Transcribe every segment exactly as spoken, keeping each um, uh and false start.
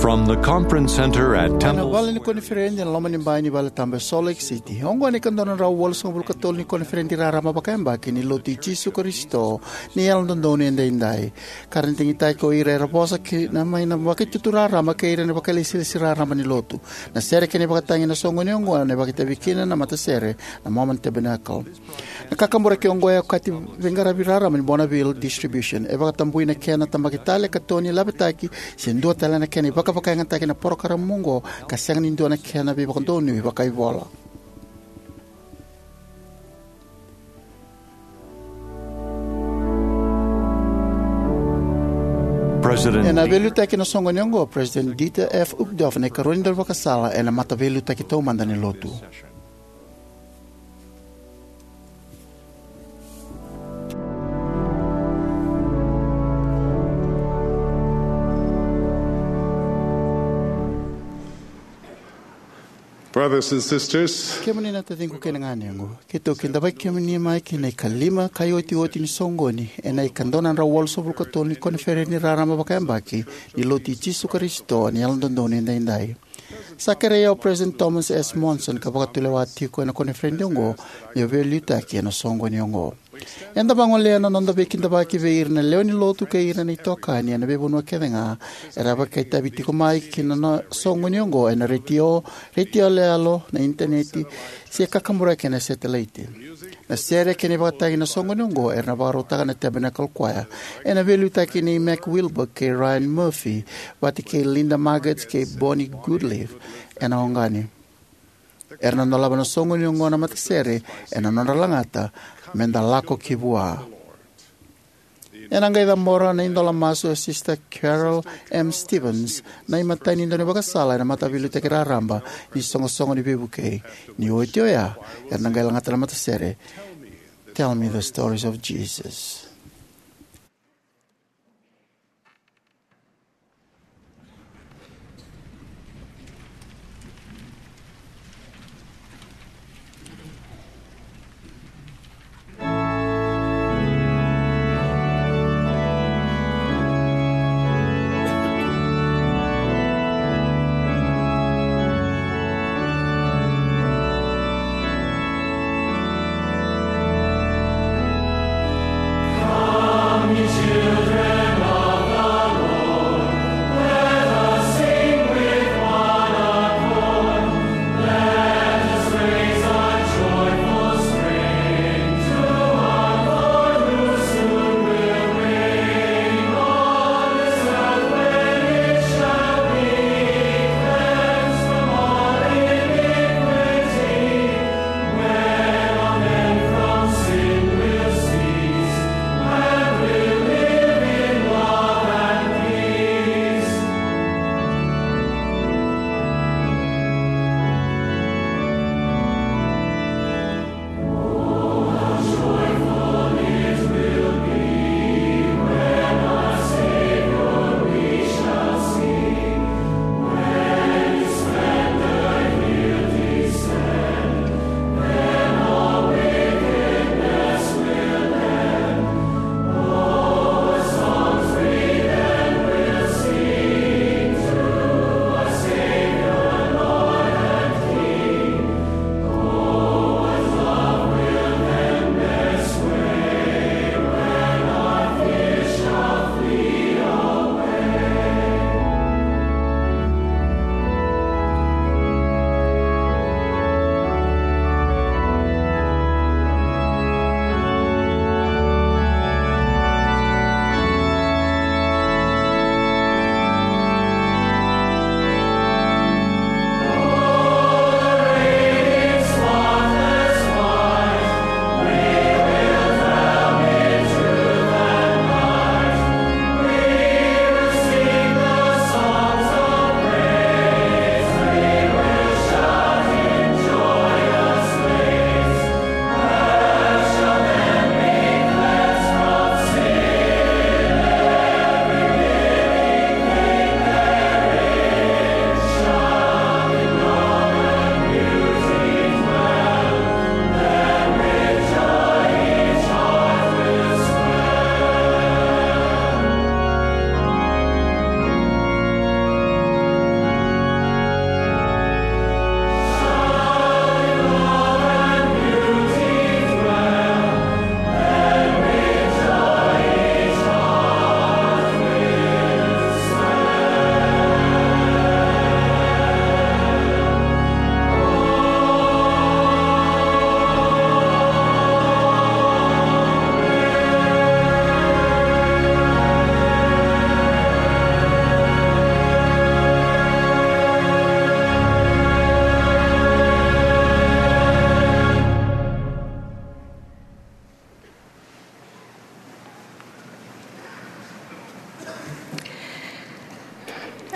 From the conference center at Temple Square. Ena vale ni koniferedi ena loma ni bai ni vale tabu e Salt Lake City. Oqo na ikadua na drau walusagavulu ka tolu ni koniferedi raraba vakayabaki ni Lotu i Jisu Karisito ni Yalododonu Edaidai. Ka ra digitaki o ira era vosa kina mai na vakaitutu raraba kei ira na vakailesilesi raraba ni Lotu. Na sere kei na ivakatagi ena soqoni oqo ena vakaitavi kina na matasere na Mormon Tabernacle. Na kakaburaki oqo e okati veiqaravi raraba ni Bonneville Distribution. E vakatabui na kena tabaki tale, katoni, lavetaki, se dua tale na kena ivakavakayagataki na parokaramu oqo, ka sega ni dua na kena veivakadonui vakaivola. President Ena veiliutaki ena soqoni oqo, President Dieter F. Uchtdorf, na ikarua ni daunivakasala ena mataveiliutaki taumada ni Lotu. Brothers and sisters, kemuni na taciqu kei na ganequ, keitou kidavaki kemuni mai ki na ikalima ka iotioti ni soqoni ena ikadua na drau walusagavulu ka tolu ni koniferedi raraba vakayabaki ni Lotu i Jisu Karisito ni Yalododonu Edaidai. Sa kerei au o President Thomas S. Monson ka vakatulewa tiko ena koniferedi oqo meu veiliutaki ena soqoni oqo. Eda vagolea na noda veikidavaki vei ira na lewe ni Lotu kei ira na itokani ena veivanua kece ga era vakaitavi tiko mai ki na soqoni oqo, ena retio, retio yaloyalo, na initaneti, se kakaburaki ena setelaiti. Na sere kei na ivakatagi ena soqoni oqo era na vakarautaka na Tabernacle Choir, ena veiliutaki nei Mac Wilberg kei Ryan Murphy, vata kei Linda Margetts kei Bonnie Goodliffe ena oqani. Era na dolava na soqoni oqo na matasere ena nodra lagata, "Meda Lako ki Vua." Ena qai cabora na idola masu o Sister Carol M. Stephens, na imatai ni daunivakasala ena mataveiliutaki raraba ni Soqosoqo ni Veivukei. Ni oti oya, era na qai lagata na matasere, "Tell Me the Stories of Jesus."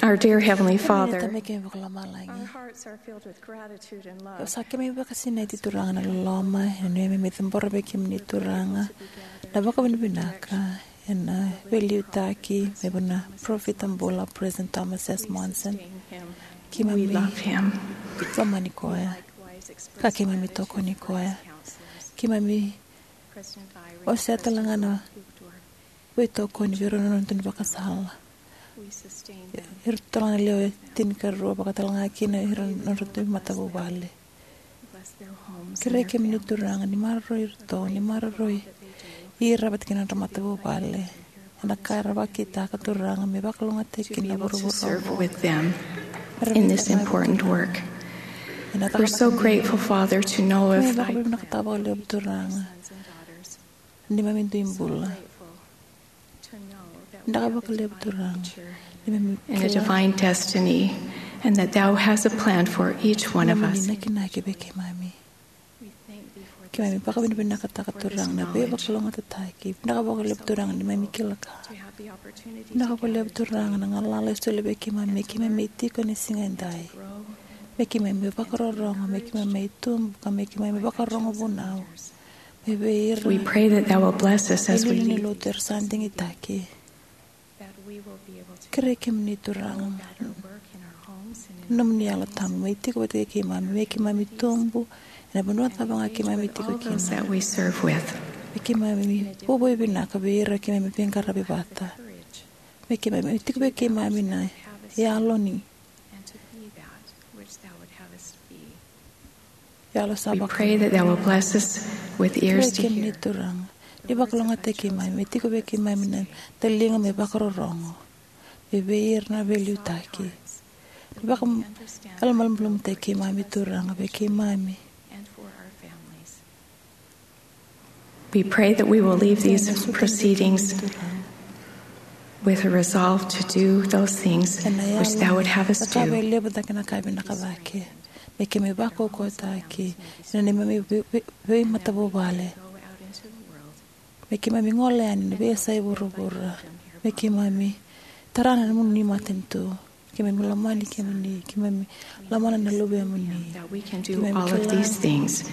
Our dear Heavenly Father, tamai keimami vakalomalagi. Our hearts are filled with gratitude and love. Sa keimami vakasinaiti Turaga na loloma, e nuiami me cabora vei kemuni Turaga na vakavinavinaka ena veiliutaki mai vua na parofita bula President Thomas S. Monson. Keimami lomani koya, ka keimami tokoni koya. Keimami wasea talega na veitokoni vei ira na nodra ivakasala. Ira talega na lewe tinikarua, vaka talega kina ira na nodra matavuvale. Kerei kemuni Turaga ni maroroi iratou, ni maroroi ira vata kei na nodra matavuvale ena ka era vakitaka Turaga me vakalougatataki kina na vuravura oqo. With them in this important work. We're so grateful, Father, to know of thy plan. Keimami vakavinavinakataka vakalevu Turaga. Neimami dui bula. Vinaka vakalevu Turaga. Neimami kila na nomuni nakinaki vei keimami. Keimami vakavinavinakataka Turaga na veivakalougatataki. Vinaka vakalevu Turaga neimami kila ka. Vinaka vakalevu Turaga na galala e soli vei keimami, me keimami tiko ena siga edai. Me keimami vakarorogo, me keimami tubu, ka me keimami vakarorogo vunau. Me vei ira. We pray that thou will bless us as we leave. Ni lotu era sa digitaki. Kerei kemuni Turaga. Nomuni Yalo Tabu me tiko vata kei keimami, me keimami tubu ena vanua cava ga keimami tiko kina. All those that we serve with. Me keimami vuavuai vinaka vei ira keimami veiqaravi vata. Me keimami tiko vei keimami na yalo ni. Yalo sa vaka. We pray that thou will bless us with ears to hear. Kerei kemuni Turaga ni vakalougatataki keimami, me tiko vei keimami na taliga me vakarorogo. Me vei ira na veiliutaki. Ni vakayalomalumalumutaki keimami Turaga vei keimami. We pray that we will leave these proceedings with a resolve to do those things which thou would have us do. Me keimami vakaukauwataki ena neimami veimatavuvale. Me keimami gole yani na veiyasai vuravura. Me keimami tara na nomuni matanitu. Keimami lomani kemuni, keimami lomana na luvemuni. That we can do all of these things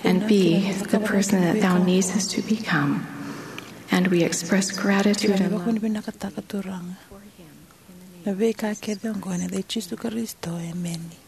and be the person that thou needs us to become. And we express gratitude and love. Keimami vakavinavinakataka Turaga na veika kece oqo ena yaca i Jisu Karisito, emeni.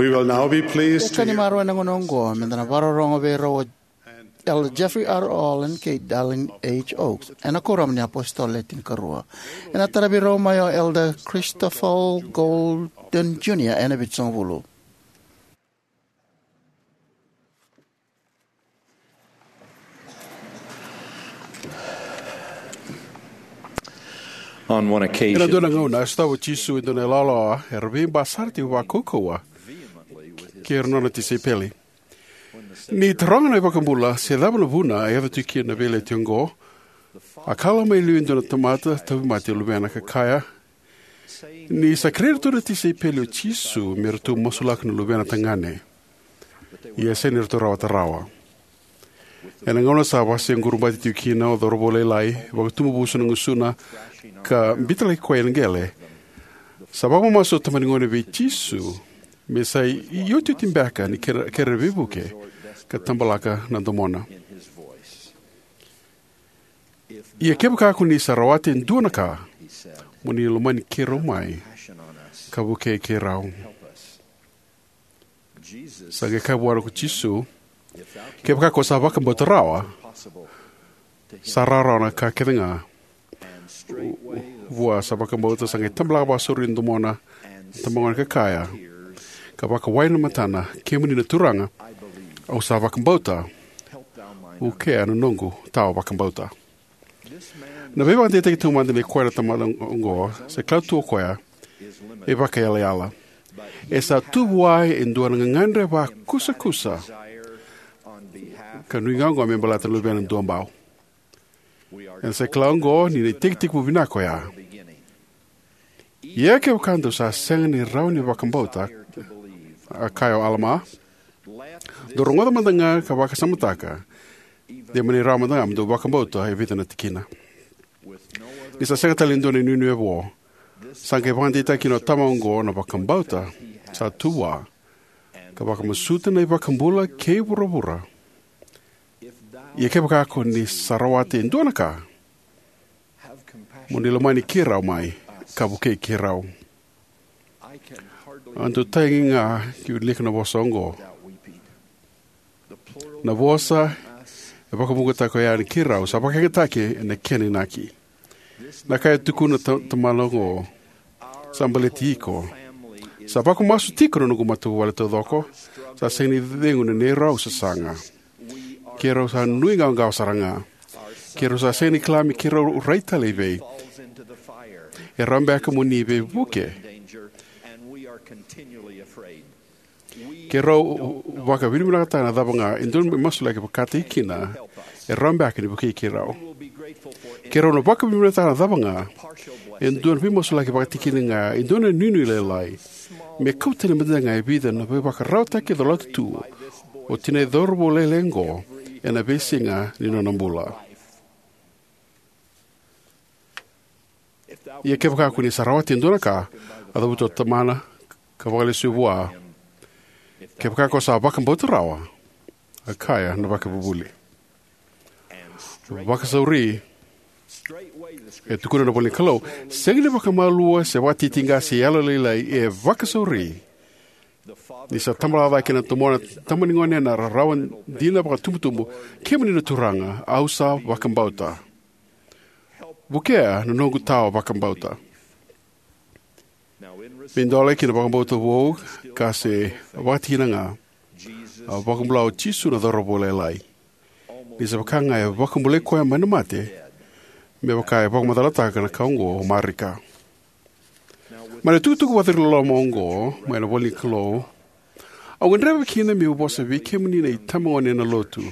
We will now be pleased to Ka ni hear marau ena gauna oqo, me da na vakarorogo vei rau o Elder Jeffrey R. Holland kei Dallin H. Oaks, ena Kuoramu ni iApositolo Le Tinikarua. Ena taravi rau mai o Elder Christopher Golden Junior ena Vitusagavulu. On one occasion, Ena dua na gauna, a sotava o Jisu e dua na ilawalawa era veiba sara tiko vakaukauwa kei ira na nona tisaipeli. Ni taroga na iVakabula se cava na vuna e yaco tiko kina na veiyalayalati oqo, a kalawa mai e liu e dua na tamata tauvimate luvena ka kaya ni sa kerei iratou na tisaipeli o Jisu me ratou masulaka na luvena tagane, ia sega ni ratou rawata rawa. Ena gauna sa vakasequrubataki tiko kina o cauravou lailai, vakatubuvusu na gusuna, ka biuta laki koya ena qele, sa vakamamasu o tamani gone vei Jisu me sa iotioti beka ni kere, kere veivuke ka tabalaka na domona. Ia kevaka ko ni sa rawata e dua na ka, mo ni lomani keirau mai ka vukei keirau. Sa qai kaya vua ko Jisu, kevaka ko sa vakabauta rawa, sa rawarawa na ka kece ga. Vua sa vakabauta sa qai tabalaka vakasauri na domona na tamagone ka kaya, ka vakawai na matana, kemuni na Turaga, au sa vakabauta, vukea na noqu tawa vakabauta. Na veivakadeitaki taumada nei koya na tamata oqo, sa kila tu o koya, e vakayalayala. E sa tu vua e dua na gagadre vakusakusa ka nuiqawaqawa me baleta na luvena duabau. Eda sa kila oqo ni na itekitekivu vinaka oya. Ia kevaka dou sa sega ni rawa ni vakabauta, a kaya o Alama, dou rogoca mada ga ka vakasamataka, de mani rawa mada ga mo dou vakabauta e vica na tikina. Ni sa sega tale ni dua na inuinui e vo, sa qai vakadeitaka kina o tama oqo na vakabauta sa tu vua, ka vakamasuta na iVakabula kei vuravura. Ia kevaka ko ni sa rawata e dua na ka, mo ni lomani keirau mai ka vukei keirau. Au dau tagi ga ke wilika na vosa oqo. Na vosa e vakavuqataki oya ni keirau sa vakayagataki ena kena inaki. Na ka e tukuna ta-, tamana oqo, sa baleti iko. Sa vakamasu tiko na noqu matavuvale taucoko. Sa sega ni cegu na neirau sasaga. Keirau sa nuiqawaqawa sara ga. Keirau sa sega ni kila me keirau rai tale i vei. E rawa beka mo ni veivuke. Keirau vakavinavinakataka na cava ga e dua na veimasulaki vakataki kina, e rawa beka ni vukei keirau. Keirau na vakavinavinakataka na cava ga e dua na veimasulaki vakataki kina ga e dua na inuinui lailai, me kau tani mada ga e vica na veivakararawataki colata tu o tinai cauravou lailai oqo ena veisiga ni nona bula. Ia kevaka ko ni sa rawata e dua na ka, a cavuta o tamana ka vakalesuya vua. Kevaka ko sa vakabauta rawa, a kaya na vakavuvuli. Vakasauri, e tukuna na ivola ni Kalou, sega ni vakamalua se vakatitiqa se yalolailai, e vakasauri. Ni sa tabalaka cake na domona na tama ni gone ena rarawa dina vakatubutubu, kemuni na Turaga, au sa vakabauta. Vukea na noqu tawa vakabauta. Me dola ki na vakabauta vou ka se vakatikina ga, a vakabula o Jisu na cauravou lailai. Ni sa vaka ga e vakabulai koya mai na mate, me vaka e vakamacalataka na ka oqo o Marika. Mai na tukutuku vakaciriloloma oqo mai na ivola ni Kalou, au gadreva kina meu vosa vei kemuni na itabagone ena lotu.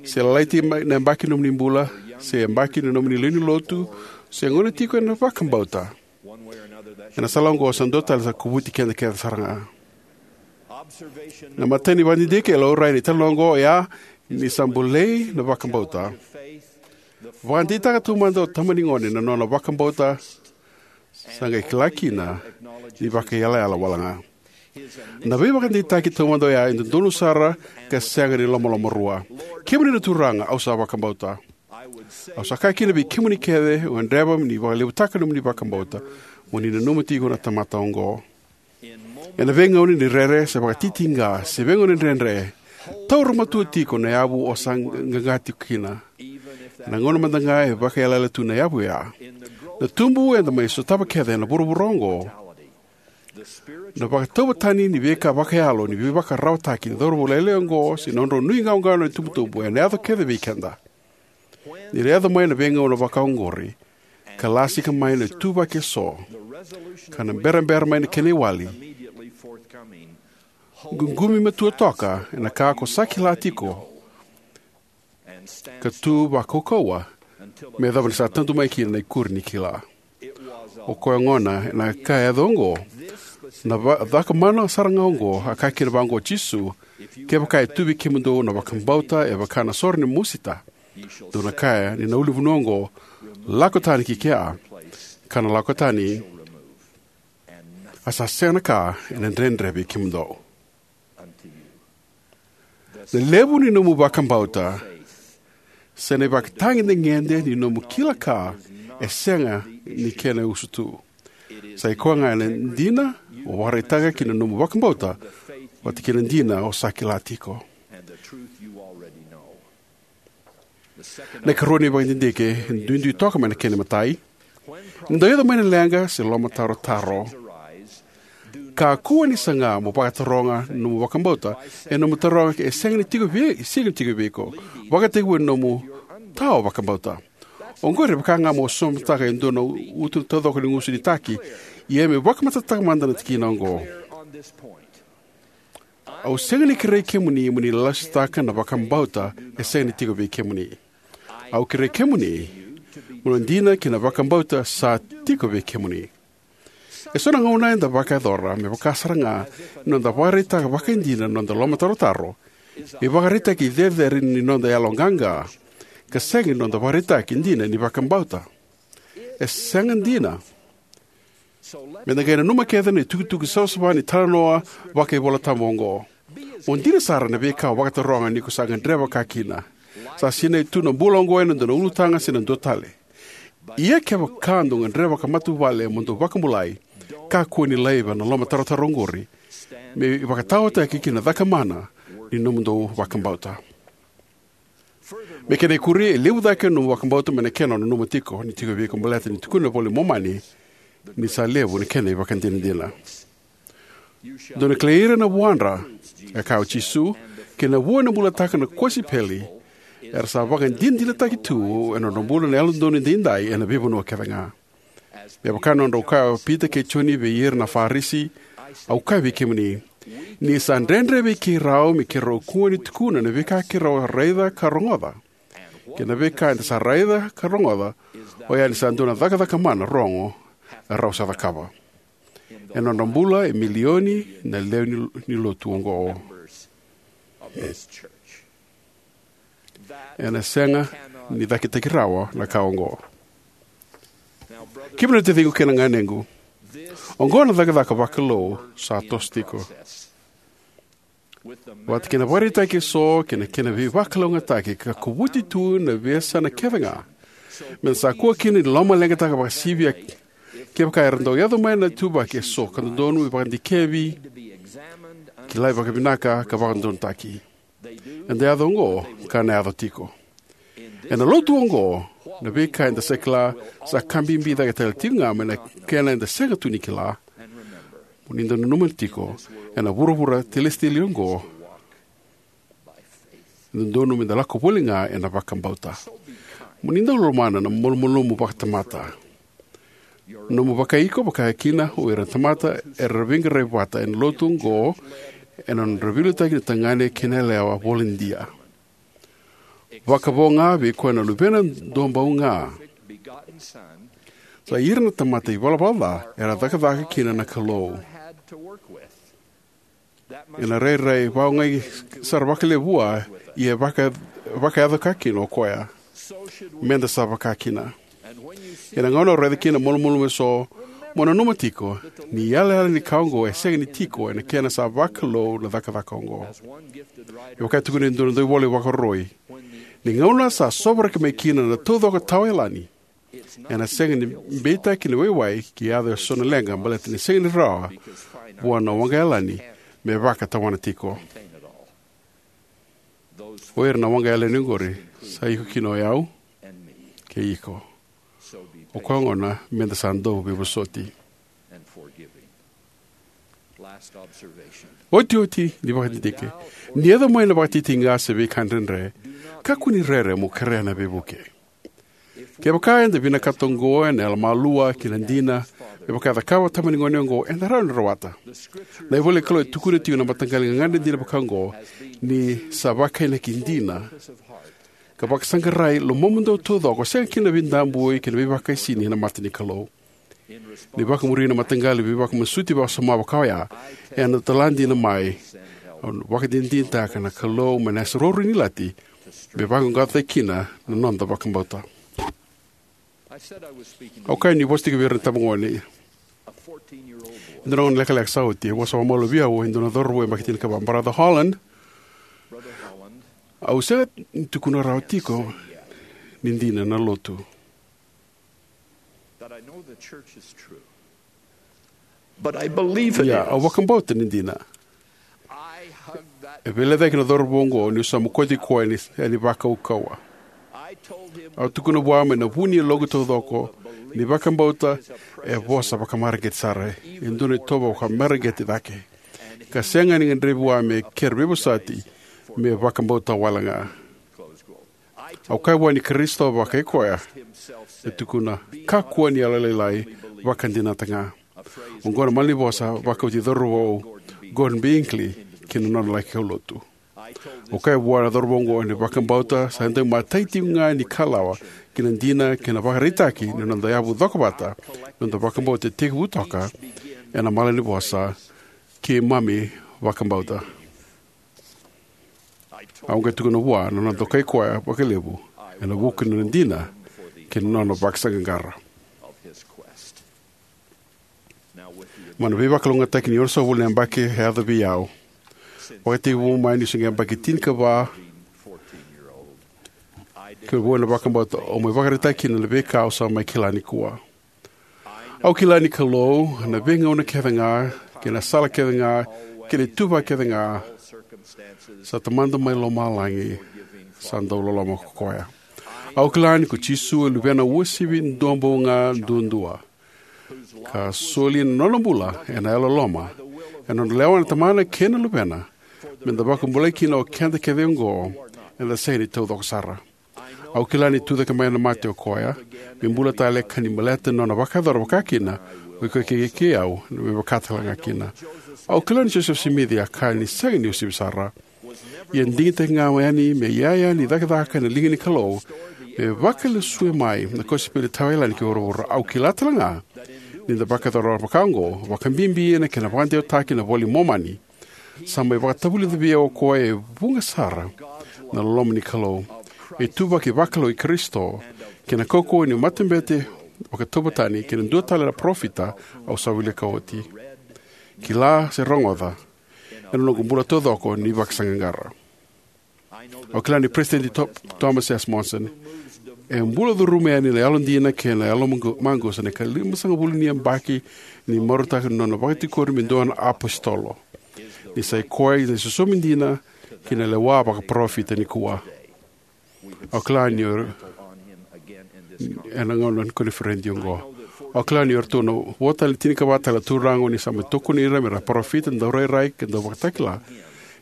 Se lalai tiko mai na yabaki ni nomuni bula, se yabaki ni nomuni lewe ni lotu, se gauna tiko ena vakabauta. Ena sala oqo sa dua tale sa kovuti keda kece sara ga. Na imatai ni vakadidike e laurai ena italanoa oqo oya ni sa bolei na vakabauta. Vakadeitaka taumada o tama ni gone na nona vakabauta, sa qai kila kina ni vakayalayala wale ga. Na veivakadeitaki taumada oya e dodonu sara ka sega ni lomalomarua. Kemuni na Turaga, au sa vakabauta. Au sa kaya kina vei kemuni kece o gadreva ni vakalevutaka nomuni vakabauta, mo ni nanuma tiko na tamata oqo. Ena veigauna ni rere se vakatitiqa se veigauna dredre, taura matua tiko na yavu o sa qaqa tiko kina, ena gauna mada ga e vakaiyalayala tu na yavu oya. Na tubu eda mai sotava kece ena vuravura oqo, na vakatauvatani ni veika vakayalo ni veivakararawataki ni cauravou lailai oqo se nodrau nuiqawaqawa na itubutubu ena yaco kece vei keda. Ni ra yaco mai na veigauna vakaoqori, ka lasika mai na ituvaki eso, ka na berabera mai na kena iwali, ququmi matua toka ena ka ko sa kila tiko, ka tu vakaukauwa me yacova ni sa tadu mai kina na ikuri ni kila. O koya gona, ena ka e yaco oqo, na va- cakamana sara ga oqo a kaya kina vaqo o Jisu: Kevaka e tu vei kemudou na vakabauta e vaka na sore ni musita, dou na kaya ni na ulunivanua oqo: Lako tani ki kea, ka na lako tani, a sa sega na ka ena dredre vei kemudou. Na levu ni nomu vakabauta se na ivakatagedegede ni nomu kila ka e sega ni kena usutu. Sa i koya ga na dina o vakaraitaka ki na nomu vakabauta vata kei na dina o sa kila tiko. Na ikarua ni vakadidike e duidui toka mai na kena imatai. Ni dau yaco mai na leqa se lomatarotaro, kakua ni saga mo vakataroga na nomu vakabauta ena nomu taroga e sega ni tiko vei, sega ni tiko vei iko, vakatekivu ena nomu tao vakabauta. Oqori e vaka ga mo somataka e dua na utu taucoko ni gusu ni taki. Ia me vakamatatataka mada na tikina oqo. Au sega ni kerei kemuni mo ni lasutaka na vakabauta e sega ni tiko vei kemuni. Au kerei kemuni mo na dina ki na vakabauta sa tiko vei kemuni. E so na gauna eda vakayacora me vaka sara ga ni noda vakaraitaka vakaidina na noda lomatarotaro, me ivakaraitaki cecere ni noda yaloqaqa, ka sega ni noda vakaraitaki dina ni vakabauta. E sega dina. Me da qai nanuma kece na itukutuku savasava ni talanoa vakaivolatabu oqo. Mo dina sara na veika o vakataroga ni ko sa gadreva ka kina. Sa sinai tu na bula oqo ena dua na ulutaga se na dua tale. Ia kevaka dou gadreva ka matavuvale mo dou vakabulai, kakua ni laiva na lomatarotaro oqori me ivakataotaki ki na cakamana ni nomudou vakabauta. Me kena ikuri, e levu cake na nomu vakabauta mai na kena o nanuma tiko ni tiko vei iko, baleta ni tukuna na iVola i Momani ni sa levu na kena ivakadinadina. Dou na kilai ira na vuadra, e kaya o Jisu, kei na vua ena bulataka na kosipeli, era sa vakadinadinataki tu ena nodra bula na Yalododonu Edaidai ena veivanua kece ga. Me vaka na nodrau kaya o Pita kei Joni vei ira na Farisi, au kaya vei kemuni, ni sa dredre vei keirau me keirau kua ni tukuna na veika keirau a raica ka rogoca. Kei na veika eda sa raica ka rogoca, oya ni sa dua na cakacaka mana rogo erau sa cakava. Ena nodra bula e milioni na lewe ni, ni lotu oqo. Ena sega ni cakitaki rawa na ka oqo. Kemuni na taciqu kei na ganequ, oqo na cakacaka vakalou sa toso tiko. Vata kei na vakaraitaki eso kei na kena veivakalougatataki ka kovuti tu na veiyasana kece ga, me da sa kua kina ni lomaleqataka vakasivia. Kevaka era dau yaco mai na ituvaki eso ka dodonu me vakadikevi, kilai vakavinaka ka vakadodonutaki. Eda yaco oqo ka na yaco tiko. Ena lotu oqo, na veika eda sa kila sa ka bibi cake tale tiko ga mai na kena eda sega tu ni kila. Mo ni dau nanuma tiko, ena vuravura telesiteli oqo, e dodonu me da lako voli ga ena vakabauta. Mo ni dau lomana na malumalumu vakatamata. Nomu vakaiko, vaka kina o ira na tamata era veiqaravi vata ena lotu oqo, ena nodra veiliutaki na tagane kei na yalewa voladia. Vakavo ga vei koya na Luvena duabau ga. Sa ira na tamata ivalavala ca era cakacaka kina na Kalou. Ena rairai vakaogai sara vakalevu vua, ia e vaka, vakayaco ka kina o koya. Me da sa vaka kina. Ena gauna o raica kina na malumalumu eso, mo nanuma tiko ni yalayala ni ka oqo e sega ni tiko ena kena sa vakalou na cakacaka oqo. E vaka e tukuna e dua na dauvola ivakaroroi, ni gauna sa sovaraki mai kina na taucoko tawayalani, ena sega ni beitaki na waiwai ke yaco eso na leqa baleta ni sega ni rawa vua na waqa yalani me vakatawana tiko. O ira na waqa yalani oqori sa iko kina o yau kei iko. O koya gona meda sa dau veivosoti. Otioti ni vakadidike, ni yaco mai na vakatitiqa se veika dredre, kakua ni rere mo kerea na veivuke. Kevaka eda vinakata oqo ena yalomalua kei na dina, me vaka e cakava o tama ni gone oqo, eda rawa ni rawata. Na ivola ni Kalou e tukuna tiko na mataqali gagadre dina vaka oqo ni sa vakainaki dina, ka vakasaqarai lomamudou taucoko, sega kina na veidabui kei na veivakaisini ena mata ni Kalou. Ni vakamuri na mataqali veivakamasuti vakasoma vaka oya, ena tala dina mai, au vakadinadinataka na Kalou mai na yasa ruru ni lati, me vaqaqacotaki kina na noda vakabauta. Au kaya ni vosa tiko vei ira na tabagone. E dua na gauna lekaleka sa oti, e vosa vakamalua vei au e dua na cauravou yabaki tinikava, Brother Holland, au sega ni tukuna rawa tiko ni dina na lotu. But I believe it Ia, au is. Vakabauta ni dina. I hug that E veilecayaki na cauravou oqo niu sa mokoti koya ni, yani vakaukauwa. I told him Au tukuna vua mai na vu ni yaloqu taucoko ni vakabauta e vosa vakamareqeti sara. E dua na itovo vakamareqeti cake. Ka sega ni gadrevi vua me kere veivosoti me vakabauta wale ga. Au kaya vua ni Karisito vakai koya e tukuna, kakua ni yalolailai, vakadinata ga. Oqo na malanivosa vakauti cauravou Gordon B. Hinckley ki na nona laki kaulotu. Au kaya vua na cauravou oqo ni vakabauta sa dau matai tiko ga ni kalawa ki na dina kei na vakaraitaki ni noda yavu cokovata, noda vakabauta e tekivu toka ena malanivosa, keimami vakabauta. Au qai tukuna vua na nona dokai koya vakalevu ena vuku ni nona dina kei na nona vakasaqaqara. Mai na veivakalougatataki ni onosagavulu na yabaki e yaco vei au, vakatekivu mai niu se qai yabaki tinikava, kei vua na vakabauta au mai vakaraitaki kina na veika au sa mai kila nikua. Au kila ni Kalou, na veigauna kece ga, kei na sala kece ga, kei na ituvaki kece ga, sa Tamada mai lomalagi, sa dau loloma ko koya. Au kila ni ko Jisu e Luvena uasivi duabau ga duadua, ka soli na nona bula ena yalololoma, ena nodra lewa na Tamana kei na Luvena, meda vakabulai kina o keda kece oqo, eda sega ni taucoko sara. Au kila ni tucake mai na mate o koya, me bula tale ka ni baleta na nona vakayacora vakakina, o iko kei, kei au, me vaka tale ga kina. Au kila ni Josefa Simici a kaya ni sega ni uasivi sara. Ia digitaki ga yani me iyaya ni cakacaka ena liga ni Kalou, me vakalesui mai na kosipeli tawa yalani ki vuravura. Au kila tale ga, ni da vakayacora vaka oqo, vakabibi ena kena vakadewataki na iVola i Momani. Sa mai vakatavulica vei au o koya e vuqa sara na loloma ni Kalou, ituvaki vakalou i Karisito, kei na kaukauwa ni matabete vakatauvatani, kei na dua tale na parofita au sa wilika oti. Kila se rogoca, ena noqu bula taucoko ni vakasaqaqara. Au kila ni Peresitedi Tho-, Thomas S. Monson, e bula curuma yani na yalodina kei na yalo maqusa ena ikalimasagavulu ni yabaki ni marautaka na nona vakatikori me dua na apositolo. Ni sa i koya na isosomi dina ki na lewa vakaparofita nikua. Au kila ni o, ena gauna ni koniferedi oqo. Au kila ni o iratou na vo tale tinikava tale na turaga ni sa mai tokoni ira me ra parofita, daurairai, kei na dauvakatakila.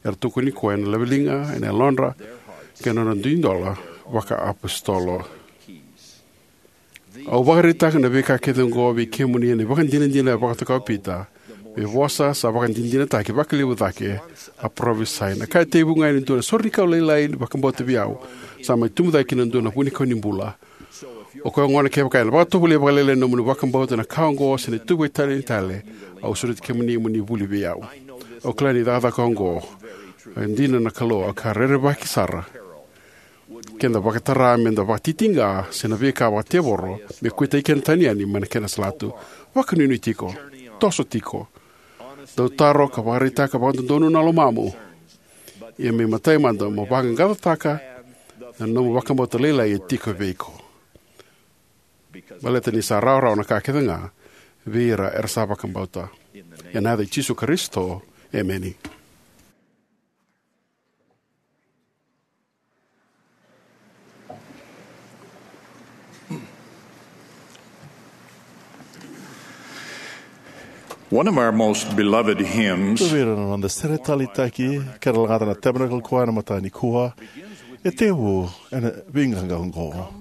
Era tokoni koya ena laveliga, ena yalodra, kei na nodra dui dola vakaapositolo. Au vakaraitaka na veika kece oqo vei kemuni ena ivakadinadina e vakatoka o Pita, me vosa sa vakadinadinataki vakalevu cake, a parofisai. Na ka e tekivu ga ena dua na sore ni kau lailai ni vakabauta vei au, sa mai tubu cake ki na dua na vunikau ni bula. O koya gona kevaka ena vakatovolei vakalailai na nomuni vakabauta ena ka oqo se na ituvaki tale ni tale, au sureti kemuni mo ni vuli vei au. Au kila ni cakacaka oqo e dina na Kalou, au ka rerevaki sara. Keda vakatara meda vakatitiqa se na veika vakatevoro, me kuitaki keda tani yani mai na kena salatu. Vakanuinui tiko. Toso tiko. Dau taro ka vakaraitaka vakadodonu na lomamu. Ia me matai mada mo vaqaqacotaka na nomu vakabauta lailai e tiko vei iko. Baleta ni sa rawarawa na ka kece ga vei ira era sa vakabauta. Ena yaca i Jisu Karisito, emeni. One of our most beloved hymns. Dua vei ira na noda sere taleitaki, kera lagata na Tabernacle Choir ena mataka nikua, e tekivu ena veiqaqa oqo: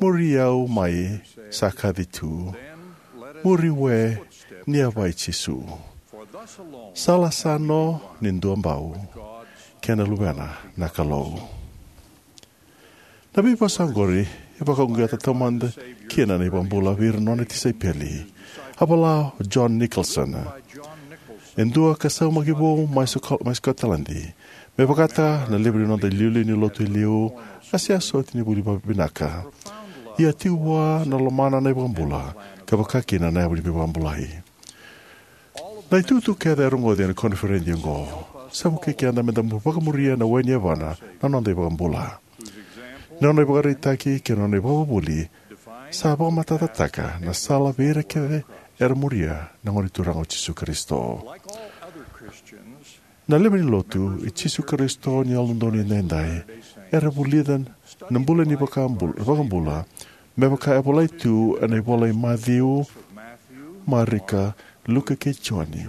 Muri au mai, sa kaci tu. Muri we, ni yavai Jisu. Sala sa no ni dua bau, kei na Luvena na Kalou. Na veivosa oqori e vakaoqeta taumada kina na iVakabula vei ira na nona tisaipeli. A vola o John Nicholson, e dua ka saumaki vou mai Soko-, mai Scotland. Me vakataka na levu ni noda iliuliu ni lotu e liu, a sega soti ni vuli vakavinaka. Ia tiko vua na lomana na iVakabula, ka vaka kina na yavu ni veivakabulai. Na itukutuku kece e rogoci ena koniferedi oqo sa vukei keda meda mu-, vakamuria na we ni yavana na noda iVakabula. Na nona ivakaraitaki kei na nona ivakavuvuli sa vakamatatataka na sala vei ira kece era muria na Gone Turaga o Jisu Karisito. Na lewe ni lotu i Jisu Karisito ni Yalododonu Edaidai era vulica na bula ni vakabul-, vakabula, me vaka e volai tu ena ivola i Maciu, Marika, Luke kei Joni.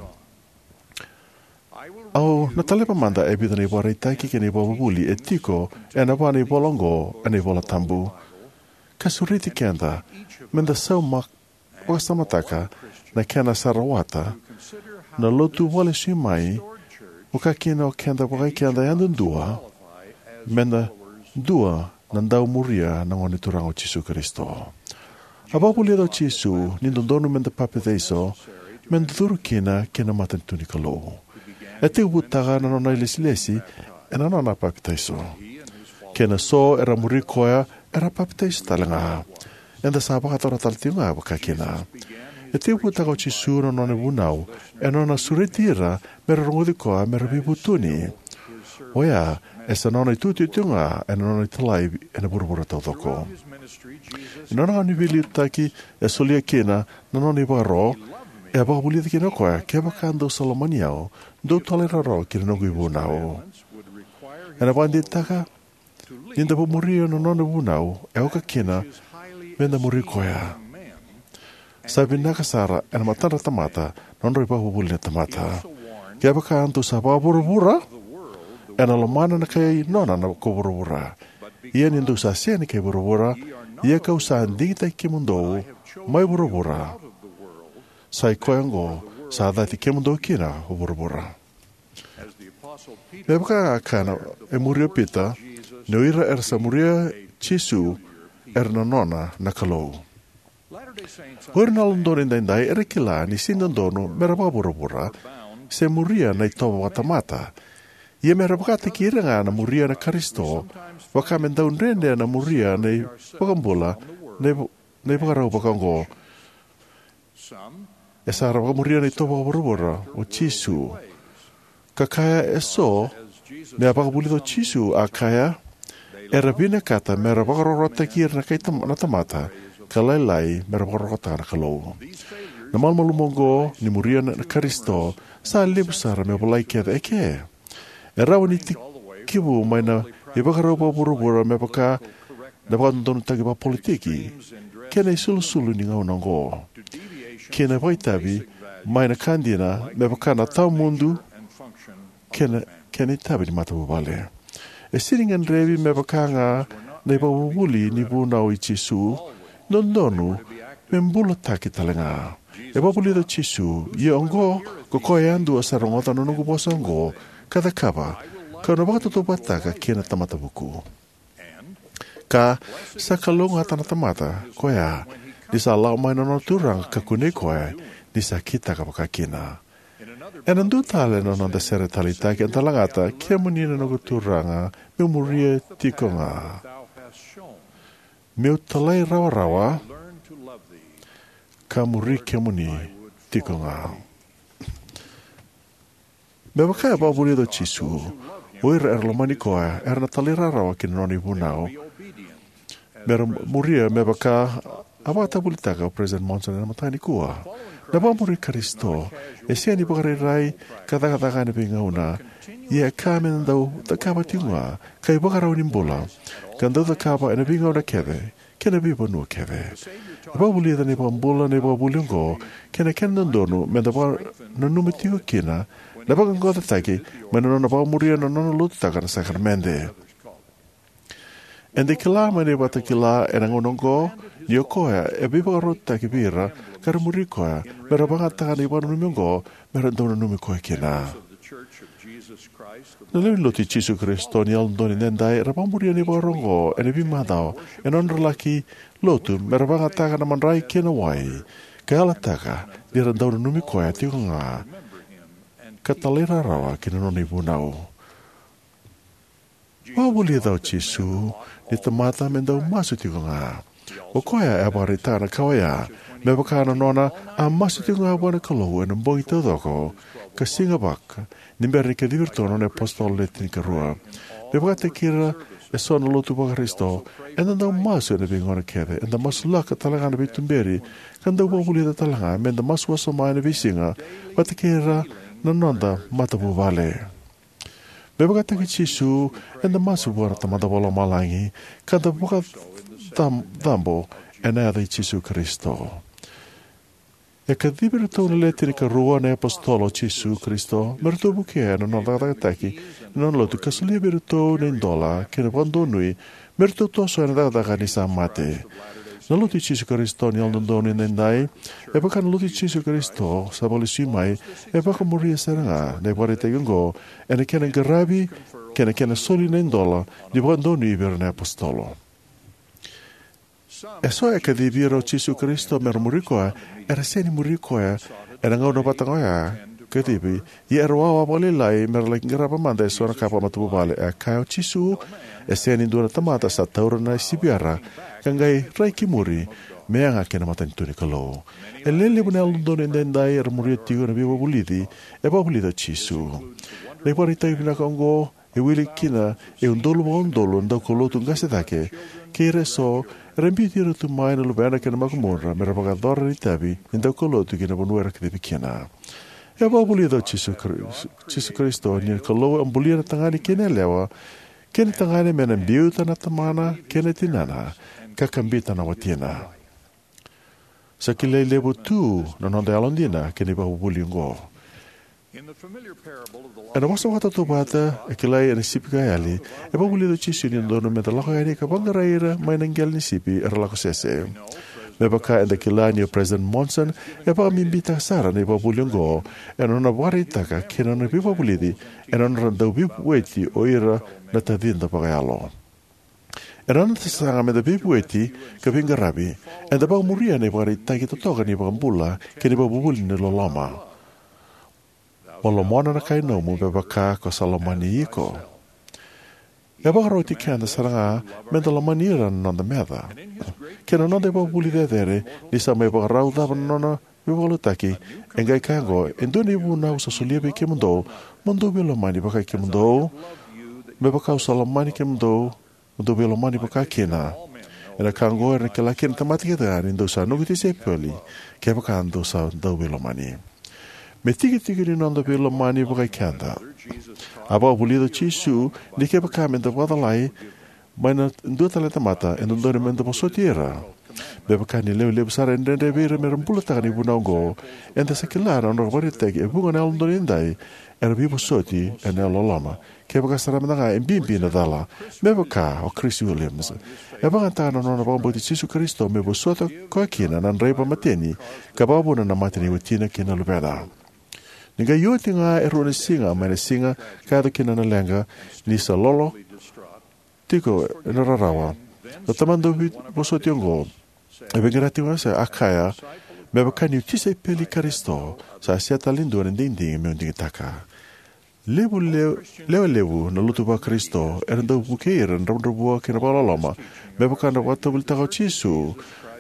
Au na taleva mada e vica na ivakaraitaki kei na ivakavuvuli e tiko ena va na ivola oqo ena iVola Tabu, ka sureti keda meda sauma-, vakasamataka na kena sa rawata na lotu vakalesui mai, vaka kina o keda vakaikeda yadudua, meda dua na dau muria na Gone Turaga o Jisu Karisito. A vakavulica o Jisu ni dodonu meda papitaiso, meda curu kina ki na matanitu ni Kalou. E tekivutaka na nona ilesilesi ena nona papitaiso. Kei na so era muri koya era papitaiso tale ga. Eda sa vakayacora tale tiko ga vaka kina. E tekivutaka o Jisu na nona vunau ena nona sureti ira mera rogoci koya mera veivutuni. Oya e sa nona itutu tiko ga ena nona italai ena vuravura taucoko. Ena nona gauna ni veiliutaki e solia kina na nona ivakaro, e vakavulica kina o koya, kevaka dou sa lomani au, dou talairawarawa ki na noqu ivunau. Ena vakadeitaka ni da vakamuria na nona vunau e oka kina meda muri koya. Sa vinaka sara ena matadra tamata na nodra ivakavuvuli na tamata. Kevaka dou sa vakavuravura, ena lomana na kai nona na ko vuravura. Ia ni dou sa sega ni kai vuravura, ia kau sa digitaki kemudou mai vuravura, sa i koya oqo sa cati kemudou kina ko vuravura. Me vaka ga a kaya na, e muri o Pita, ni o ira era sa muria Jisu era na nona na Kalou. O ira na Yalododonu Edaidai era kila ni sega ni dodonu mera vakavuravura se muria na itovo vakatamata. Ia mera vakataki ira ga na muria na Karisito, vaka me dau dredre na muria na iVakabula, na iv-, na ivakarau vaka oqo. E sa ra vakamuria na itovo vakavuravura o Jisu. Ka kaya e so, me a vakavulica o Jisu, a kaya, era vinakata mera vakarorotaki ira na kai tam-, na tamata, ka lailai mera vakarorotaka na Kalou. Na malumalumu oqo ni muria na, na Karisito sa levu sara me volai kece eke. E rawa ni tekivu mai na ivakarau vakavuravura me vaka na vakadodonutaki vakapolitiki kei na isulusulu ni gauna oqo, kei na vakaitavi mai na ka dina me vaka na tawamudu kei na, kei na itavi ni matavuvale. E sega ni gadrevi me vaka ga na ivakavuvuli ni vunau i Jisu, dodonu me bulataki tale ga. E vakavulica o Jisu, ia oqo ko koya yadua sa rogoca na noqu vosa oqo ka cakava, kau na vakatautauvatataka kei na tamata vuku. Ka sa kalougata na tamata koya ni sa lako mai na nona Turaga ka kunei koya ni sa kitaka vakakina. Ena dua tale na noda sere taleitaki eda lagata, kemuni na noqu Turaga, meu muria tiko ga. Meu talairawarawa ka muri kemuni tiko ga. Me vaka e vakavulica o Jisu, o ira era lomani koya era na talairawarawa ki na nona ivunau mera muria, me vaka a vakatavulitaka o President Monson ena mataka nikua. Na vakamuri Karisito e sega ni vakarairai ka cakacaka ena veigauna, ia e ka me da dau cakava tiko ga ka ivakarau ni bula, ka dau cakava ena veigauna kece kei na veivanua kece. E vakavulica na iVakabula na ivakavuvuli oqo kei na kena dodonu me da vakananuma tiko kina na vaqaqacotaki mai na nona vakamuria na nona lotutaka na sakaramede. Eda kila mai na ivakatakila ena gauna oqo ni o koya e veivakarautaki vei ira ka ra muri koya me ra vakayagataka na ivakananumi oqo me ra dau nanumi koya kina. Na lewe ni Lotu i Jisu Karisito ni Yalododonu Edaidai era vakamuria na ivakaro oqo ena veimacawa ena nodra laki lotu me ra vakayagataka na madrai kei na wai, ka yalataka ni ra dau nanumi koya tiko ga ka talairawarawa ki na nona ivunau. Vakavulica o Jisu ni tamata me dau masu tiko ga. O koya e vakaraitaka na ka oya me vaka na nona a masu tiko ga vua na Kalou ena bogi taucoko ka siga vaka ni bera ni kacivi iratou na nona iApositolo Le Tinikarua. Me vakataki ira eso na lotu vaKarisito, eda dau masu ena veigauna kece, eda masulaka tale ga na veituberi, ka dau vakavulica tale ga me da masu wasoma ena veisiga vata kei ira na noda matavuvale. Me vakataki Jisu, eda masu vua na Tamada Vakalomalagi ka da vakacabo ena yaca i Jisu Karisito. E kacivi iratou na Le Tinikarua na iApositolo o Jisu Karisito me ratou vukea ena nona cakacakataki na nona lotu ka solia vei iratou na idola kei na vakadonui me ratou toso ena cakacaka ni sa mate. Na Lotu i Jisu Karisito ni Yalododonu Edaidai, e vaka na Lotu i Jisu Karisito sa vakalesui mai, e vakamuria sara ga na ivakaraitaki oqo ena kena qaravi kei na kena soli na idola ni vakadonui vei ira na iapositolo. Eso e kacivi ira o Jisu Karisito me ra muri koya era sega ni muri koya ena gauna vata ga oya kacivi, ia era wawa vakalailai me ra laki qarava mada eso na ka vakamatavuvale. E kaya o Jisu, e sega ni dua na tamata sa taura na siviyara ka qai rai ki muri me yaga ki na matanitu ni Kalou. E lewe levu na Yalododonu Edaidai era muria tiko na veivakavulici e vakavulica o Jisu. Na ivakaraitaki vinaka oqo e wili kina e udolu vakaudolu na daukaulotu qase cake kei ira eso era biuti ira tu mai na luvena kei na makubudra me ra vakayacora na itavi ni daukaulotu ki na vanua era kacivi kina. E vakavulica o Jisu Karis-, Jisu Karisito ni na Kalou a bulia na tagane kei na yalewa kei na tagane me na biuta na tamana kei na tinana ka kabita na watina. Sa kilai levu tu na noda yalodina kei na ivakavuvuli oqo. Ena vosa vakatautauvata e kilai ena sipi ka yali, e vakavulica o Jisu ni dodonu me da lako yani ka vaqarai ira mai na qele ni sipi era lako sese. Me vaka eda kila ni o President Monson e vakabibitaka sara na ivakavuvuli oqo ena nona vakaraitaka kei na nona veivakavulici ena nodra dau veivueti o ira na tacida vakayalo. Ena noda sasaga me da veivueti ka veiqaravi, eda vakamuria na ivakaraitaki totoka ni iVakabula kei na ivakavuvuli ni loloma. Mo lomana na kai nomu me vaka ko sa lomani iko. E vakaroti keda sara ga me da lomani ira na noda meca. Kei na noda ivakavuvuli cecere, ni sa mai vakarau cava na nona veivakalougatataki, e qai kaya oqo: E dua na ivunau au sa solia vei kemudou, mo dou veilomani vaka kemudou, me vaka au sa lomani kemudou, mo dou veilomani vaka kina. Ena ka oqo era na kila kina na tamata kece ga ni dou sa noqu tisaipeli, kevaka dou sa dau veilomani. Me tikitiki ni noda veilomani vakai keda, a vakavulica o Jisu ni kevaka me da vakacalai mai na dua tale na tamata, e dodonu me da vosoti ira. Me vaka ni lewe levu sara e dredre vei ira me ra bulataka na ivunau oqo, eda sa kila na nodra vakaraitaki e vuqa na Yalododonu Edaidai era veivosoti ena yalololoma. Kevaka sara mada ga e bibi na cala, me vaka o Chris Williams, e vakayagataka na nona vakabauti Jisu Karisito me vosota koya kina na draiva mateni ka vakavuna na mate ni watina kei na luvena. Ni qai oti ga e rua na siga mai na siga ka yaco kina na leqa, ni sa lolo tiko ena rarawa, na tamata dau veivosoti oqo e veiqaravi tiko ga, sa kaya: Me vaka niu tisaipeli i Karisito, sa sega tale ni dua na digidigi meu digitaka. Levu le-, lewe levu na lotu vaKarisito era dau vukei ira na dravudravua kei na vakaloloma, me vaka na vakatauvalitaka o Jisu.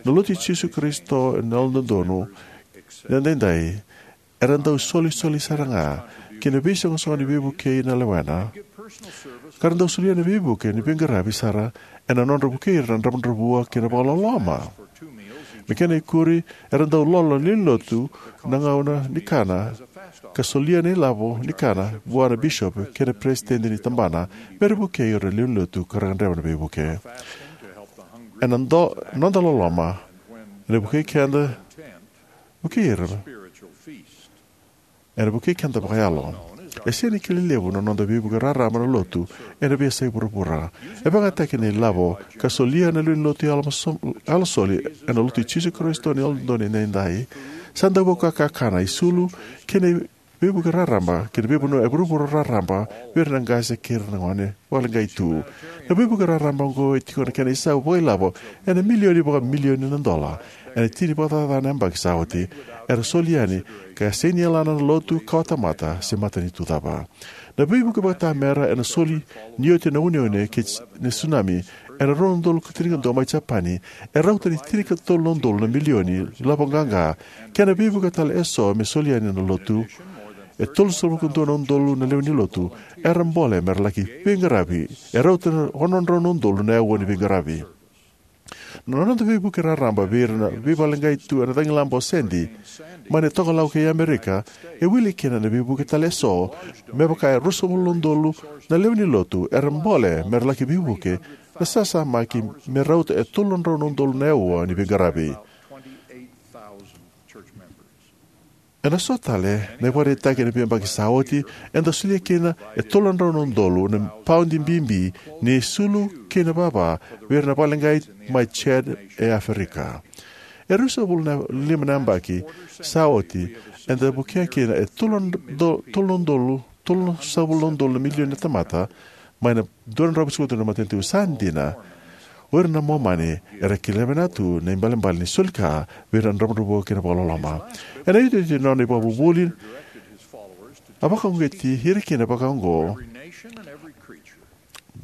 Na Lotu i Jisu Karisito ni Yalododonu Edaidai era dau solisoli sara ga ki na veisoqosoqo ni veivukei na lewena, ka ra dau solia na veivuke ni veiqaravi sara ena nodra vukei ira na dravudravua kei na vakaloloma. Me kena ikuri, era dau lolo na lewe ni lotu na gauna ni kana, ka solia na ilavo ni kana vua na bisopi kei na peresitedi ni tabana, me ra vukei ira na lewe ni lotu ka ra gadreva na veivuke. Ena do, noda loloma, ena vukei keda, vukei ira. Ena vukei keda vakayalo. E sega ni kilai levu na noda veivuke raraba na lotu ena veiyasai vuravura. E vakayagataki na ilavo ka solia na lewe ni lotu yalo maso-, yalo soli ena Lotu i Jisu Karisito ni Yalododonu Edaidai. Sa dau vakakakana, isulu kei na veivuke raraba kei na veivanua e vuravura raraba vei ira na qase kei ira na gone vakaleqai tu. Na veivuke raraba oqo e tiko na kena isau vakailavo ena milioni vakamilioni na dola ena tini vakacaca na yabaki sa oti. Era soli yani ka sega ni yalana na lotu, kawatamata se matanitu cava. Na veivuke vakatamera ena soli ni oti na uneune kei na tsunami ena rua na udolu ka tinikadua mai Japani, e rauta ni tinikatolu na udolu na milioni ilavo qaqa, kei na veivuke tale eso me soli yani na lotu. E tolusagavulu ka dua na udolu na lewe ni lotu era bole me ra laki veiqaravi, e rauta na ono na drau na udolu na aua ni veiqaravi. Na noda veivuke raraba vei ira na veivakaleqai tu ena cagilaba o Sandy mai na Tokalau kei Amerika, e wili kina na veivuke tale eso, me vaka e ruasagavulu na udolu na lewe ni lotu era bole me ra laki veivuke, na sasamaki me rauta e tolu na drau na udolu na aua ni veiqaravi. Ena so tale na ivakaraitaki ena veiyabaki sa oti, eda solia kina e tolu na drau na udolu na paudi bibi ni isulu kei na vava vei ira na vakaleqai mai Chad e Aferika. E ruasagavulu na lima na yabaki sa oti, eda vukea kina e tolu na do-, tolu na udolu, tolusagavulu na udolu na milioni na tamata mai na dua na drau vitusagavulu na matanitu. Sa dina, o ira na Momani era kila vinaka tu na ibalebale ni soli ka vei ira na dravudravua kei na vakaloloma. Ena iotioti ni nona ivakavuvuli, a vakauqeti ira kina vakaoqo: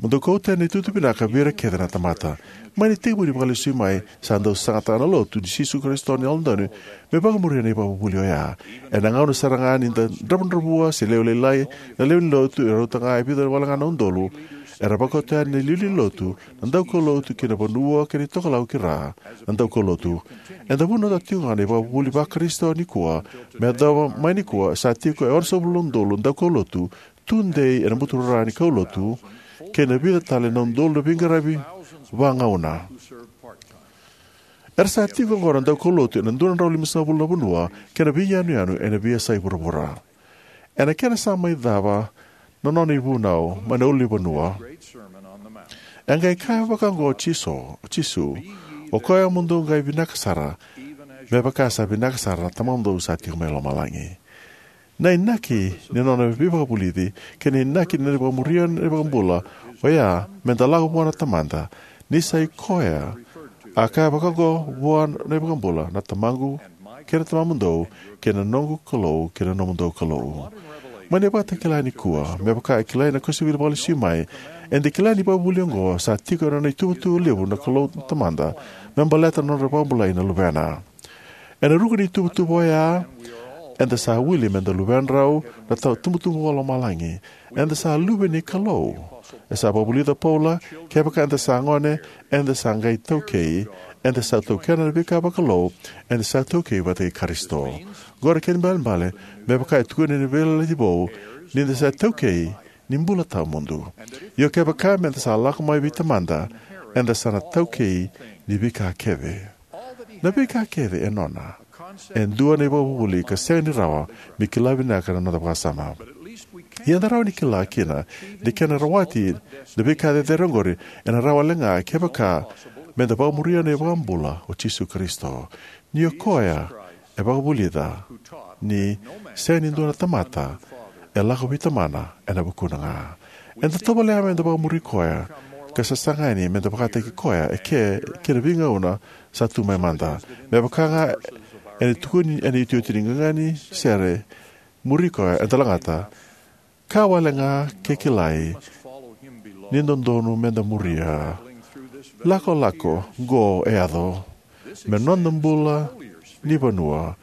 Mo dou kauta na itutu vinaka vei ira kece na tamata. Mai na itekivu ni Vakalesui Mai, sa dau sasagataka na Lotu i Jisu Karisito ni Yalododonu me vakamuria na ivakavuvuli oya. Ena gauna sara ga ni da dravudravua se lewe lailai na lewe ni lotu, e rauta ga e vica wale ga na udolu era vakauta yani na iliuliu ni lotu, na daukaulotu ki na vanua kei na itokalau ki ra na daukaulotu. Eda vunautaka tiko ga na ivakavuvuli va-Karisito nikua. Me yacova mai nikua, sa tiko e onosagavulu na udolu na daukaulotu tudei ena buturara ni kaulotu, kei na vica tale na udolu na veiqaravi vagauna. Era sa tiko oqo na daukaulotu ena dua na drau limasagavulu na vanua kei na veiyanuyanu ena veiyasai vuravura. Ena kena sa mai cava na nona ivunau mai na ulunivanua, e qai kaya vakaoqo o Jisu, o Jisu: "O koya mo dou qai vinaka sara, me vaka sa vinaka sara na Tamamudou sa tiko mai lomalagi." Na inaki ni nona veivakavulici kei na inaki ni nona vakamuria na iVakabula oya meda lako vua na Tamada, ni sa i koya a kaya vakaoqo vua na iVakabula: "Na Tamaqu kei na Tamamudou, kei na noqu Kalou kei na nomudou Kalou." Mai na ivakatakila nikua, me vaka e kilai na kosipeli vakalesui mai, eda kila ni ivakavuvuli oqo sa tiko ena nona ituvatuva levu na Kalou na Tamada me baleta na nodra vakabulai na luvena. Ena ruku ni ituvatuva oya, eda sa wili meda luvedrau na ta-, tubutubu vakalomalagi. Eda sa luve ni Kalou. E sa vakavulica o Paula, kevaka eda sa gone, eda sa qai taukei. Eda sa taukena na veika vakalou, eda sa taukei vata kei Karisito. Oqo na kena ibalebale, me vaka e tukuni ena Veiyalayalati Vou, ni da sa taukei ni bula tawamudu. Io, kevaka meda sa lako mai vei Tamada, eda sa na taukei ni veika kece. Na veika kece e nona. E dua na ivakavuvuli ka sega ni rawa me kila vinaka na noda vakasama. Ia eda rawa ni kila kina na kena rawati na veika cecere oqori, ena rawa wale ga kevaka meda vakamuria na iVakabula o Jisu Karisito. Ni o koya e vakavulica ni sega ni dua na tamata e lako vei Tamana ena vukuna ga. Eda tovolea meda vakamuri koya ka sasaga yani meda vakataki koya eke kei na veigauna sa tu mai mada. Me vaka ga ena tukuni ena iotioti ni qaqa ni sere, muri koya eda lagata, ka wale ga ke kilai ni dodonu meda muria. Lakolako qo e yaco me noda bula ni vanua,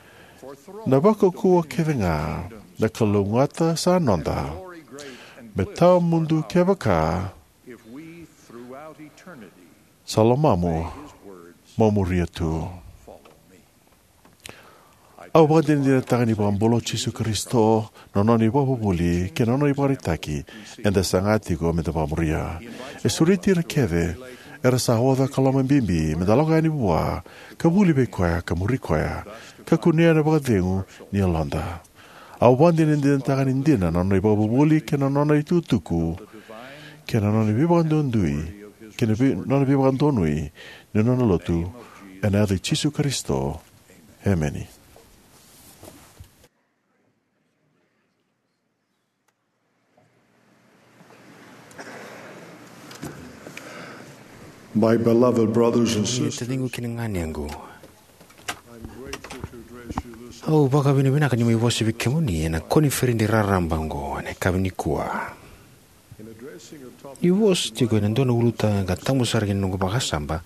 na vakaukauwa kece ga na kalougata sa noda, me tawamudu kevaka sa lomamu mo muria tu. Au vakadinadinataka ni vakabula o Jisu Karisito, na nona ivakavuvuli kei na nona ivakaraitaki eda saga tiko me da vakamuria. E sureti ira kece era sa oca ka lomabibi me da lako yani vua, ka vuli vei koya, ka muri koya, ka kunea na vakacegu ni yaloda. Au vakadinadinataka ni dina na nona ivakavuvuli kei na nona itukutuku kei na nona veivakadonui, kei na vei, nona veivakadonui ni nona lotu, ena yaca i Jisu Karisito. Emeni. My beloved brothers and Kemuni na sisters, taciqu kei na ganequ, I'm grateful to address you this au vakavinavinaka ni mai vosa vei kemuni ena koniferedi raraba oqo ena yakavi nikua. In addressing a topic Ni vosa tiko ena dua na ulutaga ka tabu sara ki na noqu vakasama,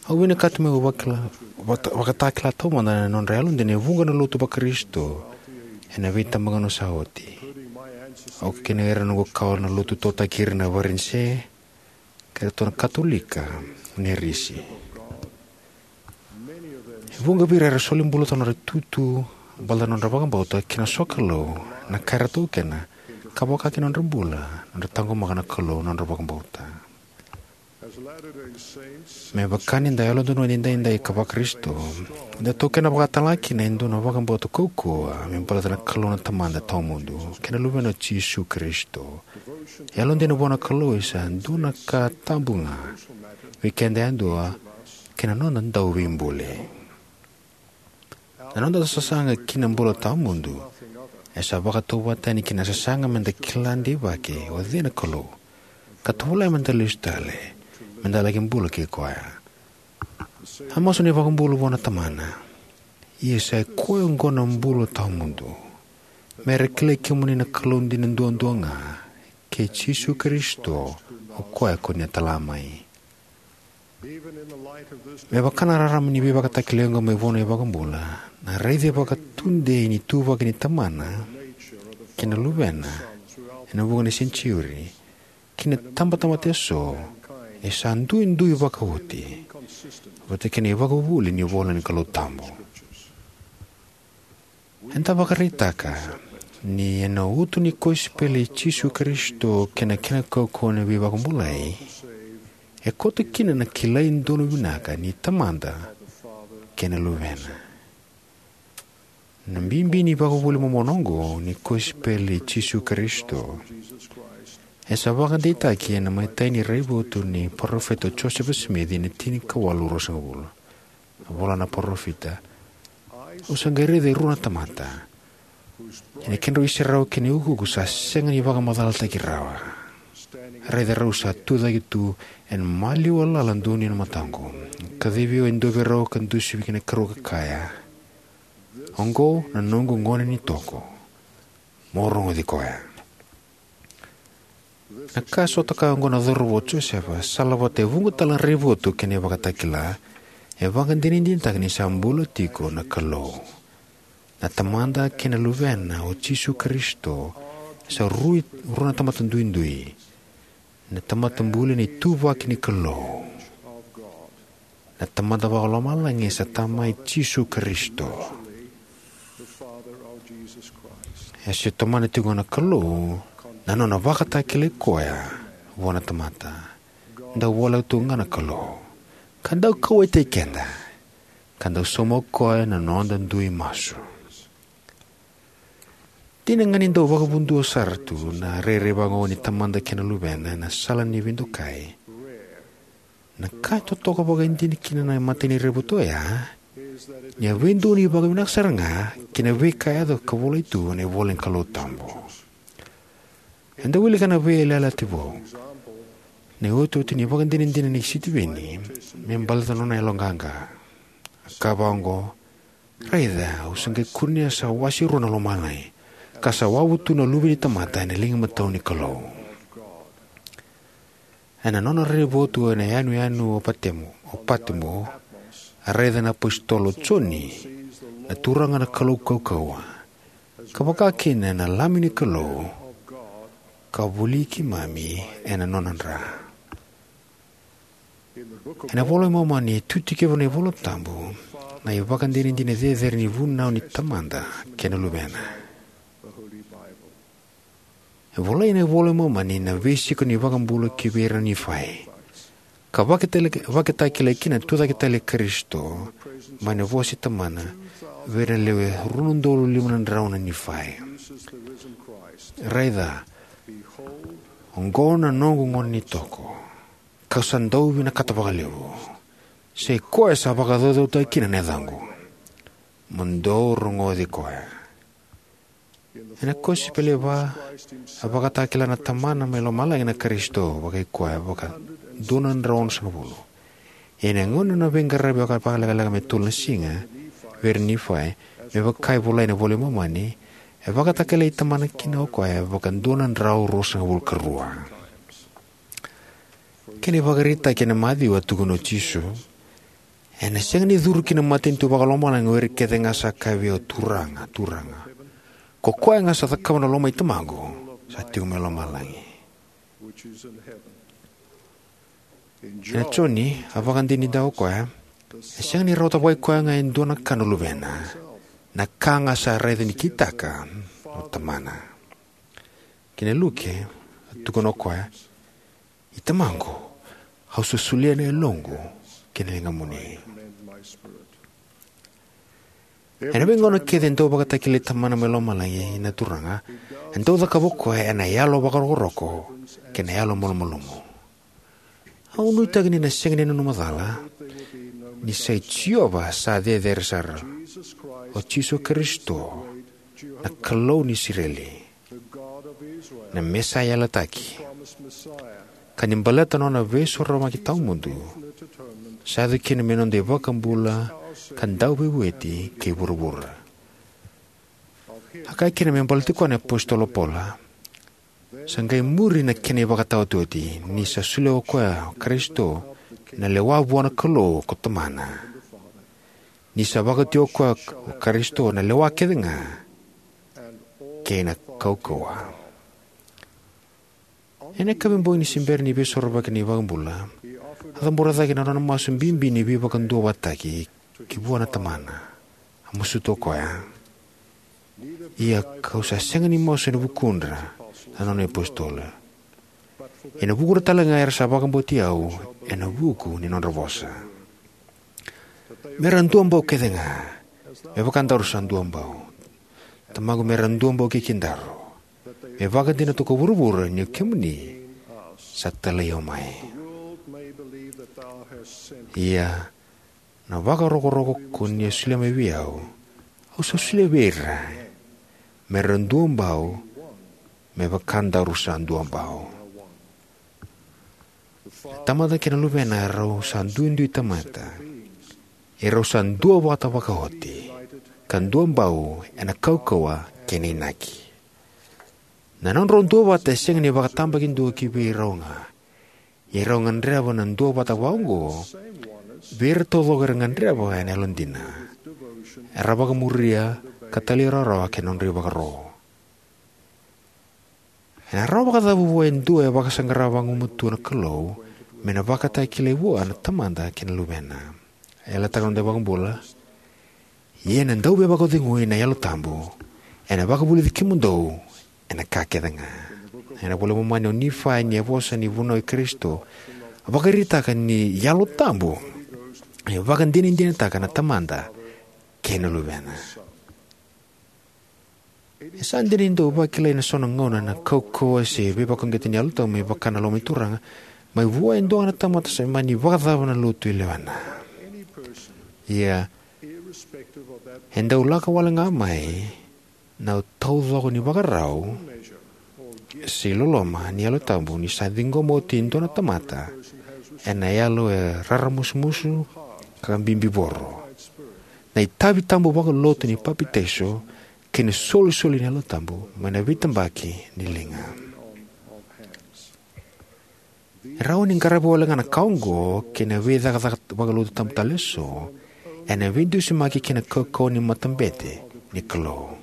au vinakata meu vakila, vata, vakatakila taumada na nodra yalodina e vuqa na lotu vaKarisito ena veitabagauna sa oti. Au kei ira na noqu kawa na lotu, totaki ira na Varanise, kei iratou na Katolika, na Risi. E vuqa vei ira era soli bula tu na nodra itutu baleta na nodra vakabauta kei na sokalou, na ka era taukena, ka vaka kina na nodra bula, na nodra taqomaka na Kalou, na nodra vakabauta. Me vaka ni da Yalododonu Edaidai ka vaKarisito, eda taukena vakatalega kina e dua na vakabauta kaukauwa me baleta na Kalou na Tamada Tawamudu kei na Luvena o Jisu Karisito. Yalodina vua na Kalou e sa dua na ka tabu ga vei keda yadua kei na noda Dauveibuli. Na noda sasaga ki na bula tawamudu e sa vakatauvatani ki na sasaga me da kila deivaki o cei na Kalou, ka tovolea me da lesu tale, me da laki bula kei koya. A masu na iVakabula vua na Tamana: Ia sa i koya oqo na bula tawamudu, me ra kilai kemuni na Kalou dina duadua ga, kei Jisu Karisito, o koya ko ni a tala mai. Me vaka na rarama ni veivakatakilai oqo mai vua na iVakabula, na raici vakatudei ni ituvaki ni Tamana kei na Luvena ena vuqa na senijiuri ki na itabatamata eso e sa duidui vakaoti, vata kei na ivakavuvuli ni ivola ni Kalou Tabu. Eda vakaraitaka ni ena uto ni kosipeli i Jisu Karisito kei na kena kaukauwa ni veivakabulai, e koto kina na kilai donu vinaka ni Tamada kei na Luvena. Na bibi ni ivakavuvuli momona oqo ni kosipeli i Jisu Karisito e sa vakadeitaki ena imatai ni raivotu ni Parofita o Josefa Simici ena tinikawalu ruasagavulu. A vola na parofita: Au sa qai raica e rua na tamata, ia na kedrau iserau kei na iukuuku sa sega ni vakamacalataki rawa. Raica, rau sa tucake tu ena maliwa lala donuya na mataqu. Kacivi au e dua vei rau ka dusi ki na ikarua, ka kaya: Oqo na noqu gone ni toko, mo rogoci koya. Na ka e sotava oqo na cauravou o Josefa, salavata e vuqa tale na raivotu kei na ivakatakila, e vakadinadinataka ni sa bula tiko na Kalou. Na Tamada kei na Luvena o Jisu Karisito sa rui, rua na tamata duidui. Na tamata buli na ituvaki ni Kalou. Na Tamada Vakalomalagi e sa Tama i Jisu Karisito. E se tomana tiko na Kalou na nona vakatakilai koya vua na tamata. Dau voleka tu ga na Kalou, ka dau kauwaitaki keda, ka dau sauma o koya na noda dui masu. Dina ga ni dau vakavudua sara tu na rairai vakaoqo ni Tamada kei na Luvena ena sala ni veidokai, na ka e totoka vakaidina kina na imatai ni raivotu oya ni a veidonui vakavinaka sara ga ki na veika e yaco ka volai tu ena ivola ni Kalou Tabu. Eda wilika na veiyalayalati vou, na iotioti ni ivakadinadina nei Sitiveni me baleta na nona yaloqaqa. A kaya vakaoqo: Raica, au sa qai kunea sa wase rua na lomalagi, ka sa wavu tu na Luve ni tamata ena liga imatau ni Kalou. Ena nona raivotu ena yanuyanu o Patemo, o Patemo, a raica na iApositolo o Joni na Turaga na Kalou kaukauwa, ka vaka kina na Lami ni Kalou, ka voli keimami ena nona dra. Ena iVola i Momani e tu tiko kina na iVola Tabu Na ivakadinadina cecere ni vunau ni Tamada kei na Luvena. E volai ena iVola i Momani na veisiko ni iVakabula ki vei ira na Nifai, ka vakatale- vakatakilai kina na tucake tale i Karisito mai na vosa i Tamana vei ira na lewe rua na udolu lima na drau na Nifai. Raica, oqo na noqu gone ni toko, kau sa dau vinakata vakalevu, sa i koya sa vakacaucautaki kina na yacaqu. Mo dou rogoci koya. Ena kosipeli e va, a vakatakila na Tamana mai lomalagi na Karisito vakai koya vaka dua na drau onosagavulu. Ia ena gauna na veiqaravi vakalekaleka me tolu na siga vei ira na Nifai, me vaka e volai ena iVola i Momani, e vakatakilai Tamana kina o koya vaka dua na drau ruasagavulu ka rua. Kena ivakaraitaki ena Maciu, a tukuna o Jisu, ena sega ni curu ki na matanitu vakalomalagi o ira kece ga sa kaya vei au, Turaga, Turaga. Ko koya ga sa cakava na loma i Tamaqu sa tiko mai lomalagi. Ena Joni, a vakadinadinataka o koya, e sega ni rawata vakai koya ga e dua na ka na Luvena, na ka ga sa raica ni kitaka o Tamana. Kei na Luke, a tukuna o koya, I Tamaqu, au sa solia na yaloqu ki na ligamuni. Ena veigauna kece e dau vakatakilai Tamana mai lomalagi na Turaga, e dau cakava o koya ena yalo vakarokoroko kei na yalo malumalumu. Au nuitaka ni na sega ni nanuma cala ni sa i Jiova sa cecere sara, o Jisu Karisito, na Kalou ni Isireli, na Mesaia yalataki, ka ni baleta na nona veisorovaki tawamudu, sa yaco kina me noda iVakabula ka Dauveivueti kei vuravura. A kaya kina me baleti koya na iApositolo o Paula, sa qai muri na kena ivakataotioti, ni sa solia o koya o Karisito na lewa vua na Kalou ko Tamana, ni sa vakaoti o koya o Karisito na lewa kece ga kei na kaukauwa. Ena yakavi bogi ni se bera ni veisorovaki na iVakabula, a cabora cake na nona masu bibi ni veivakaduavatataki ki vua na Tamana. A masuta o koya, ia kau sa sega ni masu ena vukudra na nona iApositolo, ena vukudra tale ga era sa vakabauti au ena vuku ni nodra vosa, me ra duabau kece ga, me vaka daru sa duabau. Tamaqu, me ra duabau kei kedaru, me vakadinata ko vuravura ni o kemuni sa talai au mai. Ia na vakarokoroko ko ni a solia mai vei au, au sa solia vei ira, me ra duabau, me vaka daru sa duabau. Na Tamada kei na Luvena erau sa duidui tamata, erau sa duavata vakaoti, ka duabau ena kaukauwa kei na inaki. Na nodrau duavata e sega ni vakatabakidua ki vei rau ga, ia rau gadreva na duavata vakaoqo vei ira taucoko era gadreva ena yalodina, era vakamuria ka talairawarawa ki na nodra ivakaro. Ena rawa vakacava vua e dua e vakasaqara vagumatua na Kalou me na vakatakilai vua na Tamada kei na Luvena? E yalataka na noda iVakabula, ia na Dauveivakacegui, na Yalo Tabu, ena vakavulici kemudou ena ka kece ga. Ena iVola i Momani, o Nifai, ni a vosa ni vunau i Karisito, a vakaraitaka ni Yalo Tabu e vakadinadinataka na Tamada kei na Luvena. E sa dina ni dau vakilai ena so na gauna na kaukauwa se veivakauqeti ni Yalo Tabu me vaka na loma ni Turaga mai vua e dua ga na tamata, sa mani vakacava na lotu e lewena. Ia, e dau lako wale ga mai na taucoko ni ivakarau se iloloma ni Yalo Tabu ni sa ciqoma oti e dua na tamata ena yalo e raramusumusu ka bibivoro, na itavi tabu vakalotu ni papitaiso kei na isolisoli ni Yalo Tabu mai na veitabaki ni liga. E rawa ni qaravi wale ga na ka oqo kei na veicakacaka vakalotu tabu tale eso ena veidusimaki kei na kaukauwa ni matabete ni Kalou.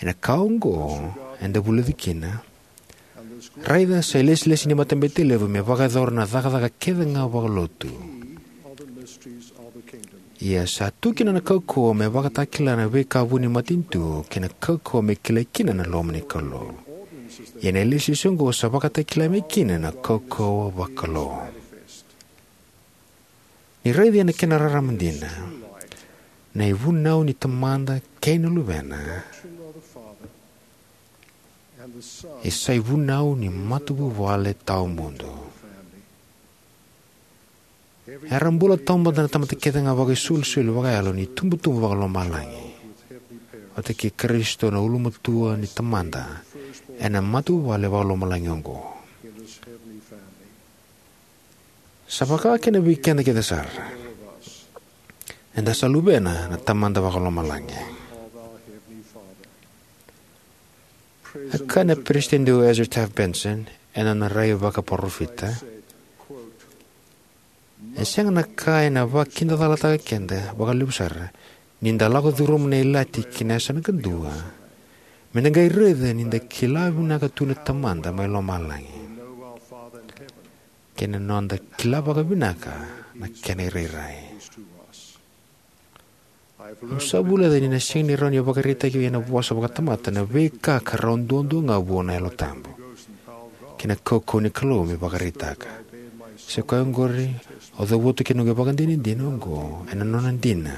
Ena ka oqo eda vulica kina, raica, sa ilesilesi ni matabete levu me vakayacora na cakacaka kece ga vakalotu. Ia sa tu kina na kaukauwa me vakatakila na veika vuni matanitu kei na kaukauwa me kilai kina na loma ni Kalou. Ia na ilesilesi oqo sa vakatakila mai kina na kaukauwa vakalou. Ni raici ena kena rarama dina, na ivunau ni Tamada kei na Luvena e sa ivunau ni matavuvale tawamudu. Era bula taumada na tamata kece ga vakaisolisoli vakayalo ni tubutubu vakalomalagi, vata kei Karisito na ulumatua ni Tamada ena matavuvale vakalomalagi oqo. Sa vaka kina vei keda kece sara. Eda sa luvena na Tamada vakalomalagi. A kaya na Peresitedi o Ezra Taft Benson ena nona rai vakaparofita: "E sega na ka ena vakidacalataka keda vakalevu sara ni da lako curuma na ilati ki na yasana kadua me da qai raica ni da kila vinaka tu na Tamada mai lomalagi kei na noda kila vakavinaka na kena irairai." Au sa vulica ni na sega ni rawa ni vakaraitaki ena vosa vakatamata na veika ka rawa duadua ga vua na Yalo Tabu kei na kaukauwa ni Kalou me vakaraitaka. Sa i koya oqori au cavuta kina noqu ivakadinadina oqo ena nona dina,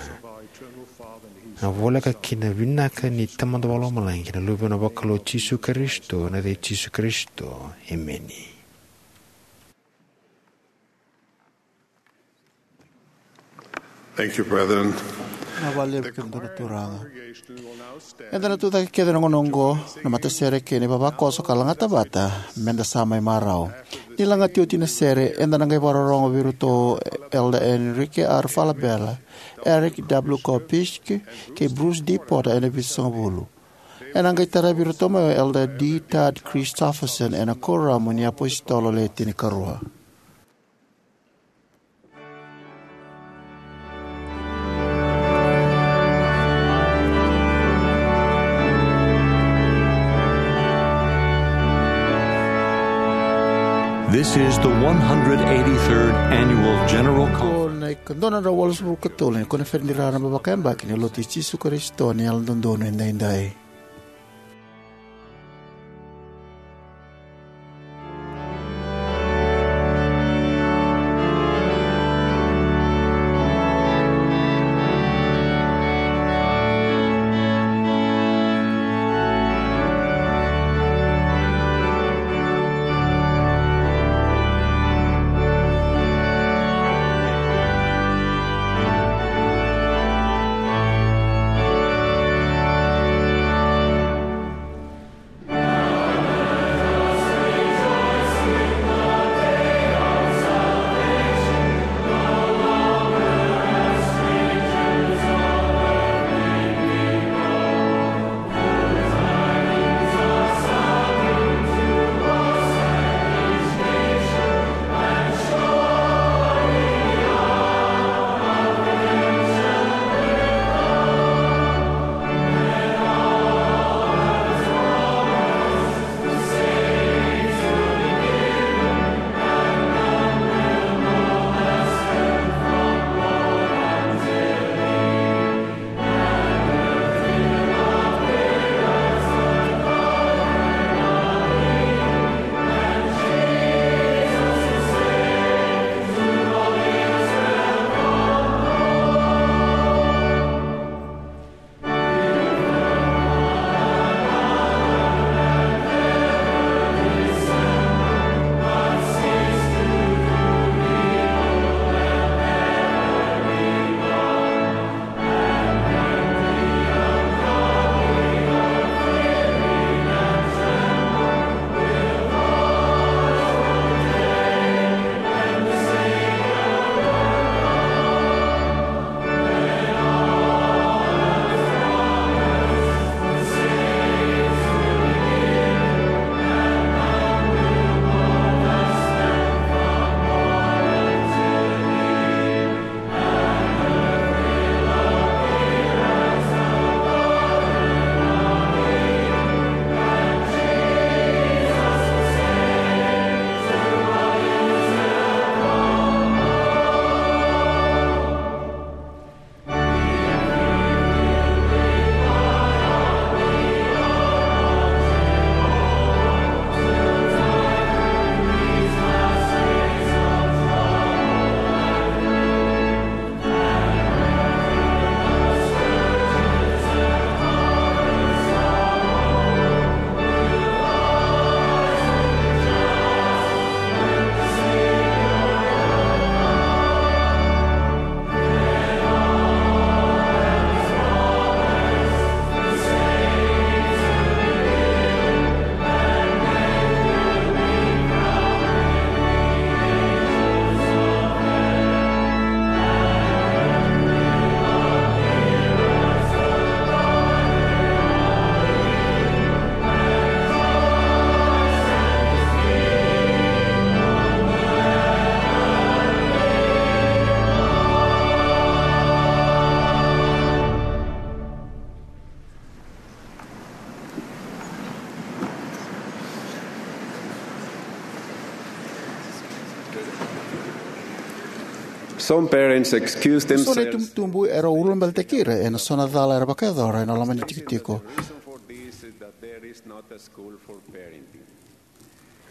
na voleka ki na vinaka ni Tamada vakalomalagi kei na Luvena vakalou Jisu Karisito, ena yaca i Jisu Karisito, emeni. Thank you, brethren. Na vale vei keda na Turaga. Eda na tucake kece na gauna oqo na matasere kei na ivavakoso ka lagata vata me da sa mai marau. Ni lagati oti na sere, eda na qai vakarorogo vei iratou Elder Enrique R Falabella, Eric W Kopisch, kei Bruce D Porter ena Vitusagavulu. Ena qai taravi iratou mai o Elder D Todd Christofferson ena Kuoramu ni iApositolo Le Tinikarua. This is the one hundred eighty-third Annual General Conference. Ko na ikadua na drau walusagavulu ka tolu ni koniferedi raraba vakayabaki ni Lotu i Jisu Karisito ni Yalododonu Edaidai. Some parents excuse themselves. So na itubutubu era ulabelataki ira ena so na cala era vakayacora ena loma ni tikotiko.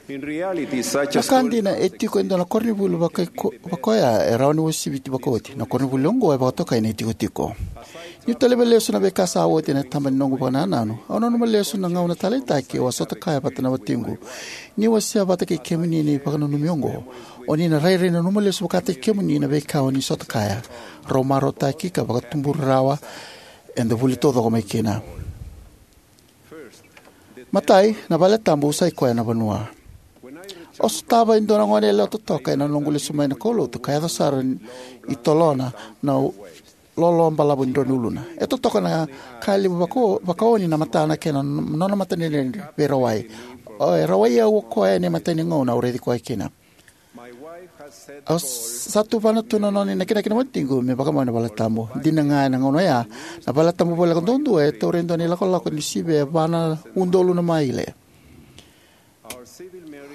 Na ka dina, e tiko e dua na koronivuli vakaoya e rawa ni uasiviti vakaoti. Na koronivuli oqo e vakatokai na itikotiko. Niu taleva lesu na veika sa oti ena taba ni noqu vakanananu, au nanuma lesu na gauna taleitaki au a sota kaya vata na watiqu. Ni wasea vata kei kemuni na ivakananumi oqo, o ni na rairai nanuma lesu vakataki kemuni na veika o ni sota kaya. Rau marautaki ka vakatuburi rawa eda vuli taucoko mai kina. Matai, na valetabu sai koya na vanua. Au sotava e dua na gone yalewa totoka ena noqu lesu mai na kaulotu ka yaco sara i tolona na lolo balavu ni drau ni uluna. E totoka na ka levu vaka, vakaoni na matana kei na nona matadredredre veirawai. E rawai au o koya ena imatai ni gauna au raici koya kina. Au sa tuvana tu na nona inakinaki na watiqu me vakamau ena valetabu. Dina ga ena gauna oya, na valetabu voleka duadua e taura e dua na ilakolako ni sivi e va na udolu na maile.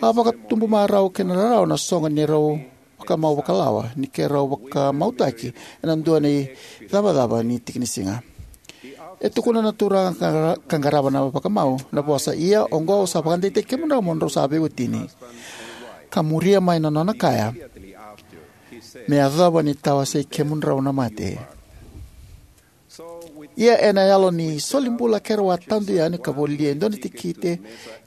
A vakatubu marau kei na rarawa na soqo ni rau vakamau vakalawa ni keirau vakamautaki ena dua na icavacava ni tiki ni siga. E tukuna na turaga ka, ka qarava na vakamau na vosa, "Ia oqo au sa vakadeitaki kemudrau mo drau sa veiwatini." Ka muria mai na nona kaya, "Me yacova ni tawasei kemudrau na mate." Ia ena yalo ni soli bula keirau a tadu yani ka volia e dua na tikite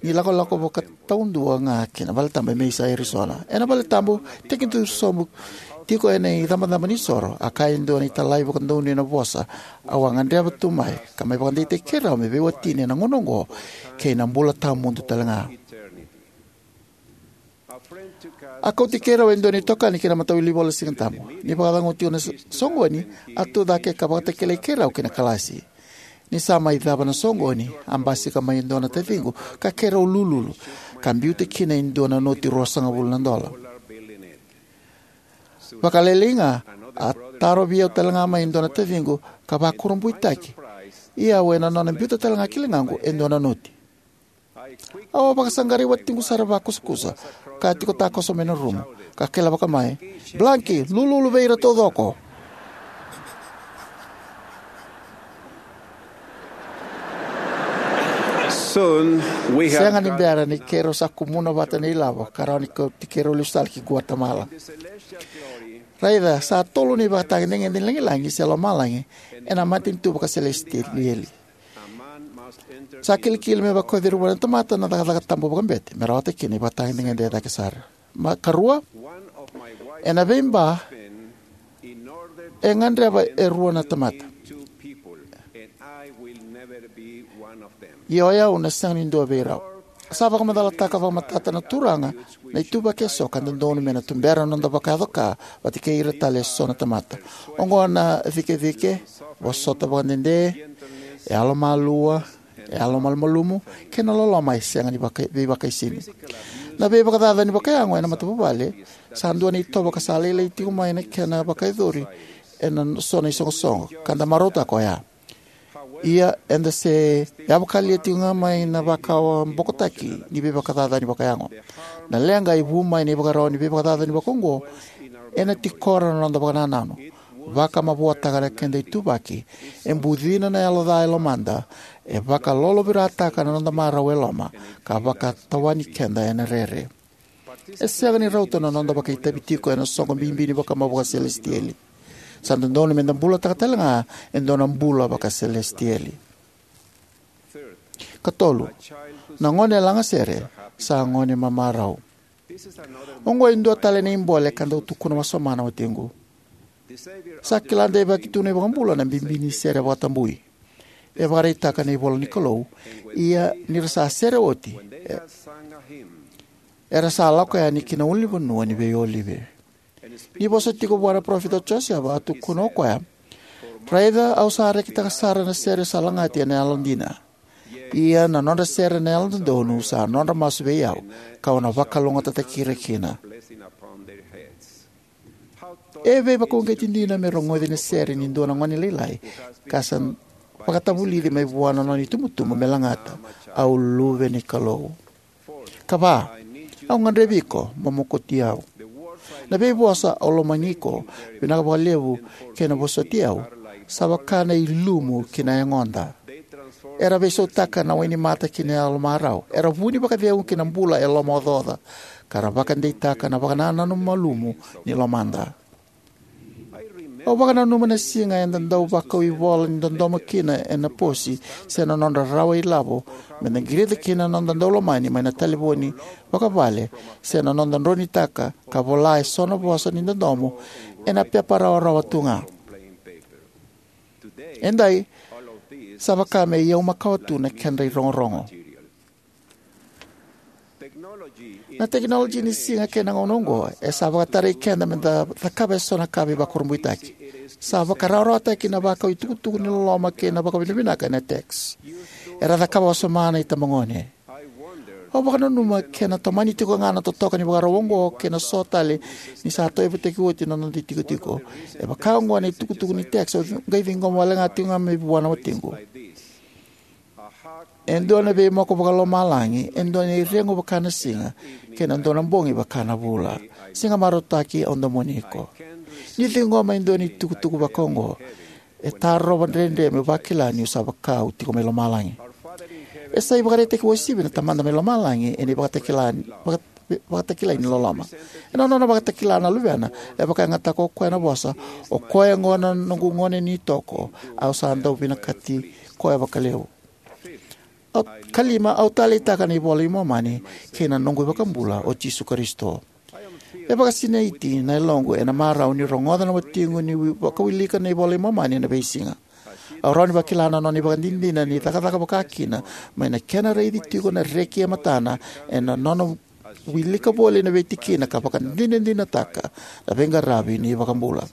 ni lakolako vakataudua ga ki na valetabu e Mesa, Arizona. Ena valetabu, tekiduru sobu tiko ena icabocabo ni soro, a kaya e dua na italai vakadonui ena vosa au a gadreva tu mai, ka mai vakadeitaki keirau me veiwatini ena gauna oqo kei na bula tawamudu tale ga. A kauti keirau e dua na itokani ki na matawilivola Siga Tabu. Ni vakacagau tiko na s-, soqoni, a tu cake ka vakatakilai keirau ki na kalasi. Ni sa mai cava na soqoni, a basika mai e dua na taciqu ka keirau lululu, ka biuta kina e dua na noti ruasagavulu na dola. Vakalailai ga, a tarovi au tale ga mai e dua na taciqu ka vakurabuitaki, ia au ena nona biuta tale ga ki ligaqu e dua na noti. Au a vakasaqarai watiqu sara vakusakusa ka tiko takoso mai na rumu, ka kailavaka mai, "Blanki, lululu vei ira taucoko." Soon we had Sega ni bera ni keirau sa kumuna vata na ilavo ka rawa ni kauti keirau lesu tale ki Guatemala. Raica, sa tolu na ivakatagedegede ni lagilagi se lomalagi ena matanitu vakaselesitieli. Sa kilikili me vakaucira vua na tamata na cakacaka tabu vakabete me rawata kina ivakatagedegede e cake sara. Ma karua, ena veiba e gadreva e rua na tamata. Ia o yau na sega ni dua vei rau. Sa vakamacalataka vakamatata na Turaga na ituvaki eso ka dodonu me na tubera na noda vakayaco ka vata kei ira tale eso na tamata. Oqo na cikecike, vosota vakadede, yalomalua, yalomalumalumu, kei na loloma e sega ni vaka-, veivakaisini. Na veivakacacani vakayago ena matavuvale sa dua na itovo ka sa lailai tiko mai na kena vakayacori ena so na isoqosoqo, ka da marautaka oya. Ia, eda se yavakalia tiko ga mai na vakawabokotaki ni veivakacacani vakayago. Na leqa e vu mai na ivakarau ni veivakacacani vakaoqo ena tikora na noda vakanananu, vakamavoataka na keda ituvaki, e bucina na yalo ca e lomada, e vakalolovirataka na noda marau e loma, ka vakatawani keda ena rere. E sega ni rauta na noda vakaitavi tiko ena soqo bibi ni vakamau vakaselesitieli. Sa dodonu me da bulataka tale ga e dua na bula vakaselesitieli. Katolu, na gone lagasere sa gone mamarau. Oqo e dua tale na ibole ka dau tukuna wasoma na watiqu. Sa kila deivaki tu na iVakabula na bibi ni sere vakatabui. E vakaraitaka na ivola ni Kalou, ia ni ra sa sere oti, e, era sa lako yani ki na ulunivanua ni veiolive. Ni vosa tiko vua na parofita o Josefa, a tukuna o koya, "Raica, au sa rekitaka sara na sere sa lagati ena yalodina. Ia na nodra sere na yalododonu sa nodra masu vei au, kau na vakalougatataki ira kina." E veivakauqeti dina me rogoci na sere ni dua na gone lailai ka sa vakatavulici mai vua na nona itubutubu me lagata, "Au luve ni Kalou." Ka va, "Au gadrevi iko mo mokoti au." Na veivosa "Au lomani iko, vinaka vakalevu," kei na "Vosoti au" sa vaka na ilumu ki na yagoda. Era veisautaka na wainimata ki na yalo marau. Era vu ni vakacegu ki na bula e lomaocaoca, ka ra vakadeitaka na vakanananu malumu ni lomada. Au vakananuma na siga eda dau vakau ivola ni dodomo kina ena posi, se na nodra rawa ilavo meda qirita kina na noda daulomani mai na talevoni vakavale, se na noda dronitaka ka vola eso na vosa ni dodomo ena pepa rawarawa tu ga. Edai, sa vaka me iyau makawa tu na kedra irogorogo. Na tekinoloji ni siga kei na gauna oqo e sa vakatarai keda meda cakava eso na ka veivakurabuitaki. Sa vakarawarawataki na vakau itukutuku ni loloma kei na vakavinavinaka ena text. Era cakava wasoma na itabagone. Au vakananuma ke na tomani tiko ga na totoka ni vakarau oqo kei na so tale ni sa tauyavutaki oti na noda itikotiko. E vaka oqo na itukutuku ni text au qai ciqoma wale ga tiko ga mai vua na watiqu. E dua na veimoko vakalomalagi, e dua na iregu vaka na siga, kei na dua na bogi vaka na vula. Siga marautaki, au domoni iko. Ni ciqoma e dua na itukutuku vaka oqo, e tarova dredre meu vakila niu sa vaka au tiko mai lomalagi. E sa ivakaraitaki uasivi na Tamada mai lomalagi ena ivakatakila, vaka- vakatakilai ni loloma. Ena nona vakatakila na Luvena, e vakayagataka o koya na vosa: "O koya oqo na noqu gone ni toko, au sa dau vinakati koya vakalevu." Au, kalima, au taleitaka na iVola i Momani kei na noqu iVakabula, o Jisu Karisito. E vakasinaiti na yaloqu ena marau niu rogoca na watiqu ni wi- vakawilika na iVola i Momani ena veisiga. Au rawa ni vakila na nona ivakadinadina ni cakacaka vakakina mai na kena raici tiko na reki e matana, ena nona wilika voli na veitikina ka vakadinadinataka na veiqaravi ni iVakabula.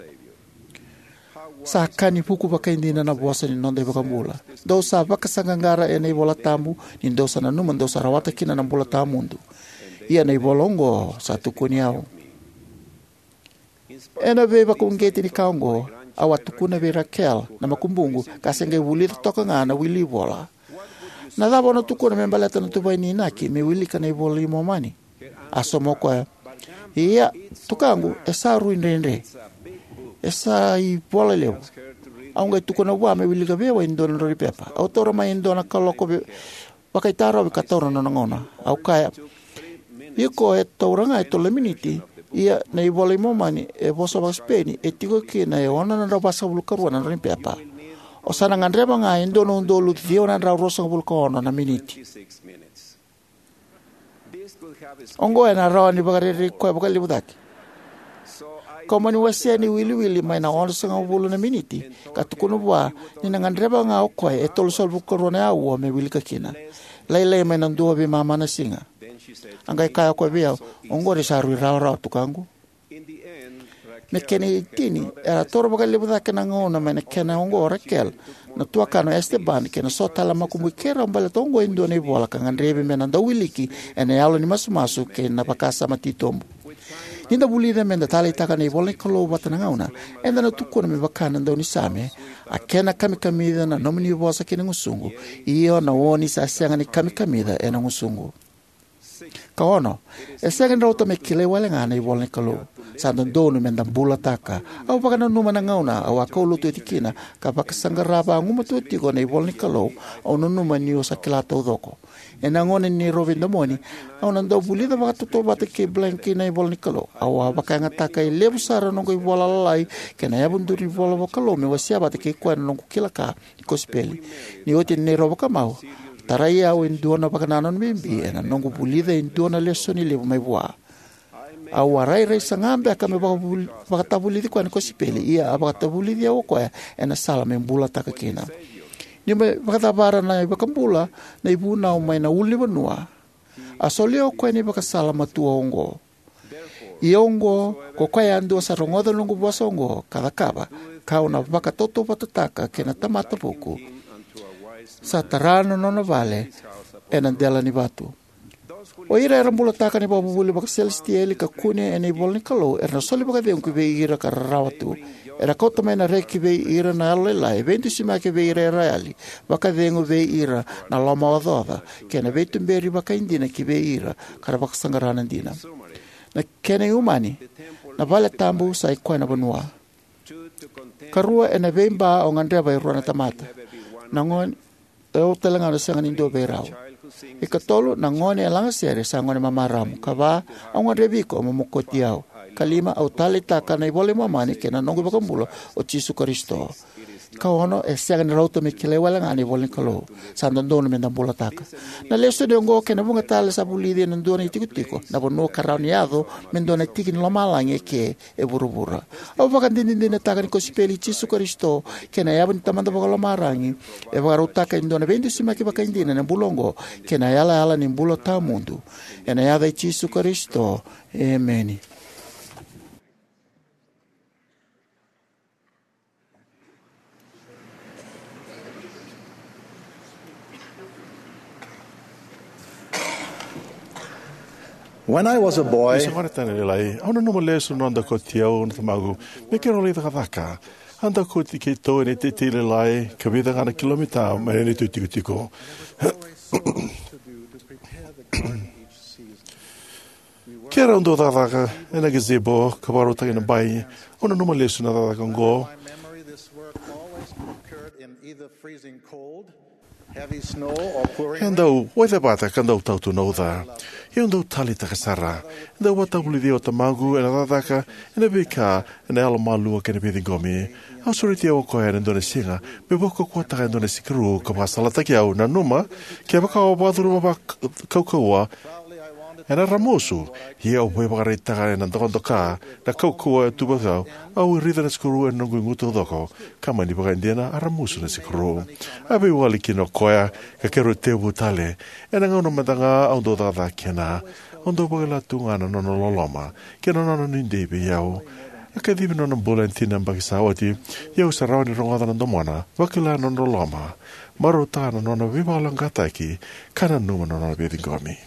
Sa ka ni vuku vakaidina na vosa ni noda iVakabula: "Dou sa vakasaqaqara ena iVola Tabu, ni dou sa nanuma dou sa rawata kina na bula tawamudu. Ia na ivola oqo sa tukuni au." Ena veivakauqeti ni ka oqo, au a tukuna vei Raquel, na makubuqu, ka se qai vulica toka ga na wili ivola, "Na cava o na tukuna me baleta na tuvai ni inaki me wilika na iVola i Momani?" A sauma o koya: "Ia, tukaqu, e sa rui dredre. E sa ivola levu." Au qai tukuna vua me wilika vei au e dua na drau ni pepa. Au taura mai e dua na kaloko ve- vakaitarovi ka taura na nona gauna. Au kaya: "Iko e taura ga e tolu na miniti, ia na iVola i Momani e vosa vakaSipeni e tiko kina e ono na drau vasagavulu karua na drau ni pepa. O sa na gadreva ga e dua na udolu ciwa na drau ruasagavulu ka ono na miniti." Oqo ena rawa ni vakarerei koya vakalevu cake. Kau mani wasea na iwiliwili mai na onosagavulu na miniti, ka tukuna vua ni na gadreva ga o koya e tolusagavulu karua na aua me wilika kina, lailai mai na dua veimama na siga. A qai kaya o koya vei au: "Oqori sa rui rawarawa, tukaqu." Me kena itini, era taura vakalevu cake na gauna mai na kena oqo o Raquel, na tuakana o Esteban, kei na so tale na makubui keirau, baleta oqo e dua na ivola ka gadrevi me na dau wiliki ena yalo ni masumasu kei na vakasama titobu. Ni da vulica me da taleitaka na ivola ni Kalou vata na gauna, eda na tukuna me vaka na daunisame: "A kena kamikamica na nomuni vosa ki na gusuqu, io, na oni sa sega ni kamikamica ena gusuqu." Ka ono, e sega ni rauta me kilai wale ga na ivola ni Kalou. Sa dodonu me da bulataka. Au vakananuma na gauna au a kaulotu oti kina ka vakasaqara vagumatua tiko na ivola ni Kalou, au nanuma niu sa kila taucoko. Ena gauna ni neirau veidomoni, au na dau vulica vakatautauvata kei Blank na ivola ni Kalou. Au a vakayagataka e levu sara na noqu ivola lalai kei na yavaduru ni ivola vakalou me wasea vata kei koya na noqu kila ka ni kosipeli. Ni oti na neirau vakamau, tarai au e dua na vakanananu bibi ena noqu vulica e dua na lesoni levu mai vua. Au a rairai saga beka me vakavul- vakatavulici koya na kosipeli, ia a vakatavulici au o koya ena sala me bulataka kina. Niu mai vakacavara na iVakabula na ivunau mai na ulunivanua, a solia o koya na ivakasala matua oqo: "Ia oqo, ko koya yadua sa rogoca na noqu vosa oqo ka cakava, kau na vakatautauvatataka kei na tamata vuku sa tara na nona vale ena dela ni vatu." O ira era bulataka na ivakavuvuli vakaselesitieli ka kune ena ivola ni Kalou era na soli vakacegu ki vei ira ka rarawa tu. Era kauta mai na reki ki vei ira na yalolailai, veidusimaki vei ira era yali, vakacegu vei ira na lomaocaoca, kei na veituberi vakaidina ki vei ira ka ra vakasaqara na dina. Na kena iumani, Na vale tabu sa i koya na vanua. Karua, ena veiba au gadreva e rua na tamata. Na gone, e au tale ga na sega ni dua vei rau. Ikatolu, na gone e lagasere sa gone mamaramu. Kava, au gadrevi iko mo mokoti au. Kalima, au taleitaka na iVola i Momani kei na noqu iVakabula o Jisu Karisito. Kaono, e sega ni rauta me kilai wale ga na ivola ni Kalou. Sa dodonu me da bulataka. Na lesoni oqo kei na vuqa tale sa vulici ena dua na itikotiko, na vanua ka rawa ni yaco me dua na tiki ni lomalagi eke e vuravura. Au vakadinadinataka ni kosipeli i Jisu Karisito kei na yavu ni Tamada Vakalomalagi e vakarautaka e dua na veidusimaki vakaidina ena bula oqo kei na yalayala ni bula tawamudu. Ena yaca i Jisu Karisito, emeni. When I was a boy, ni se gone tani lailai, au nanuma lesu na noda kauti au na tamaqu me keirau lai cakacaka. A dakuti keitou ena iteitei lailai ka vica ga na kilomita mai na neitou itikotiko. Keirau dau cakacaka ena gazebo ka vakarautaki na bai. Au nanuma lesu na cakacaka oqo. E dau waithevata ka dau tautu na uca. Ia au dau taleitaka sara. E dau vakatavulici au o tamaqu ena cakacaka ena veika ena yalomalua kei na veiciqomi. A sureti au o koya ena dua na siga me vakaukauwataka e dua na sikaru ka vakasalataki au. Nanuma, kevaka o vakacuruma vakaukauwa, ena ramusu. Ia au veivakaraitaka ena dokadoka na kaukauwa e tu vei au. Au raica na sikaru ena noqu igu taucoko, ka mani vakaidina a ramusu na sikaru. A veiwali kina o koya ka keirau tekivu tale. Ena gauna mada ga au dau cakacaka kina, au dau vakila tu ga na nona loloma kei na nona nuidei vei au. A kacivi na nona bula ena tini na yabaki sa oti, ia au sa rawa ni rogoca na domona, vakila na nona loloma, marautaka na nona veivakayaloqaqataki, ka nanuma na nona veiciqomi.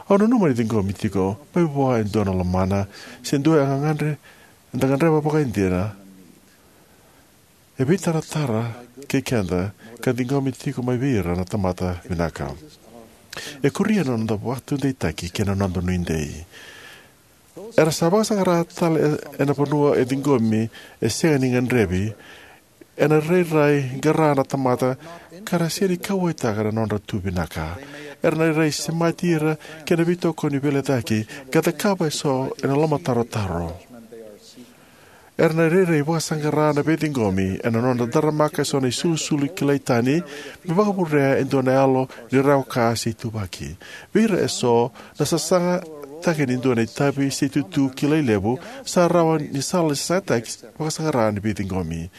Au nanuma ni ciqomi tiko mai vua e dua na lomana se dua e gagadre, eda gadreva vakaidina, e veitaratara kei keda ka ciqomi tiko mai vei ira na tamata vinaka. E kuria na noda vakataudeitaki kei na noda nuidei. Era sa vakasaqara tale e, ena vanua e ciqomi e sega ni gadrevi. Ena rairai qara na tamata ka ra sega ni kauwaitaka na nodra tu vinaka. Era na rairai semati ira kei na veitokoni veilecayaki ka cakava eso ena lomatarotaro. Era na rairai vakasaqara na veiciqomi ena nodra daramaka eso na isulusulu kilai tani me vakavurea e dua na yalo ni rawa ka se ituvaki. Vei ira eso, na sasagataki ni dua na itavi se itutu kilai levu sa rawa ni sala ni sasagataki vakasaqara ni veiciqomi.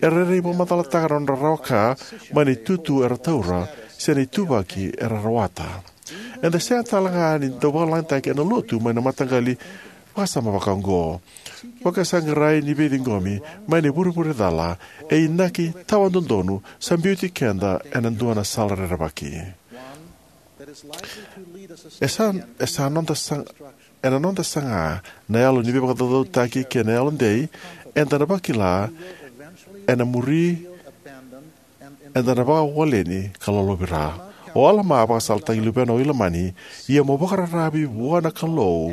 Era rairai vakamacalataka na nodra rawa ka mai na itutu era taura se na ituvaki era rawata. Eda sega tale ga ni dau vakalalataki ena lotu mai na mataqali vakasama vakaoqo. Vakasaqarai ni veiciqomi mai na ivurevure cala e inaki tawadodonu sa biuti keda ena dua na sala rerevaki. E sa, e sa noda sa, ena noda saga na yalo ni veivakacaucautaki kei na yalodei, eda na vakila ena muri eda na vakawaleni ka lolovira. O Alama a vakasalataki luvena o Ilamani, ia mo vakararavi vua na Kalou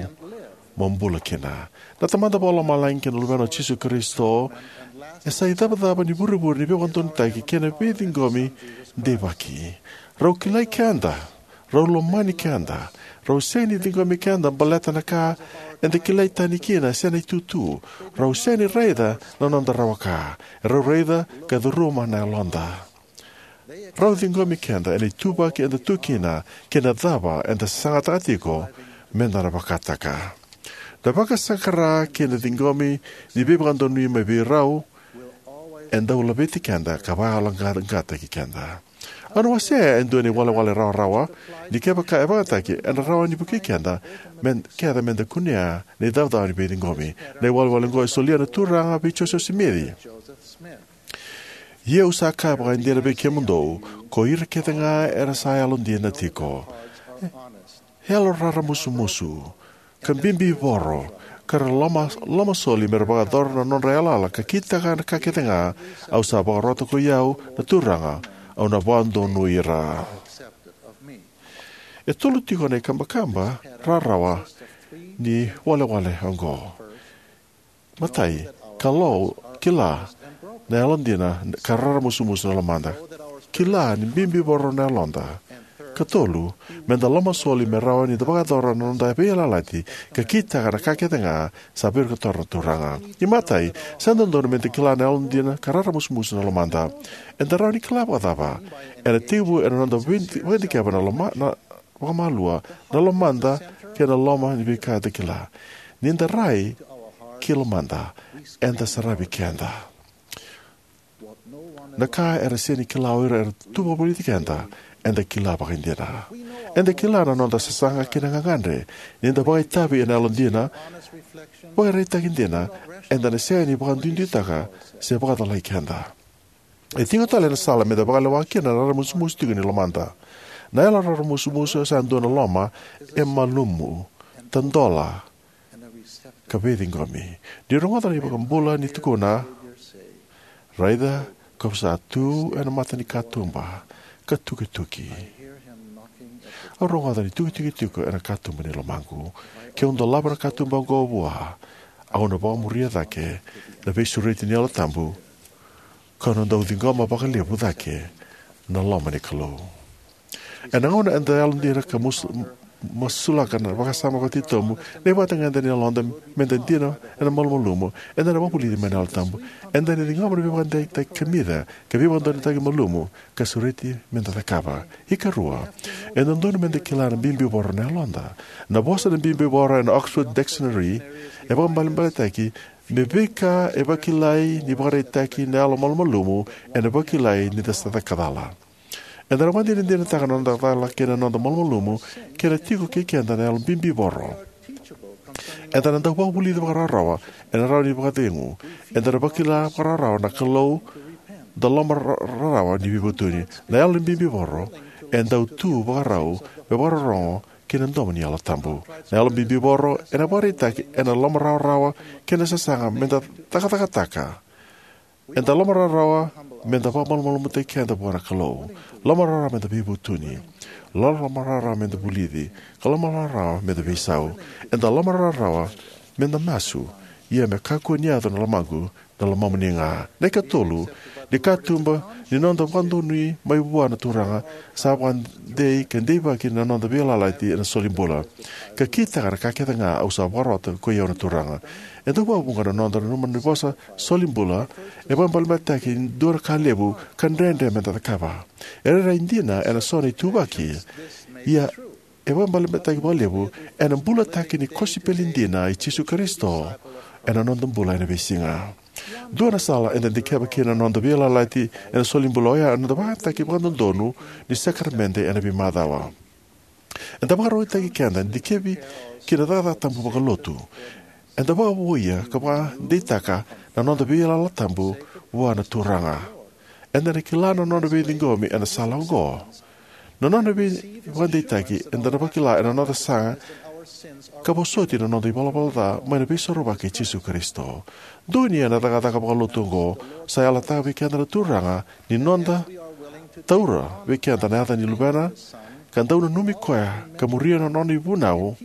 mo bula kina. Na Tamada Vakalomalagi kei na Luvena o Jisu Karisito e sa icavacava ni vurevure ni veivakadodonutaki kei na veiciqomi deivaki. Rau kilai keda. Rau lomani keda. Rau sega ni ciqomi keda baleta na ka eda kilai tani kina se na itutu. Rau sega ni raica na noda rawa ka. Rau raica ka curuma na yaloda. Rau ciqomi keda ena ituvaki eda tu kina kei na cava eda sasagataka tiko me da na vakataka. Na vakasaqara kei na ciqomi ni veivakadonui mai vei rau e dau laveti keda ka vakayaloqaqataki keda. Au na wasea e dua na iwalewale rawarawa ni kevaka e vakayagataki ena rawa ni vukei keda me, keda me da kunea na icavacava ni veiciqomi. Na iwalewale oqo e solia na Turaga vei Josefa Simici. Ia au sa kaya vakaidina vei kemudou, ko ira kece ga era sa yalodina tiko, yalo raramusumusu, ka bibi voro, ka ra loma, lomasoli me ra vakayacora na nodra yalayala ka kitaka na ka kece ga au sa vakarota ko i au na Turaga, au na vakadonui ira. E tolu tiko na ikabakaba rarawa ni walewale oqo. Matai, Kalou kila na yalodina ka raramusumusu na lomada. Kila ni bibivoro na yaloda. Ka tolu, me da lomasoli me rawa ni da vakayacora na noda veiyalayalati ka kitaka na ka kece ga sa vakatora na Turaga. Imatai, sa dodonu me da kila na yalodina ka raramusumusu na lomada. Eda rawa ni kila vakacava? Ena tekivu ena noda vakadikeva na loma na vakamalua na lomada kei na loma ni veika eda kila. Ni da rai ki lomada, eda saravi keda. Na ka era sega ni kila o ira era tu vakavoliti keda, eda kila vakaidina. Eda kila na noda sasaga kei na gagadre. Ni da vakaitavi ena yalodina, vakaraitaki dina, eda na sega ni vakaduiduitaka se vakacalai keda. E tiko tale na sala me da vakalewa kina na raramusumusu tiko ni lomada. Na yalo raramusumusu sa dua na loma e malumu, tadola, ka veiciqomi. Ni rogoca na iVakabula ni tukuna, raica, kau sa tu ena mata ni katuba ka tukituki. Au rogoca ni tukituki tiko ena katuba ni lomaqu. Keu dolava na katuba oqo vua, au na vakamuria cake na veisureti ni Yalo Tabu, kau na dau ciqoma vakalevu cake na loma ni Kalou. Ena gauna eda yalodina ka mus- masulaka na vakasama vakatitobu, na ivakatagedegede ni yaloda me da dina ena malumalumu, eda na vakavulici mai na Yalo Tabu. Eda na ciqoma na veivakadeitaki kamica ka veivakadodonutaki malumu ka sureti me da cakava. Ikarua, e dodonu me da kila na bibivoro na yaloda. Na vosa na bibivoro ena Oxford Dictionary e vakaibalebaletaki me veika e vakilai ni vakaraitaki na yalo malumalumu, ena vakilai ni da sa caka cala. Eda na vakadinadinataka na noda cala kei na noda malumalumu kei na tiko kei keda na yalo bibivoro. Eda na dau vakavulici vakarawarawa, ena rawa ni vakacegu. Eda na vakila vakarawarawa na Kalou, da loma ra- rarawa ni veivutuni. Na yalo ni bibivoro e dau tu vakarau me vakarorogo ki na domo ni Yalo Tabu. Na yalo bibivoro ena vakaraitaki ena lomarawarawa kei na sasaga me da cakacakataka. Eda lomarawarawa me da vakamalumalumutaki keda vua na Kalou. Lomarawarawa me da veivutuni. Lomarawarawa me da vulici. Ka lomarawarawa me da veisau. Eda lomarawarawa me da masu. Ia me kakua ni yaco na lomaqu, na lomamuni ga. Na ikatolu, ni katuba ni noda vakadonui mai vua na Turaga, sa vakadei ka deivaki na noda veiyalayalati ena solibula. Ka kitaka na ka kece ga au sa vakarota koi au na Turaga. E dau vakavuqa na noda nanuma ni vosa solibula, e vakaibalebaleataki e dua na ka levu ka dredre me da cakava. E rairai dina ena so na ituvaki. Ia e vakaibalebaleataki vakalevu ena bulataki ni kosipeli dina i Jisu Karisito ena noda bula ena veisiga. Dua na sala eda dikeva kina na noda veiyalayalati ena solibula oya na noda vakayagataki vakadodonu ni sakaramede ena veimacawa. Eda vakarautaki keda dikevi ki na cakacaka tabu vakalotu. Eda vakavouia ka vakadeitaka na noda veiyalayalati tabu vua na Turaga. Eda na kila na nona veiciqomi ena sala oqo. Na nona veivakadeitaki eda na vakila ena noda saga ka vosoti na noda ivalavala ca mai na Veisorovaki i Jisu Karisito. Donuya na cakacaka vakalotu oqo, sa yalataka vei keda na Turaga ni noda taura vei keda na yaca ni Luvena ka dau nanumi koya ka muria na nona ivunau,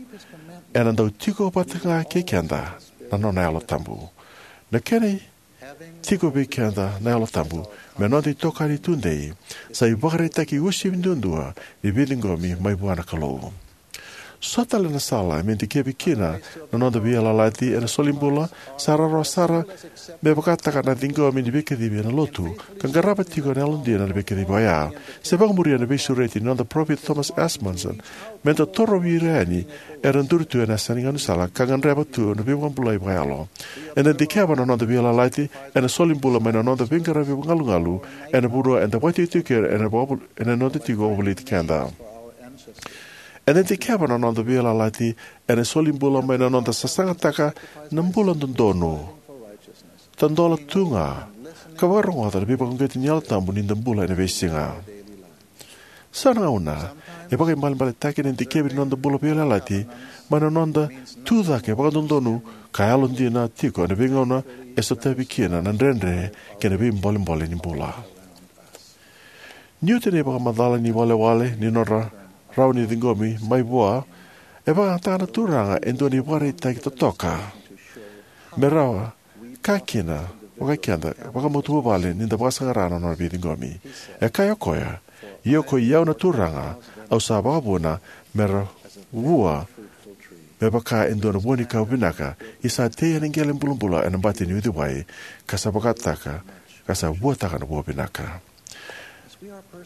ena dau tiko vata ga kei keda na nona Yalo Tabu. Na kena tiko vei keda na Yalo Tabu me noda itokani tudei sa ivakaraitaki uasivi duadua ni veiciqomi mai vua na Kalou. So tale na sala me dikevi kina na noda veiyalayalati ena solibula sa rawarawa sara me vakataka na ciqomi ni veikacivi ena lotu ka qarava tiko na yalodina na veikacivi oya. Se vakamuria na veisureti ni noda parofita Thomas S. Monson, me da torovi ira yani era duri tu ena yasa ni gaunisala ka gadreva tu na veivakabulai vakayalo. Eda dikeva na noda veiyalayalati ena solibula mai na noda veiqaravi galugalu ena vanua eda vakaitikotiko kina ena vakavol- ena noda tiko vakavoliti keda. Eda dikeva na noda veiyalayalati ena solibula mai na noda sasagataka na bula dodonu, tadola tu ga, ka vakarogoca na veivakauqeti ni Yalo Tabu ni da bula ena veisiga. So na gauna e vakaibalebaletaki na dikevi ni noda bula veiyalayalati mai na noda tucake vakadodonu ka yalodina tiko ena veigauna e sotavi kina na dredre kei na veibolebole ni bula. Niu tinia na ivakamacala ni walewale ni nodra rawa ni ciqomi mai vua, e vakayagataka na Turaga e dua na ivakaraitaki totoka me rawa ka kina vaka keda vakamatavuvale ni da vakasaqara na nona veiciqomi. E kaya o koya, ia ko i au na Turaga, au sa vakavuna me ra vua me vaka e dua na vua ni ka vinaka, ia sa tei ena qele bulabula ena bati ni uciwai, ka sa vakataka, ka sa vuataka na vua vinaka.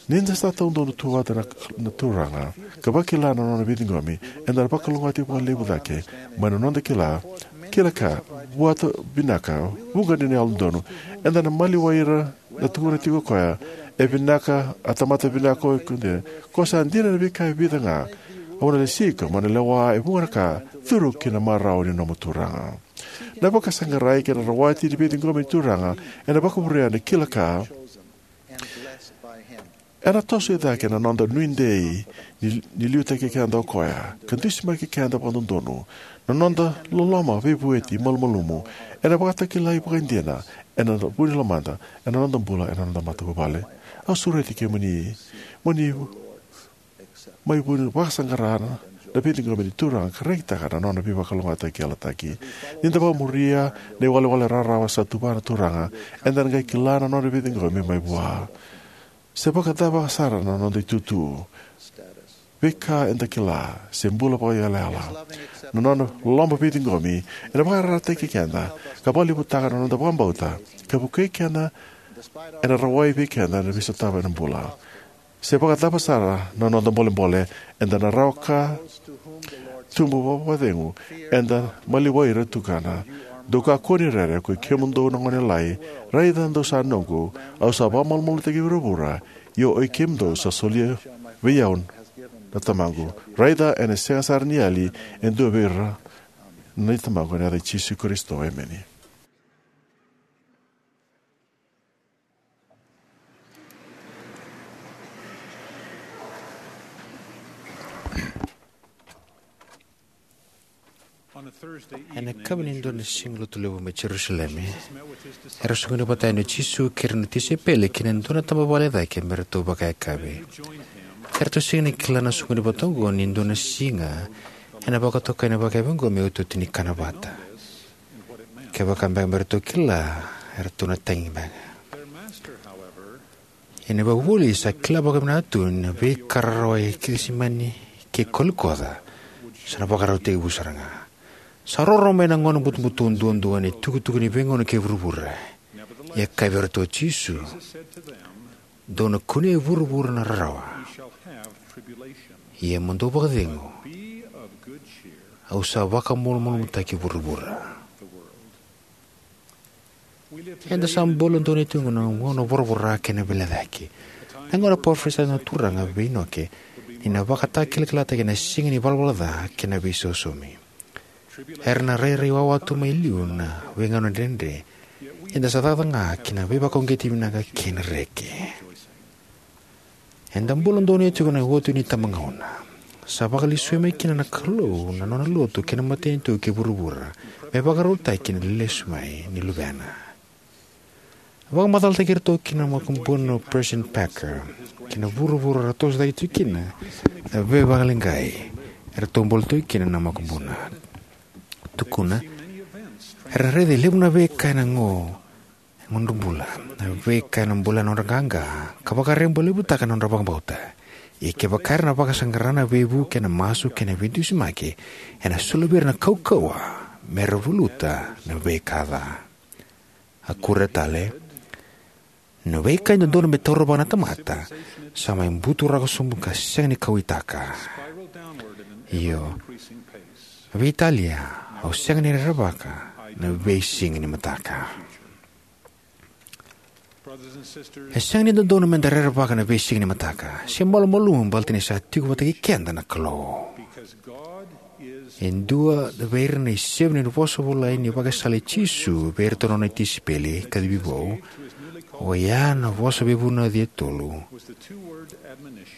Ni da sa taudonu tu vata na, na Turaga, ka vakila na nona veiciqomi, eda na vakalougatataki vakalevu cake mai na noda kila, kila ka vuata vinaka, vuqa ni na yalododonu, eda na maliwai ira na tukuna tiko o koya, e vinaka, a tamata vinaka o koya, ko sa dina na veika e vica ga, au na lesi iko, mo na lewa e vuqa na ka, curu ki na marau ni nomu Turaga. Na vakasaqarai kei na rawati ni veiciqomi ni Turaga, ena vakavurea na kila ka, ena toso i cake na noda nuidei ni, ni liutaki keda o koya, ka dusimaki keda vakadodonu, na noda loloma veivueti malumalumu, ena vakatakilai vakaidina, ena vu ni lomada, ena noda bula, ena noda matavuvale. Au sureti kemuni, mo ni mai vuni vakasaqara na veiciqomi ni Turaga ka rekitaka na nona veivakalougatataki yalataki. Ni da vakamuria na iwalewale rarawa sa tuva na Turaga, eda na qai kila na nona veiciqomi mai vua. Se vakacava sara na noda itutu, veika eda kila, se bula vakaiyalayala, na nona loloma veiciqomi ena vakararataki keda, ka vakalevutaka na noda vakabauta, ka vukei keda, ena rawai vei keda na veisotava ena bula. Se vakacava sara na noda bolebole, eda na rawa ka tubu vakacegu, eda maliwai ira tukuna. Dou kakua ni rere, ko i kemudou na gone lalai, raica dou sa noqu, au sa vakamalumalumutaki vuravura, io o i kemudou sa solia vei au na Tamaqu. Raica ena sega sara ni yali e dua vei ira na Tamaqu, ena yaca i Jisu Karisito, emeni. Ena yakavi ni dua na siga lotu levu mai Jerusalemi, era soqoni vata yani o Jisu kei ira na tisaipeli ki na dua na tabavale cake me ratou vakayakavi. Eratou sega ni kila na soqoni vata oqo ni dua na siga ena vakatokai na vakayakavi oqo me iotioti ni kana vata. Kevaka beka me ratou kila, eratou na tagi beka. Ia na ivakavuvuli sa kila vakavinaka tu na veika rarawa e Kecisemani kei Kolikoca sa na vakarautaki vou sara ga. Sa roro mai na gauna butobuto duadua ni tukutuku ni veigauna kei vuravura. Ia kaya vei iratou o Jisu, dou na kunea e vuravura na rarawa. Ia mo dou vakacegu, au sa vakamalumalumutaki vuravura. Eda sa bula donuya tiko na gauna voravora kei na velecaki. Na gauna parofisai na Turaga vei Inoke ni na vakatakilakilataki na siga ni valavala ca kei na veisosomi. Era na rairai wawa tu mai liu na veigauna dredre. Eda sa cakacaka ga ki na veivakauqeti vinaka kei na reki. Eda bula donuya tiko na iotioti ni tabagauna. Sa vakalesui mai kina na Kalou na nona lotu kei na matanitu kei vuravura me vakarautaki na lesu mai ni Luvena. Vakamacalataki iratou kina na makubuna o President Packer ki na vuravura ra toso cake tiko kina na veivakaleqai eratou bula tiko kina na makubuna. Tukuna, era raica e levu na veika ena gauna, gauna bula, na veika ena bula na nodra qaqa ka vakarabailevutaka na nodra vakabauta. Ia kevaka era na vakasaqara na veivuke ena masu kei na veidusimaki, ena soli vei ira na kaukauwa me ra valuta na veika ca. A kuria tale, na veika e dodonu me taura vua na tamata sa mai buturaka sobu ka sega ni kauwaitaka. Io, veitalia, au sega ni rerevaka na veisiga ni mataka. E sega ni dodonu me da rerevaka na veisiga ni mataka se malumalumu baleta ni sa tiko vata kei keda na Kalou. E dua vei ira na isevu ni vosa vulai ni vakasala i Jisu vei iratou na nona tisaipeli kacivi vou, oya na vosa veivunauci e tolu: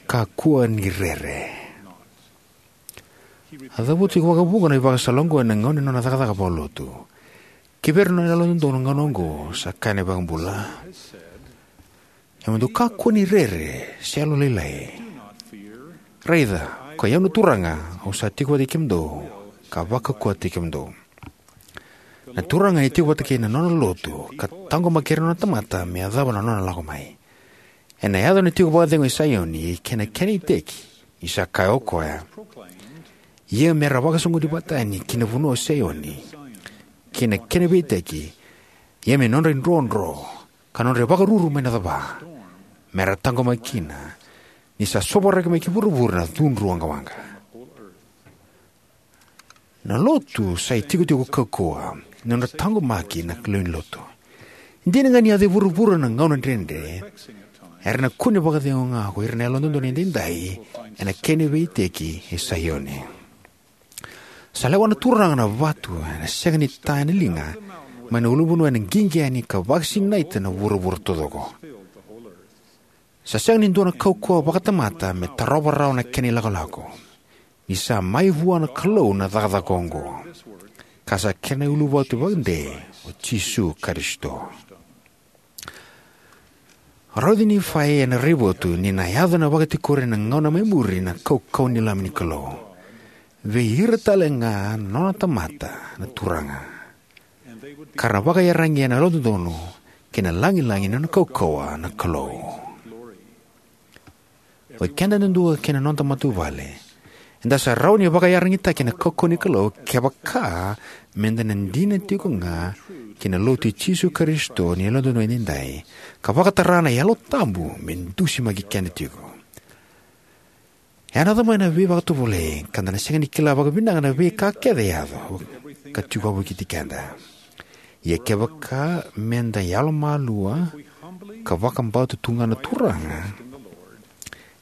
kakua ni rere. A cavuta tiko vakavuqa na ivakasala oqo ena gauna ni nona cakacaka vakalotu. Kivei ira na yalododonu ena gauna oqo, sa kaya na iVakabula, ia mo dou kakua ni rere se yalolailai. Raica, ko i au na Turaga, au sa tiko vata kei kemudou ka vakaukauwataki kemudou. Na Turaga e tiko vata kei na nona lotu ka taqomaki ira na nona tamata me yacova na nona lako mai. Ena yaco na tiko vakacegu e Saioni kei na kena iteki, ni sa kaya o koya: Ia me ra vakasoqoni vata yani ki na vanua o Saioni, kei na kena veiiteki, ia me nodra idrodro ka nodra ivakaruru mai na cava, me ra taqomaki kina, ni sa sovaraki mai ki vuravura na cudru waqawaqa. Na lotu sa itikotiko kaukauwa ni nodra taqomaki na lewe ni lotu. Dina ga ni yaco e vuravura na gauna dredre, era na kune vakacegu ga ko ira na yalododonu edaidai ena kena veiiteki e Saioni. Sa lewa na Turaga na vatu ena sega ni ta ena liga mai na ulunivanua ena qiqi yani ka vakasinaita na vuravura taucoko. Sa sega ni dua na kaukauwa vakatamata me tarova rawa na kena ilakolako, ni sa mai vua na Kalou na cakacaka oqo, ka sa kena uluvatu vakadei o Jisu Karisito. Rauti Nifai ena raivotu ni na yaco na vakatikori ena gauna mai muri na kaukauwa ni Lami ni Kalou vei ira tale ga na nona tamata na Turaga, ka ra na vakaiyaragi ena yalododonu kei na lagilagi ni nona kaukauwa na Kalou. O ikeda yadudua kei na noda matavuvale, eda sa rawa ni vakaiyaragitaki ena kaukauwa ni Kalou kevaka meda na dina tiko ga ki na Lotu i Jisu Karisito ni Yalododonu Edaidai ka vakatara na Yalo Tabu me dusimaki keda tiko. E yaco mai na veivakatovolei ka da na sega ni kila vakavinaka na veika kece e yaco ka tiko wavokiti keda. Ia kevaka meda yalomalua ka vakabauta tu ga na Turaga,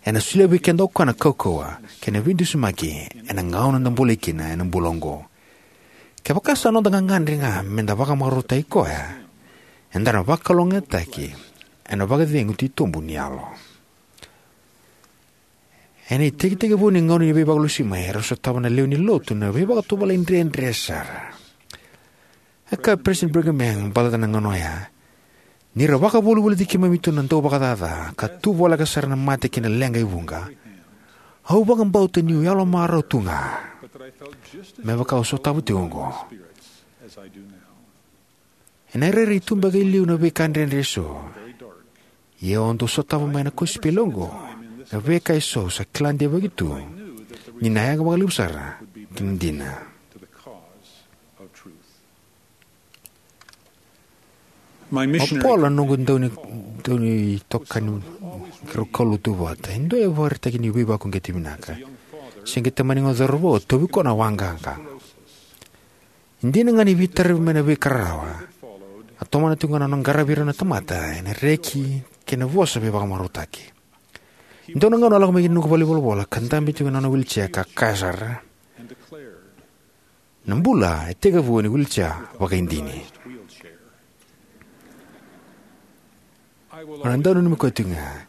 ena solia vei keda o koya na kaukauwa kei na veidusimaki ena gauna da bolei kina ena bula oqo. Kevaka sa noda gagadre ga meda vakamarautaki koya, eda na vakalougatataki ena vakacegu titobu ni yalo. Ena itekitekivu ni gauna ni Veivakalusi Mai, erau sotava na lewe ni lotu na veivakatovolei dredre sara. E kaya o Peresitedi Brigham Young baleta na gauna oya: Ni ra vakavolivoliti keimami tu na dauvakacaca ka tu voleka sara na mate kei na leqa e vuqa, au vakabauta niu yalomarau tu ga, me vaka au sotava tiko oqo. Ena rairai tu beka e liu na veika dredre eso, ia au dau sotava mai na kosipeli oqo na veika eso au sa kila deivaki tu ni na yaga vakalevu sara ki na dina. O Paul, na noqu dauni, daunitokani keirau kaulotu vata, e dua e vakaraitaki ni veivakauqeti vinaka. Se qai tamani gone cauravou, tauvi koya na waqaqa. E dina ga ni veitaravi mai na veika rarawa, a tomana tiko ga na nona qaravi ira na tamata ena reki kei na vosa veivakamarautaki. E dua na gauna a lako mai ki na noqu valenivolavola ka dabe tiko ena nona wheelchair ka kaya sara: Na bula e tekivu ena wheelchair vakaidini. Au na dau nanumi koya tiko ga.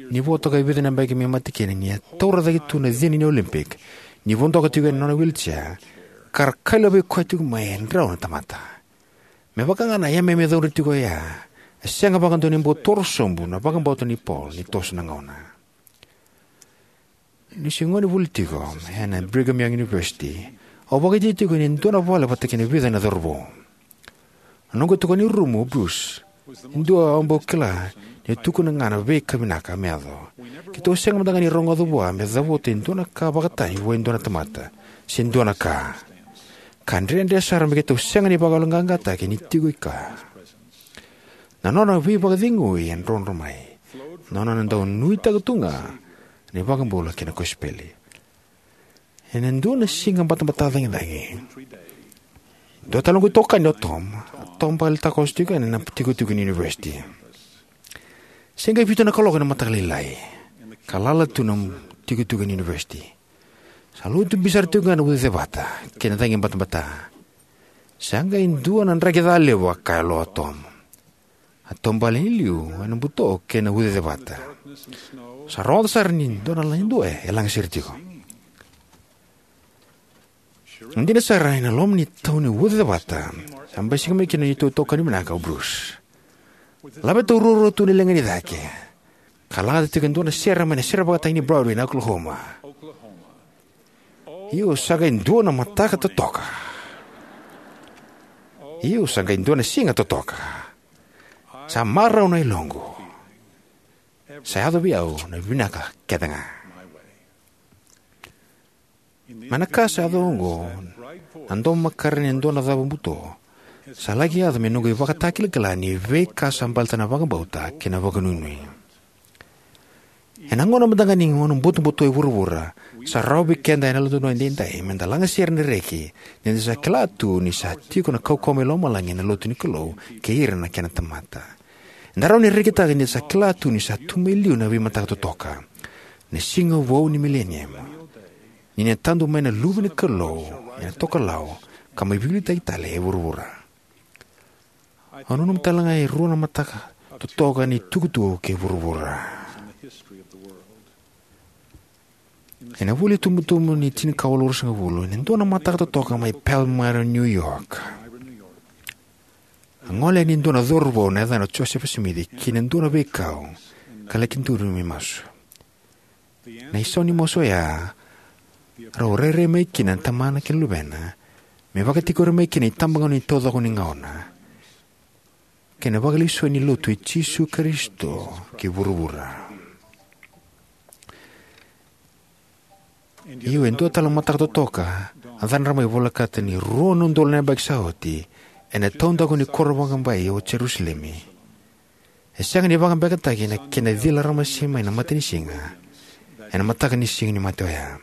Ni vo toka e vica na yabaki me mate kina, ni a taura cake tu na cina ni Olympic, ni vodoka tiko ena nona wheelchair, ka ra kailavai koya tiko mai e drau na tamata. Me vaka ga na yameyame caudre tiko oya, e sega vakadua ni bau toro sobu na vakabauta nei Paul ni toso na gauna. Niu se gone vuli tiko ena Brigham Young University, au vakaitavi tiko ena dua na vale vata kei na vica na cauravou. Na noqu itokani rumu o Bruce, e dua au bau kila ni tukuna ga na veika vinaka me yaco. Keitou sega mada ga ni rogoca vua me cavuta e dua na ka vakatani vua e dua na tamata se dua na ka. Ka dredre sara me keitou sega ni vakayaloqaqataki ni tiko i kea. Na nona veivakacegui e drodro mai, na nona dau nuitaka tu ga na iVakabula kei na kosipeli. Ena dua na siga batabata cagicagi, dua tale noqu itokani o Tom a taubale takoso tiko ena tikotiko ni univesiti. Se qai vitu na kaloko ena mataka lailai, ka lala tu na tikotiko ni univesiti. Sa lotu bibi sara tiko ga na ucacevata kei na cagi batabata. Sa qai dua na draki ca levu, a kaya lo o Tom. A taubale i liu ena buto kei na ucacevata. Sa rogoca sara ni dua na lagi dua e lagasere tiko. Dina sara, ena loma ni tau ni ucacevata, sa basika mai kina na neitou itokani vinaka o Bruce. Laveta ruarua tu na ligana i cake, ka lagata tiko e dua na sere mai na sere vakatagi ni Broadway na Oklahoma. Io, sa qai dua na mataka totoka. Io, sa qai dua na siga totoka. Sa marau na yaloqu. Sa yaco vei au na vinaka kece ga. Mai na ka sa yaco oqo, na domo makare ni dua na cava buto, sa laki yaco me noqu ivakatakilakila ni veika sa baleta na vakabauta kei na vakanuinui. Ena gauna mada ga ni gauna butobuto e vuravura, sa rawa vei keda ena Yalododonu Edaidai meda lagasere na reki ni da sa kila tu ni sa tiko na kaukauwa mai lomalagi ena lotu ni Kalou kei ira na kena tamata. Eda rawa ni rekitaka ni da sa kila tu ni sa tu mai liu na veimataka totoka, na siga vou ni milenium, ni na tadu mai na Luve ni Kalou ena tokalau ka mai veiliutaki tale e vuravura. Au nanuma tale ga e rua na mataka totoka ni tukutuku kei vuravura. Ena vula itubutubu ni tinikawalu ruasagavulu, ena dua na mataka totoka mai Palmyra, New York, a gole yani e dua na cauravou na yacana o Josefa Simici ki na dua na veikau ka laki duri me masu. Na isau ni masu oya, rau rairai mai kina na tamana kei na luvena me vakatikori mai kina na itabagauna ni taucoko ni gauna kei na Vakalesui ni Lotu i Jisu Karisito ki vuravura. Io, e dua tale na mataka totoka a cadra mai volekata ni rua na udolu na yabaki sa oti, ena taudaku ni koro vakabai o Jerusalemi. E sega ni vakabekataki na kena cila ramase mai na matanisiga ena mataka ni Siganimate oya.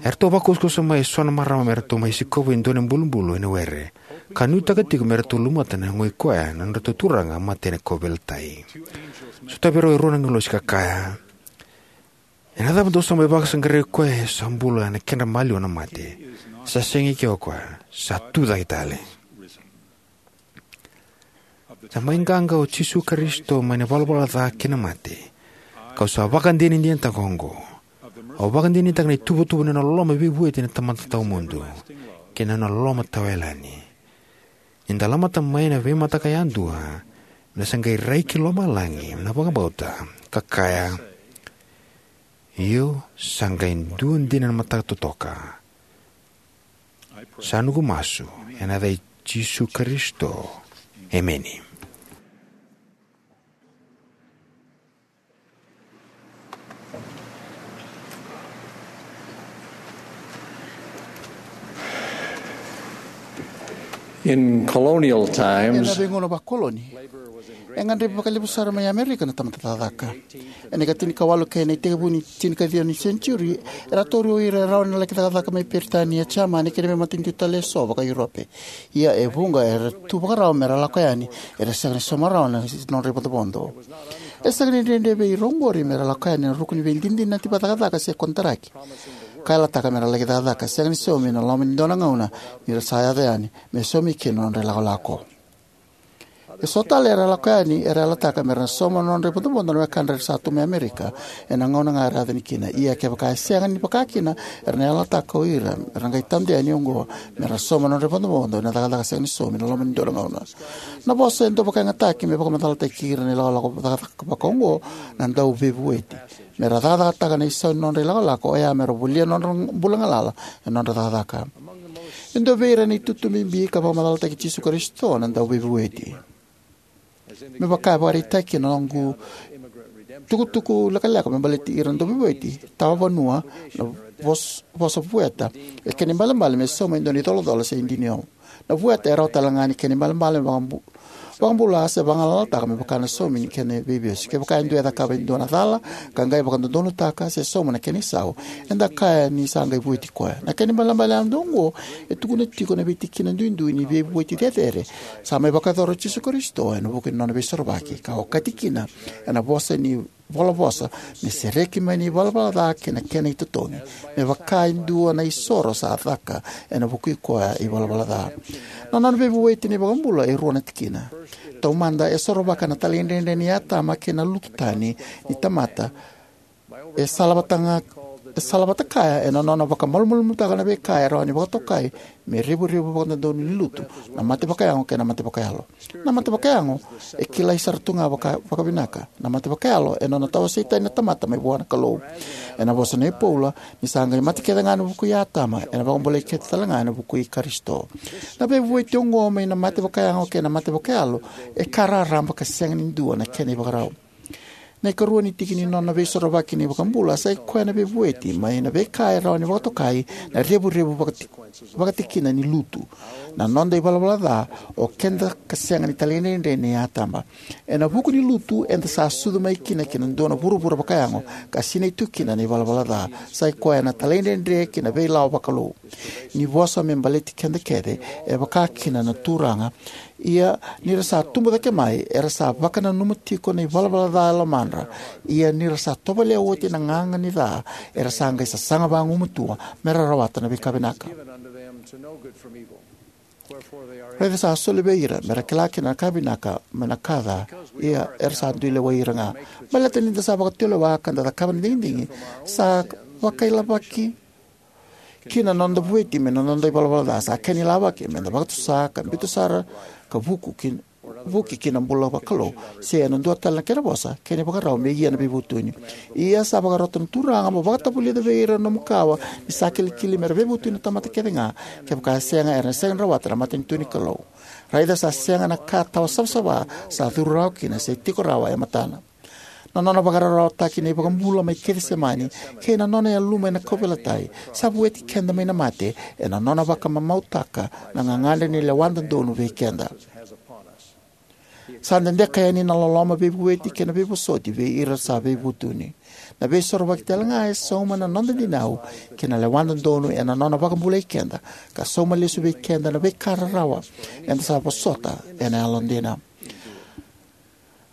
Eratou vakusakusa mai eso na marama me ratou mai sikova e dua na ibulubulu ena were, ka nuitaka tiko me ratou lumuta na yagoi koya na nodratou turaga a mate ena kauveilatai. Sotavi rau e rua na agilosi ka kaya, "Ena cava dou sa mai vakasaqarai koya e sa bula ena kedra maliwa na mate? Sa sega eke o koya, sa tu cake tale." Sa mai qaqa o Jisu Karisito mai na valavala ca kei na mate. Kau sa vakadinadinataka oqo. Au vakadinadinataka na ituvatuva ni nona loloma veivueti na Tamada Tawamudu kei na nona loloma tawayalani. Ni da lamata mai na veimataka yadua, na sa qai rai ki lomalagi na vakabauta ka kaya, "Io, sa qai dua dina na mataka totoka." Sa noqu masu ena yaca i Jisu Karisito. Emeni. In colonial times, ena veigauna vakoloni, e gadrevi vakalevu sara mai Amerika na tamata cakacaka. Ena ikatinikawalu kei na itekivu ni tinikaciwa ni senitiuri, era tauri o ira e rawa ni laki cakacaka mai Peritania, Jamani kei na veimatanitu tale eso vaka-Europe. Ia e vuqa era tu vakarau mera lako yani, era sega ni sauma rawa na nodra ivodovodo. E sega ni dredre vei ira oqori mera lako yani ena ruku ni veidinadinati vakacakacaka se konitaraki ka yalataka mera laki cakacaka, sega ni saumi ena loma ni dua na gauna ni ra sa yaco yani me saumi kina na nodra ilakolako. Eso tale era lako yani era yalataka mera sauma na nodra ivodovodo na wekadra era sa tu mai Amerika ena gauna ga era yaco yani kina. Ia kevaka e sega ni vaka kina, era na yalataka o ira era qai tadu yani oqo mera sauma na nodra ivodovodo ena cakacaka sega ni saumi ena loma ni dua na gauna. Na vosa e dau vakayagataki me vakamacalataki ira na ilakolako cakacaka vaka oqo na dauveivueti. Mera cakacakataka na isau ni nodra ilakolako, oya mera volia na nodra bula galala ena nodra cakacaka. E dua vei ira na itutu bibi ka vakamacalataki Jisu Karisito na dauveivueti. Me vaka e vakaraitaki ena noqu tukutuku lekaleka me baleti ira na dauveivueti, tawa vanua, na vos-, vosa vueta, e kena ibalebale me sauma e dua na icolacola se idini. Na vueta e rawa tale ga ni kena ibalebale me vakabu-, vakabula se vagalalataka me vaka na saumi ni kena veivesu. Kevaka e dua e cakava e dua na cala ka qai vakadodonutaka se sauma na kena isau, eda kaya ni sa qai vueti koya. Na kena ibalebale yadua oqo e tukuna tiko na veitikina duidui ni veivueti cecere sa mai vakayacora o Jisu Karisito ena vuku ni nona veisorovaki, ka okati kina ena vosa ni volavosa me sereki mai na ivalavala ca kei na kena itotogi, me vaka e dua na isoro sa caka ena vukui koya ivalavala ca. Na nona veivueti na iVakabula e rua na tikina. Taumada, e sorovaka na talaidredre ni Atama kei na lutu tani ni tamata, e salavata ga E salavata kaya ena nona vakamalumalumutaka na veika e rawa ni vakatokai me revurevu vakadodonu ni lutu, na mate vakayago kei na mate vakayalo. Na mate vakayago e kilai sara tu ga vaka, vakavinaka. Na mate vakayalo e nona tawasei tani na tamata mai vua na Kalou. Ena vosa nei Paula, ni sa qai mate kece ga ena vukui Atama, ena vakabulai kece tale ga ena vukui Karisito. Na veivueti oqo mai na mate vakayago kei na mate vakayalo e ka raraba ka sega ni dua na kena ivakarau. Na ikarua ni tiki ni nona veisorovaki na iVakabula sa i koya na veivueti mai na veika e rawa ni vakatokai na revurevu vakati-, vakatikina ni lutu. Na noda ivalavala ca, o keda ka sega ni talaidredre nei Atama. Ena vuku ni lutu eda sa sucu mai kina ki na dua na vuravura vakayago, ka sinai tu kina na ivalavala ca. Sa i koya na talaidredre ki na veilawa vakalou. Ni vosa me baleti keda kece, e vaka kina na Turaga. Ia ni ra sa tubu cake mai, era sa vakananuma tiko na ivalavala ca e lomadra. Ia ni ra sa tovolea oti na gaga ni ca, era sa qai sasaga vagumatua me ra rawata na veika vinaka. Raica sa soli vei ira me ra kila kina na ka vinaka mai na ka ca, ia era sa dui lewai ira ga. Baleta ni da sa vakatulewa ka da cakava na digidigi, sa vakailavaki kina na noda vueti mai na noda ivalavala ca. Sa kena ilavaki me da vakatusa ka biuta sara ka vuku ki, vuki ki na bula vakalou, se ena dua tale na kena vosa, kena ivakarau me ia na veivutuni. Ia sa vakarota na Turaga mo vakatavulica vei ira na nomu kawa ni sa kilikili me ra veivutuni na tamata kece ga, kevaka e sega era na sega ni rawata na matanitu ni Kalou. Raica sa sega na ka tawa savasava sa curu rawa kina se tiko rawa e matana. Na nona vakararawataki na iVakabula mai Kecisemani kei na nona yaluma ena kauveilatai sa vueti keda mai na mate, ena nona vakamamautaka na gagadre ni lewa dodonu vei keda. Sa dedeka yani na loloma veivueti kei na veivosoti vei ira sa veivutuni. Na veisorovaki tale ga e sauma na noda dinau kei na lewa dodonu ena nona vakabulai keda, ka sauma lesu vei keda na veika rarawa eda sa vosota ena yalodina.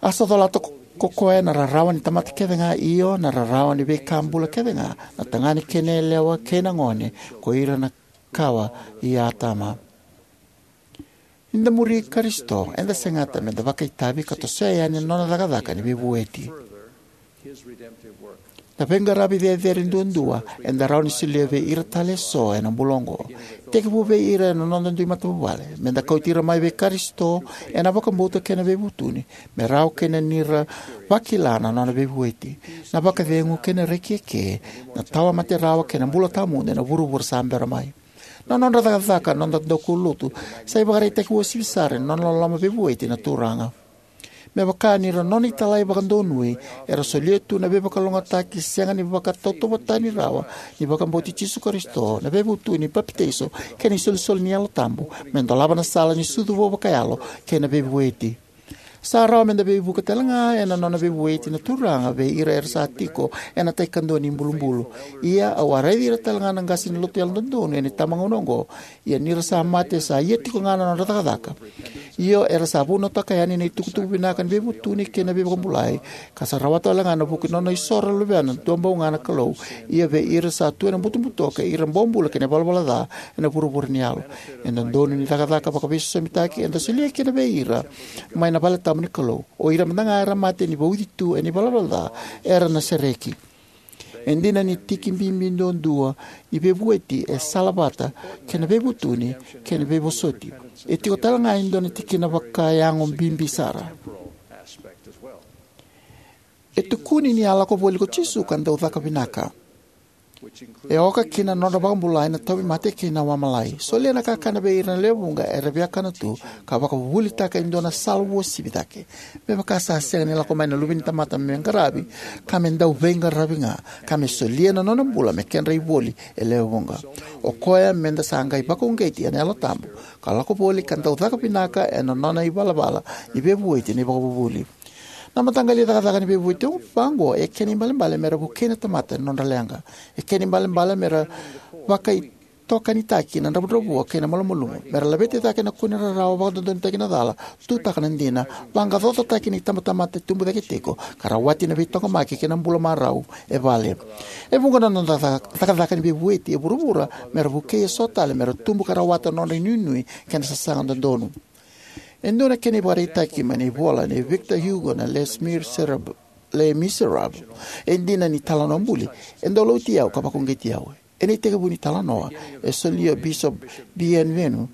A sa colata ko, ko koya na rarawa ni tamata kece ga, io, na rarawa ni veika bula kece ga, na tagane kei na yalewa kei na gone, ko ira na kawa i Atama. Ni da muri Karisito, eda segata me da vakaitavi ka tosoya yani na nona cakacaka ni veivueti. Na veiqaravi cecere duadua eda rawa ni solia vei ira tale eso ena bula oqo. Tekivu vei ira ena noda dui matavuvale, me da kauti ira mai vei Karisito ena vakabauta kei na veivutuni, me rawa kina ni ra vakila na nona veivueti, na vakacegu kei na reki eke, na tawa mate rawa kei na bula tawamudu ena vuravura sa bera mai. Na nodra cakacaka na noda daukaulotu sa ivakaraitaki uasivi sara ni nona loloma veivueti na Turaga. Me vaka ni ra nona italai vakadonui, era solia tu na veivakalougatataki sega ni vakatautauvatatani rawa ni vakabauti Jisu Karisito, na veivutuni, papitaiso, kei na isolisoli ni Yalo Tabu, me dolava na sala ni sucu vou vakayalo kei na veivueti. Sa rawa me da veivuke tale ga ena nona veivueti na Turaga vei ira era sa tiko ena tai kadua ni bulubulu. Ia au a raici ira tale ga na qase ni lotu yalododonu ena itabagauna oqo, ia ni ra sa mate sa ia tiko ga na nodra cakacaka. Io, era sa vunautaka yani na itukutuku vinaka ni veivutuni kei na veivakabulai, ka sa rawata wale ga ena vuku ni nona isoro na Luvena, duabau ga na Kalou. Ia vei ira sa tu ena butobuto kei ira bobula kei na ivalavala ca ena vuravura ni yalo, e dodonu ni cakacaka vakaveisosomitaki eda solia kina vei ira mai na vale tabu ni Kalou. O ira mada ga era mate ni vauci tu ena ivalavala ca era na sereki. E dina ni tiki bibi duadua ni veivueti e salavata kei na veivutuni kei na veivosoti, e tiko tale ga e dua na tikina vakayago bibi sara. E tukuni ni a lako voli ko Jisu ka dau caka vinaka. E oka kina na nodra vakabulai na tauvimate kei na wamalai. Solia na kakana vei ira na lewe vuqa era viakana tu, ka vakavuvulitaka e dua na sala uasivi cake. Me vaka sa sega ni lako mai na Luve ni tamata me qaravi, ka me dau veiqaravi ga, ka me solia na nona bula me kedra ivoli e lewe vuqa. O koya me da sa qai vakauqeti ena Yalo Tabu ka lako voli ka dau caka vinaka ena nona ivalavala ni veivueti na ivakavuvuli. Na mataqali cakacaka ni veivueti vaqo e kena ibalebale me ra vukei na tamata ena nodra leqa. E kena ibalebale me ra vakaitokanitaki na dravudravua kei na malumalumu, me ra laveti cake na kune rarawa, vakadodonutaki na cala, tutaka na dina, vaqaqacotaki na itabatamata e tubu cake tiko, ka rawati na veitaqomaki kei na bula marau e vale. E vuqa na noda ca-, cakacaka ni veivueti e vuravura me ra vukei eso tale me ra tubu ka rawata na nodra inuinui kei na sasaga dodonu. E dua na kena ivakaraitaki mai na ivola nei Victor Hugo na Les Miserables. Les Miserables. E dina ni talanoa buli, e dau lauti au ka vakauqeti au. Ena itekivu ni talanoa, e solia o Bishop Bienvenu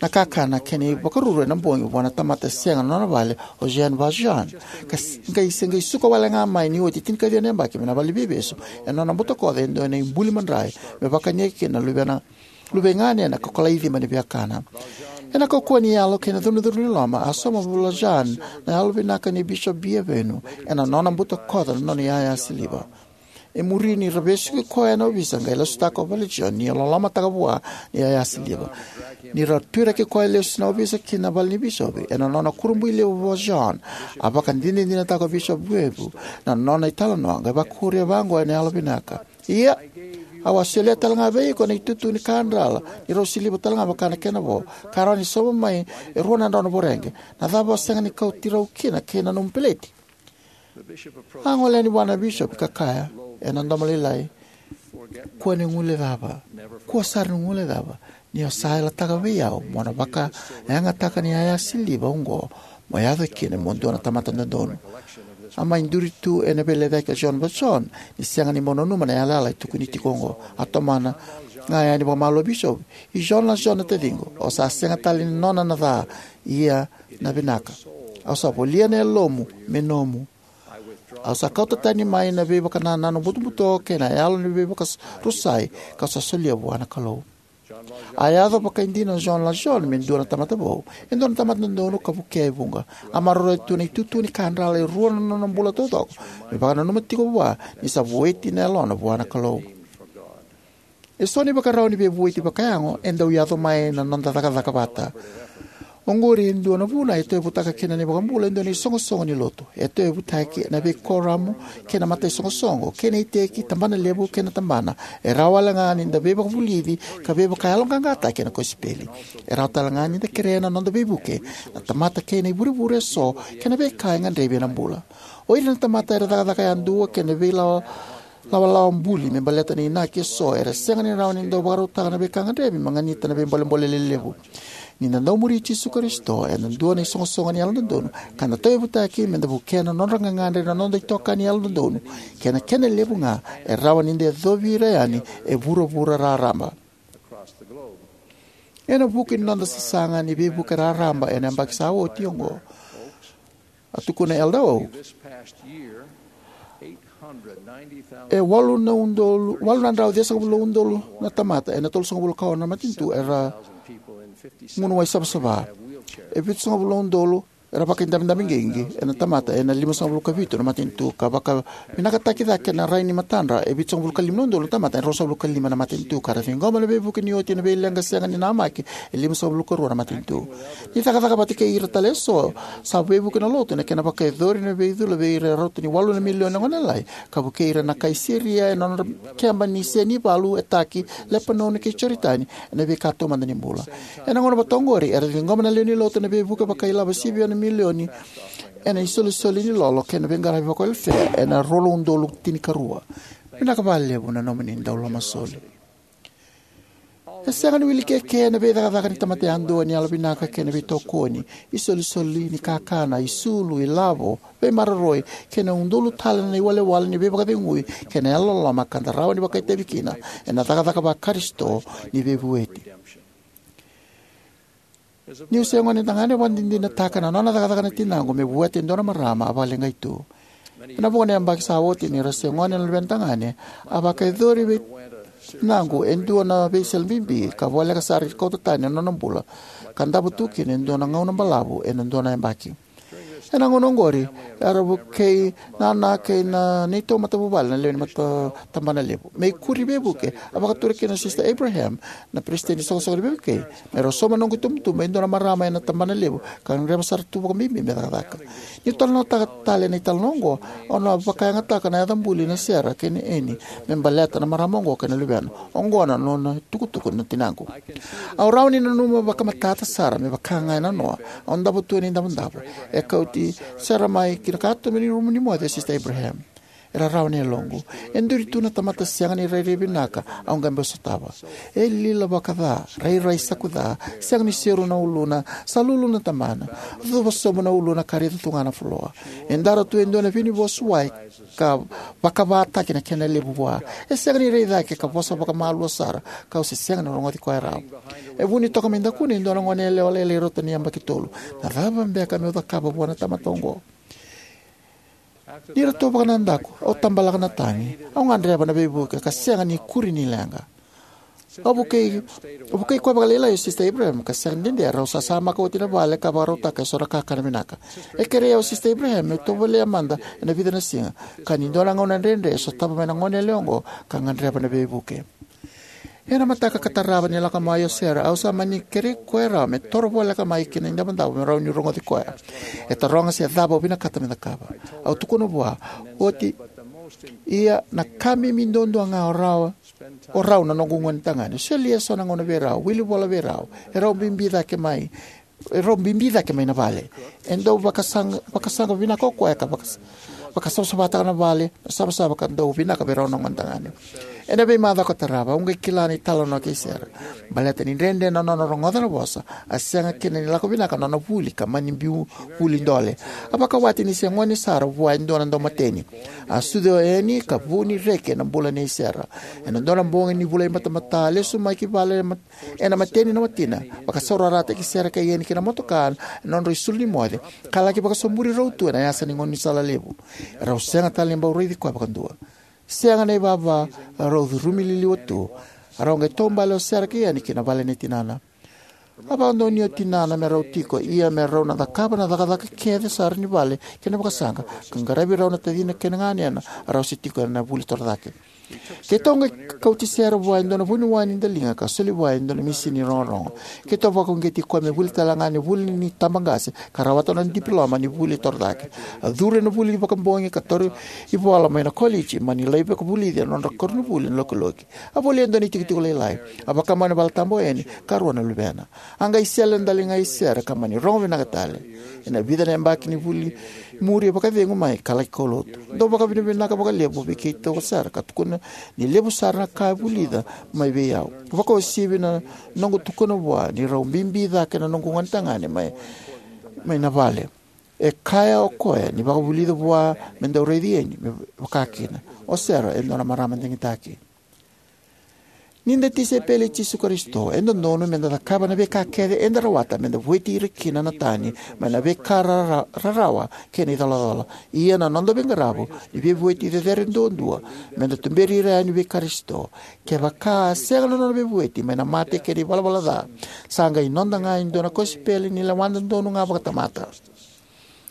na kakana kei na ivakaruru ena bogi vua na tamata sega na nona vale, o Jean Valjean, ka s- qai se qai suka wale ga mai ni oti tinikaciwa na yabaki mai na vale ni veivesu ena nona butakoca e dua na ibuli madrai me vakania kina na luvena luvei ganena ka kolai cima ni viakana. Ena kaukauwa ni yalo kei na curucuru ni loma, a sauma o Valjean na yalovinaka nei Bishop Bienvenu ena nona butakoca na nona iyaya siliva. E muri ni ra vesuki koya na ovisa, qai lasutaka o Valjean ni lolomataka vua na iyaya siliva. Ni ra tuiraki koya lesu na ovisa ki na vale ni bisopi, ena nona kurabui levu o Valjean, a vakadinadinataka o Bishop Bienvenu na nona italanoa, qai vakuria vaqo ena yalovinaka: Ia, au a solia talega vei iko na itutu ni kadrala ni rau siliva talega vaka na kena vo, ka rawa ni sauma mai e rua na drau na voreqe. Na cava o sega ni kauti rau kina kei na nomu peleti? A gole yani vua na bisopi ka kaya ena domo lailai: Kua ni guilecava, kua sara ni guilecava ni o sa yalataka vei au mo na vakayagataka na iyaya siliva oqo mo yaco kina mo dua na tamata dodonu. A mai duri tu ena veilecayaki o Jean Valjean ni sega ni bau nanuma na yalayala e tukuni tiko oqo. A tomana ga yani vakamalua o bisopi: I Jean Valjean, na taciqu, o sa sega tale ni nona na ca, ia na vinaka. Au sa volia na yalomu me nomu. Au sa kauta tani mai na veivakanananu butobuto kei na yalo ni veivakarusai kau sa solia vua na Kalou. A yaco vakaidina o Jean Valjean me dua na tamata vou, e dua na tamata dodonu ka vukea e vuqa. A maroroya tu na itutu ni kadrala e rua na nona bula taucoko, me vakananuma tiko vua ni sa vueti na yalona vua na Kalou. Eso na ivakarau ni veivueti vakayago e dau yaco mai na noda cakacaka vata. Oqori e dua na vuna e tauyavutaka kina na iVakabula e dua na isoqosoqo ni lotu. E tauyavutaki ena veikoramu kei na mataisoqosoqo kei na iteki, tabanalevu kei na tabana. E rawa wale ga ni da veivakavulici ka veivakayaloqaqataki ena kosipeli. E rawa tale ga ni da kerea na noda veivuke na tamata kei na ivurevure eso kei na veika e gadrevi ena bula. O ira na tamata era cakacaka yadua kei na veilawa lawalawa buli me baleta na inaki eso era sega ni rawa ni dau vakarautaka na veika gadrevi me ganita na veibolebole lelevu. Ni da dau muri Jisu Karisito ena dua na isoqosoqo ni yalododonu ka da tauyavutaki me da vukea na nodra gagadre na noda itokani yalododonu, kei na kena levu ga e rawa ni da yacovi ira yani e vuravura raraba. Ena vuku ni noda sasaga ni veivuke raraba ena yabaki sa oti oqo, a tukuna Elder Oaks, e walu na udolu, walu na drau ciwasagavulu na udolu na tamata ena tolusagavulu ka ono na matanitu era gunu wai savasava. E vitusagavulu na udolu era vakaidabedabe qiqi ena tamata ena limasagavulu ka vitu na matanitu, ka vakavinakataki cake na rai ni matadra e vitusagavulu ka lima na udolu na tamata ena ruasagavulu ka lima na matanitu, ka ra ciqoma na veivuke ni oti na veileqa sega ni namaki e limasagavulu ka rua na matanitu. Ni cakacaka vata kei ira tale eso, sa veivuke na lotu ena kena vakayacori na veicula vei ira e rauta ni walu na milioni na gone lalai, ka vukei ira na kai Siria ena nodra keba ni se ni valu e taki, Lepanoni kei Joritani, ena veika taumada ni bula. Ena gauna vata oqori, era ciqoma na lewe ni lotu ena veivuke vakailavo sivia na milioni ena isolisoli ni lolo kei na veiqaravi vakawelefea ena rua na udolu tinikarua. Vinaka vakalevu na nomuni dau lomasoli. E sega ni wili keke na veicakacaka ni tamata yadua ni yalovinaka kei na veitokoni, isolisoli ni kakana, isulu, ilavo, veimaroroi, kei na udolu tale na iwalewale ni veivakacegui kei na yalololoma ka da rawa ni vakaitavi kina ena cakacaka va-Karisito ni veivueti. Niu se gonetagane, au vakadinadinataka na nona cakacaka na tinaqu me vueta e dua na marama a vakaleqai tu. Ena vuqa na yabaki sa oti, ni ra se gone na luvetagane, a vakayacori vei tinaqu e dua na veisele bibi ka voleka sara ni kauta tani na nona bula, ka davo tu kina e dua na gauna balavu ena dua na yabaki. Ena gauna oqori, era vukei nana kei na neitou matavuvale na lewe ni mata tabana levu. Me ikuri veivuke, a vakatura kina o Sister Abraham, na peresitedi ni soqosoqo ni veivukei, me rau sauma noqu itubutubu e dua na marama ena tabana levu ka gadreva sara tu vakabibi me cakacaka. Niu talanoataka tale na italanoa oqo, au na vakayagataka na yaca buli na Sera kei na Eni me baleta na marama oqo kei na luvena. Oqo na nona itukutuku na tinaqu. Au rawa ni nanuma vakamatata sara me vaka ga e nanoa. Au davo tu ena idavodavo. E kauti Sera mai ki na katuba ni rumu ni moce o Sister Abraham. rarawa na yaloqu. E duri tu na tamata sega ni rairai vinaka au qai bau sotava. E lila vakaca, rairai sakuca, sega ni seru na uluna, sa lulu na tabana, cuva sobu na uluna ka raica tu ga na fuloa. E dara tu e dua na vinivosuwai ka vakavataki na kena levu vua. E sega ni rai cake ka vosa vakamalua sara, kau se sega ni rogoci koya rawa. E vuni toka mai dakuna e dua na gone yalewa lailai rauta ni yabaki tolu. Na cava beka meu cakava vua na tamata oqo? Ni ratou vakanadaku, au tabalaka na tagi. Au gadreva na veivuke ka sega ni kuri ni leqa. Au vukei, au vukei koya vakalailai o Sista Abraham ka sega ni dede, rau sasamaka oti na vale ka vakarautaka eso na kakana vinaka. E kerei au o Sista Abraham meu tovolea mada ena vica na siga, ka ni dua na gauna dredre e sotava mai na gone yalewa oqo ka gadreva na veivuke. Ena mataka ka tarava ni lako mai o Sera, au sa mani kerei koya rawa me toro voleka mai ki na idavodavo me rawa niu rogoci koya. E taroga se cava au vinakata me cakava. Au tukuna vua, oti, ia na ka bibi duadua ga o rau, o rau na noqu gone tagane. Solia eso na gauna vei rau, wili vola vei rau, e rau bibi cake mai, e rau bibi cake mai na vale. E dau vakasaqa, vakasaqa vinaka o koya ka vakas-, vakasavasavataka na vale, na savasava ka dau vinaka vei rau na gone tagane. Ena veimacawa ka tarava, au qai kila na italanoa kei Sera. Baleta ni dredre na nona rogoca na vosa, a sega kina ni lako vinaka na nona vuli ka mani biu vuli dole. A vakawati ni se gone sara vua e dua na daumateni. A sucu o Eni ka vu ni reki ena bula nei Sera. Ena dua na bogi ni vula imatamata, a lesu mai ki vale ena mat-, ena mateni na watina. Vakasaurarataki Sera kei Eni ki na motoka, ena nodrau isulu ni moce. Ka laki vakasoburi rau tu ena yasa ni gaunisala levu. Erau sega tale ni bau raici koya vakadua. Sega na ivava, rau curumi liliwa tu. Rau qai taubale o Sera kei Eni ki na vale nei tinana. A vakadonuya o tinana me rau tiko, ia me rau na cakava na cakacaka kece sara ni vale kei na vakasaqa, ka qaravi rau na tacina kei na ganena, rau se tiko ena vuli torocake. Keitou qai kauti Sera vua e dua na vuniwai ni daliga ka soli vua e dua na misini rogorogo. Keitou vakauqeti koya me vuli tale ga ena vuli ni tabaqase ka rawata na nona dipiloma ni vuli torocake. A curu ena vuli vakabogi ka tauri ivola mai na koliji, mani lai vakavulici ena nodra koronivuli na lokiloki. A volia e dua na itikotiko lailai. A vakamau ena valetabu o Eni ka rua na luvena. A qai sele na daliga i Sera ka mani rogo vinaka tale. Ena vica na yabaki ni vuli muri e vakacegu mai ka laki kaulotu. Dau vakavinavinaka vakalevu vei keitou o Sera ka tukuna ni levu sara na ka e vulica mai vei au. Vakauasivi na noqu tukuna vua ni rau bibi cake na noqu gone tagane mai, mai na vale. E kaya o koya ni vakavulica vua me dau raici Eni me vaka kina. O Sera e dua na marama digitaki. Ni da tisaipeli i Jisu Karisito, e dodonu me da cakava na veika kece eda rawata me da vueti ira kina na tani mai na veika rara-, rarawa kei na icolacola. Ia na noda veiqaravi ni veivueti cecere duadua me da tuberi ira yani vei Karisito. Kevaka a sega na nona veivueti mai na mate kei na ivalavala ca, sa qai noda ga e dua na kosipeli ni lewa dodonu ga vakatamata.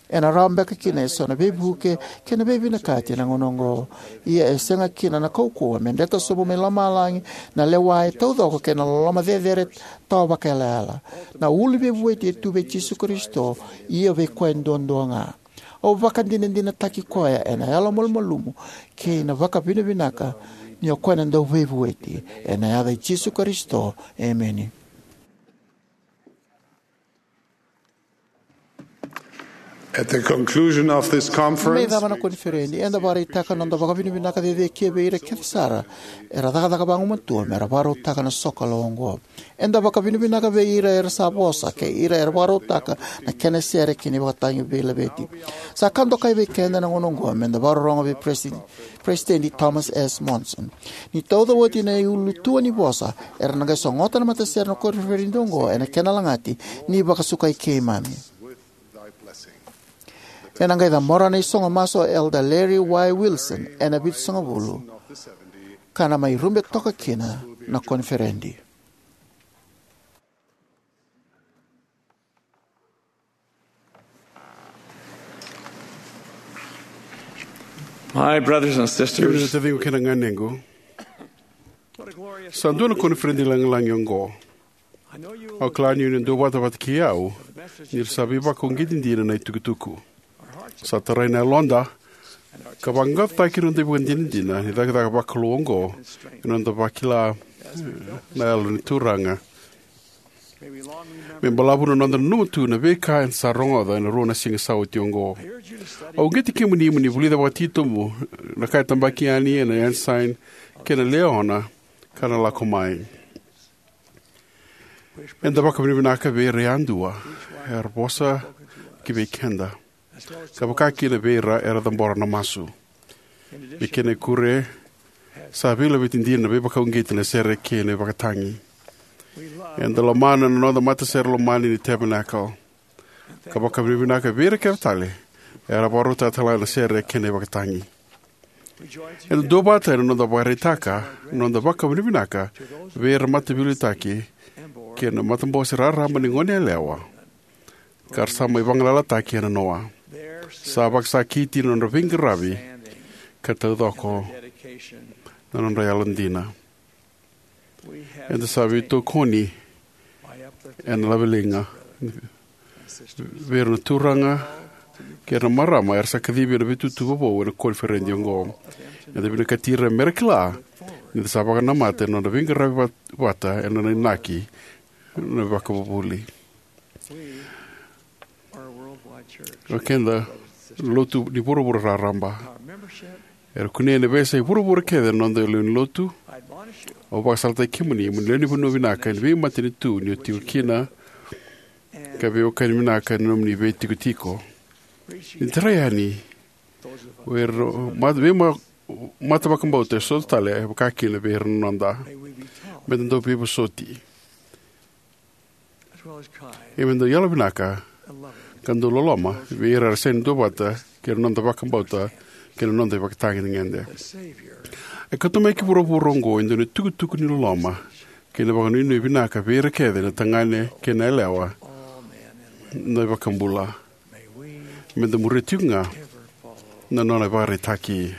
Ena rawa beka kina eso na veivuke kei na veivinakati ena gauna oqo. Ia e sega kina na kaukauwa me dreta sobu mai lomalagi na lewa e taucoko kei na loloma cecere tawa vakaiyalayala. Na uluveivueti e tu vei Jisu Karisito, ia vei koya duadua ga. Au vakadinadinataki koya ena yalomalumalumu kei na vakavinavinaka ni o koya na dauveivueti. Ena yaca i Jisu Karisito, emeni. At the conclusion of this conference, me cava na koniferedi, eda vakaraitaka na noda vakavinavinaka cecekia vei ira kece sara era cakacaka vagumatua me ra vakarautaka na sokalou oqo. Eda vakavinavinaka vei ira era sa vosa kei ira era vakarautaka na kena sere kei na ivakatagi veilaveti. Sa ka dokai vei keda na gauna oqo me da vakarorogo vei President President Thomas S. Monson. Ni tauca oti na iulutua ni vosa, era na qai sogota na matasere na koniferedi oqo ena kena lagati ni vakasukai keimami. Ena qai cabora na isogo masu o Elder Larry Y. Wilson ena vitusagavulu, ka na mai rube toka kina na koniferedi. My brothers and sisters, kemuni na taciqu kei na ganequ, sa dua na koniferedi lagilagi oqo. Au kila ni o ni duavata vata kei au ni ra sa veivakauqeti dina na itukutuku. Sa tarai na yaloda ka vaqaqacotaki na noda ivakadinadina ni cakacaka vakalou oqo ena noda vakila, eh, na Yalo ni Turaga. Me balavu na noda nanuma tu na veika eda sa rogoca ena rua na siga sa oti oqo. Au uqeti kemuni mo ni vulica vakatitobu na ka e tabaki yani ena Ensign kei na Liahona ka na lako mai. Eda vakavinavinaka vei ira yadua era vosa ki vei keda, ka vaka kina vei ira era cabora na masu. Me kena ikuri, sa veilaveti dina na veivakauqeti na sere kei na ivakatagi. Eda lomana na noda matasere lomani ni Tabernacle, ka vakavinavinaka vei ira kece tale era vakarautaka tale ga na sere kei na ivakatagi. Eda duavata ena noda vakaraitaka na noda vakavinavinaka vei ira mataveiliutaki kei na matabose raraba ni goneyalewa ka ra sa mai vagalalataki ena noa. Sa vakasakiti na nodra veiqaravi ka taucoko na nodra yalodina. Eda sa veitokoni ena laveliga vei ira na turaga kei ira na marama era sa kacivi ena veitutu vovou ena koniferedi oqo. Eda vinakati ira me ra kila ni da sa vakanamata ena nodra veiqaravi vat-, vata ena nona inaki na vakavuvuli. O keda na lotu ni vuravura raraba. Era kunei ena veiyasai vuravura kece na noda lewe ni lotu. Au vakasalataki kemuni mo ni lewe ni vanua vinaka ena veimatanitu ni o tiko kina, ka veiwekani vinaka ena nomuni veitikotiko. Ni tarai yani o ira ma-, veima-, mata vakabauta e so tale, e vaka kina vei ira na noda. Me da dau veivosoti. Ia me da dau yalovinaka ka dau loloma vei ira era sega ni duavata kei na noda vakabauta kei na noda ivakatagedegede. E kauta mai ki vuravura oqo e dua na itukutuku ni loloma kei na vakanuinui vinaka vei ira kece na tagane kei na yalewa na iVakabula. Me da muria tiko ga na nona ivakaraitaki.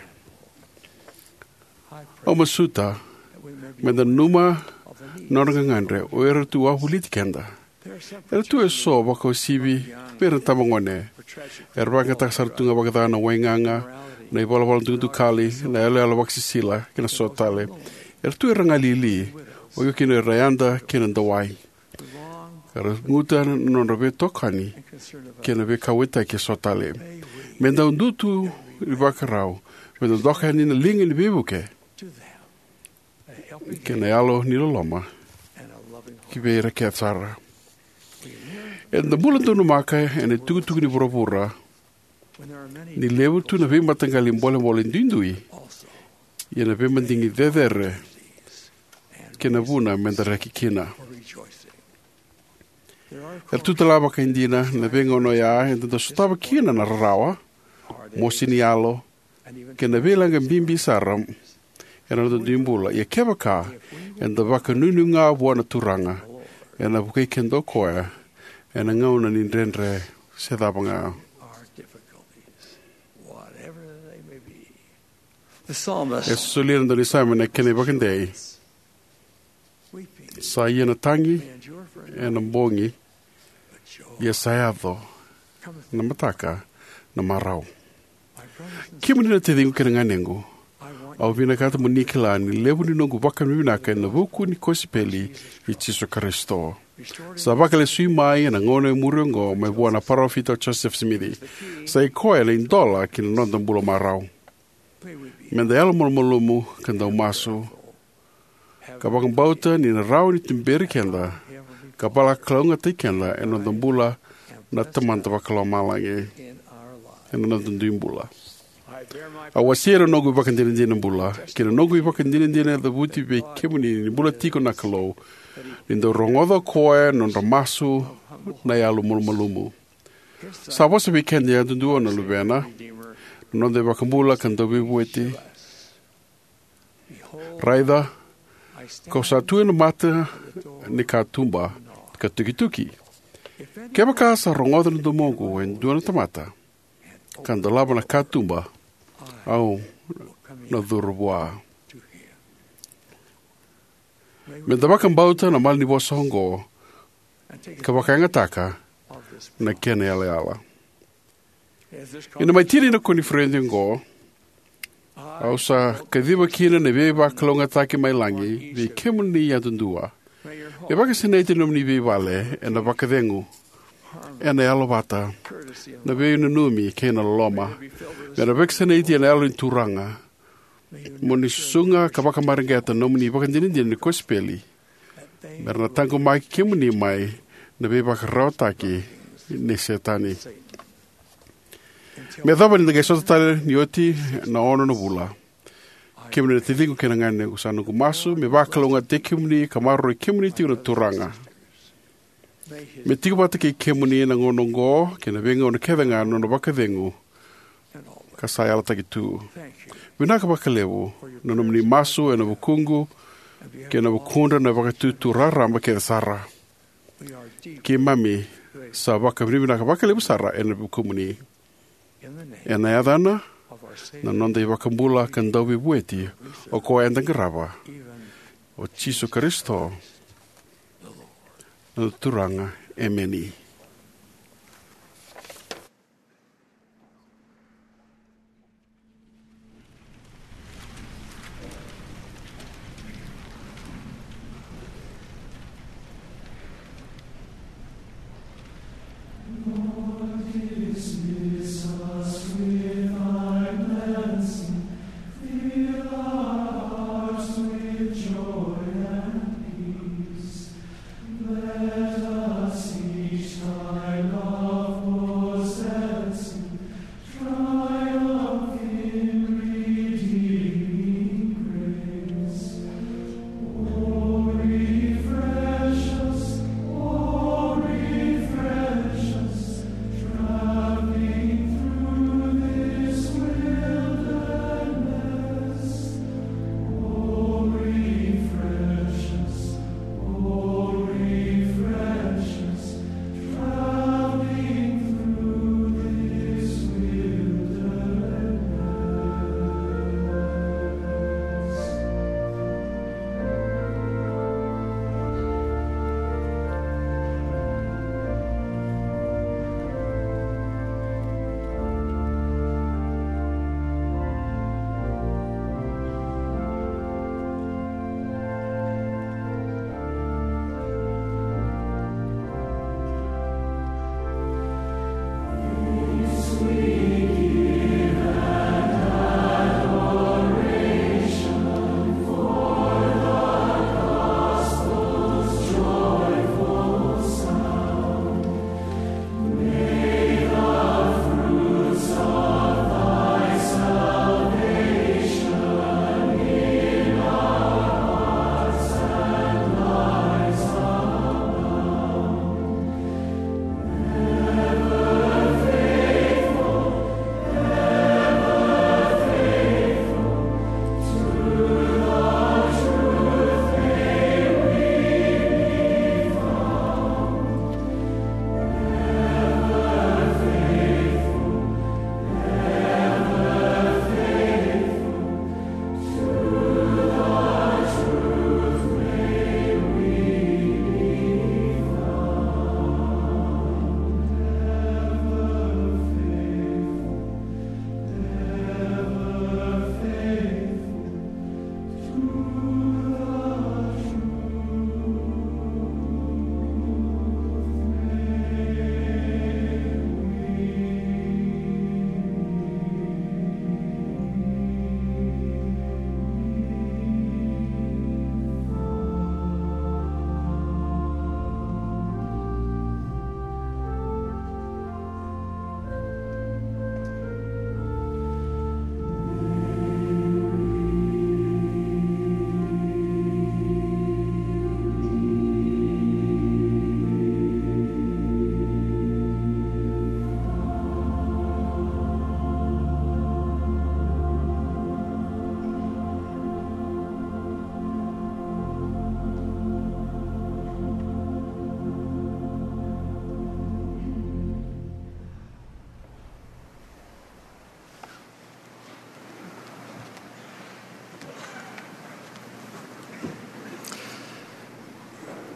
Au masuta me da nanuma na nodra gagadre o ira tu wavoliti keda. Era tu e so vakauasivi vei ira na itabagone. Era vakayagataka sara tu ga vakaca na waigaga, na ivalavala dukadukali, na iyaloyalo vakasisila kei na so tale. Era tu era galili, oqo kina era yada kei na dawai. Ka ra guta na nodra veitokani kei na veikauwaitaki e so tale. Me da dau tu ni vakarau me da doka yani na liga ni veivuke kei na yalo ni loloma ki vei ira kece sara. Eda bula donumaka ena itukutuku ni vuravura ni levu tu na veimataqali bolebole duidui, ia na veimadigi cecere kei na vuna me da reki kina. Era tu tale ga vakaidina na veigauna oya eda dau sotava kina na rarawa, mosi ni yalo, kei na veilaga bibi sara ena noda dui bula. Ia kevaka eda vakanuinui ga vua na Turaga, ena vukei keda o koya ena gauna ni dredre se cava ga. E solia na daunisame na kena ivakadei. Sa ia na tagi ena bogi, ia sa yaco na mataka na marau. Kemuni na taciqu kei na ganequ, au vinakata mo ni kila ni levu ni noqu vakavinavinaka ena vuku ni kosipeli i Jisu Karisito. Sa vakalesui mai ena gauna e muri oqo mai vua na parofita o Joseph Smith. Sa i koya na idola ki na noda bula marau. Me da yalomalumalumu ka dau masu, ka vakabauta ni na rawa ni tuberi keda ka vakalougatataki keda ena noda bula na Tamada Vakalomalagi ena noda dui bula. Au wasea na noqu ivakadinadina bula kei na noqu ivakadinadina cavuti vei kemuni ni bula tiko na Kalou, ni dau rogoca o koya na nodra masu na yalomalumalumu. Sa vosa vei keda yadudua na Luvena, na noda iVakabula ka Dauveivueti. Raica, kau sa tu ena mata ni katuba ka tukituki. Kevaka sa rogoca na domoqu e dua na tamata ka dolava na katuba, au na curu vua. Me da vakabauta na malanivosa oqo ka vakayagataka na kena yalayala. Ena mai tini na koniferedi oqo, au sa kaciva kina na veivakalougatataki mai lagi vei kemuni yadudua. Me vakasinaiti na nomuni veivale ena vakacegu, ena yalovata, na veinanumi kei na loloma. Me ra vakasinaiti ena Yalo ni Turaga. Mo ni susuga ka vakamareqeta na nomuni ivakadinadina ni kosipeli, me ra na taqomaki kemuni mai na veivakararawataki nei Setani. Me yacova ni da qai sota tale ni oti na ono na vula, kemuni na taciqu kei na ganequ, sa noqu masu me vakalougatataki kemuni ka maroroi kemuni tiko na Turaga. Me tiko vata kei kemuni na gauna oqo kei na veigauna kece ga na nona vakacegu ka sa yalataki tu. Vinaka vakalevu na nomuni masu ena vukuqu kei na vukudra na Vakaitutu Raraba kece sara. Keimami sa vakavinavinaka vakalevu sara ena vukumuni. Ena yacana na noda iVakabula ka Dauveivueti, o koya eda qarava, o Jisu Karisito, na Turaga. Emeni.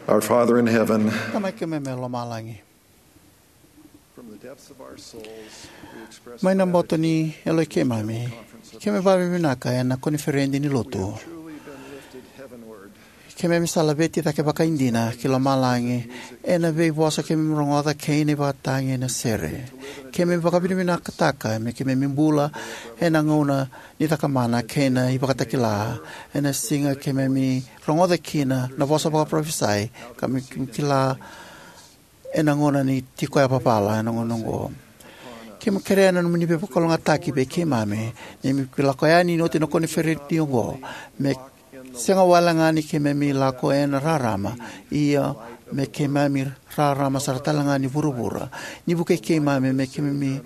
Our Father in heaven, Tamai keimami e lomalagi, from the depths of our souls, we express mai na boto ni yaloi keimami, keimami vakavinavinaka ena koniferedi ni lotu. Truly been lifted heavenward. Keimami sa laveti cake vakaidina ki lomalagi ena veivosa keimami rogoca kei na ivakatagi ena sere. Keimami vakavinavinakataka me keimami bula ena gauna ni cakamana kei na ivakatakila, ena siga keimami rogoca kina na vosa vakaparofisai, ka me keimami kila ena gauna ni tiko yavavala ena gauna oqo. Keimami kerea na nomuni veivakalougatataki vei keimami ni keimami lako yani ni oti na koniferedi oqo, me sega wale ga ni keimami lako ena rarama, ia me keimami rarama sara tale ga ni vuravura. Ni vukei keimami me keimami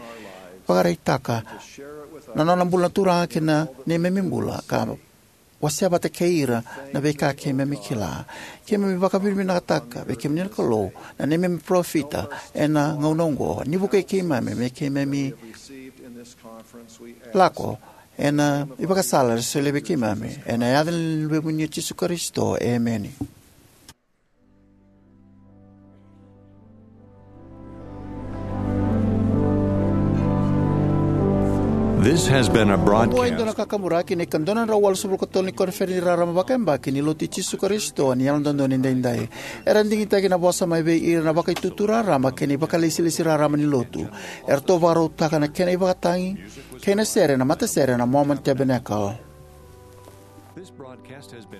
vakaraitaka na nona bula na Turaga kei na neimami bula, ka wasea vata kei ira na veika keimami kila. Keimami vakavinavinakataka vei kemuni na Kalou, na neimami parofita ena gauna oqo. Ni vukei keimami me keimami lako ena ivakasala era solia vei keimami. Ena yaca ni Luvemuni o Jisu Karisito, emeni. This has been a Oqo e dua na broadcast. Kakaburaki ni ka dua na drau walusagavulu ka tolu ni koniferedi rarama vakayabaki ni Lotu i Jisu Karisito ni Yalododonu Edaidai. Era digitaki na vosa mai vei ira na Vakaitutu Raraba kei na Vakailesilesi Raraba ni Lotu. Eratou vakarautaka na kena ivakatagi kei na sere na matasere na Mormon Tabernacle.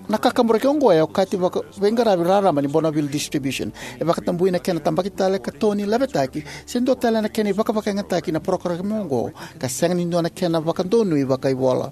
Na kakaburaki oqo e okati vaka veiqaravi raraba ni Bonneville Distribution. E vakatabui na kena tabaki tale, katoni, lavetaki, se dua tale na kena ivakavakayagataki na parokaramu oqo, ka sega ni dua na kena vakadonui vakaivola.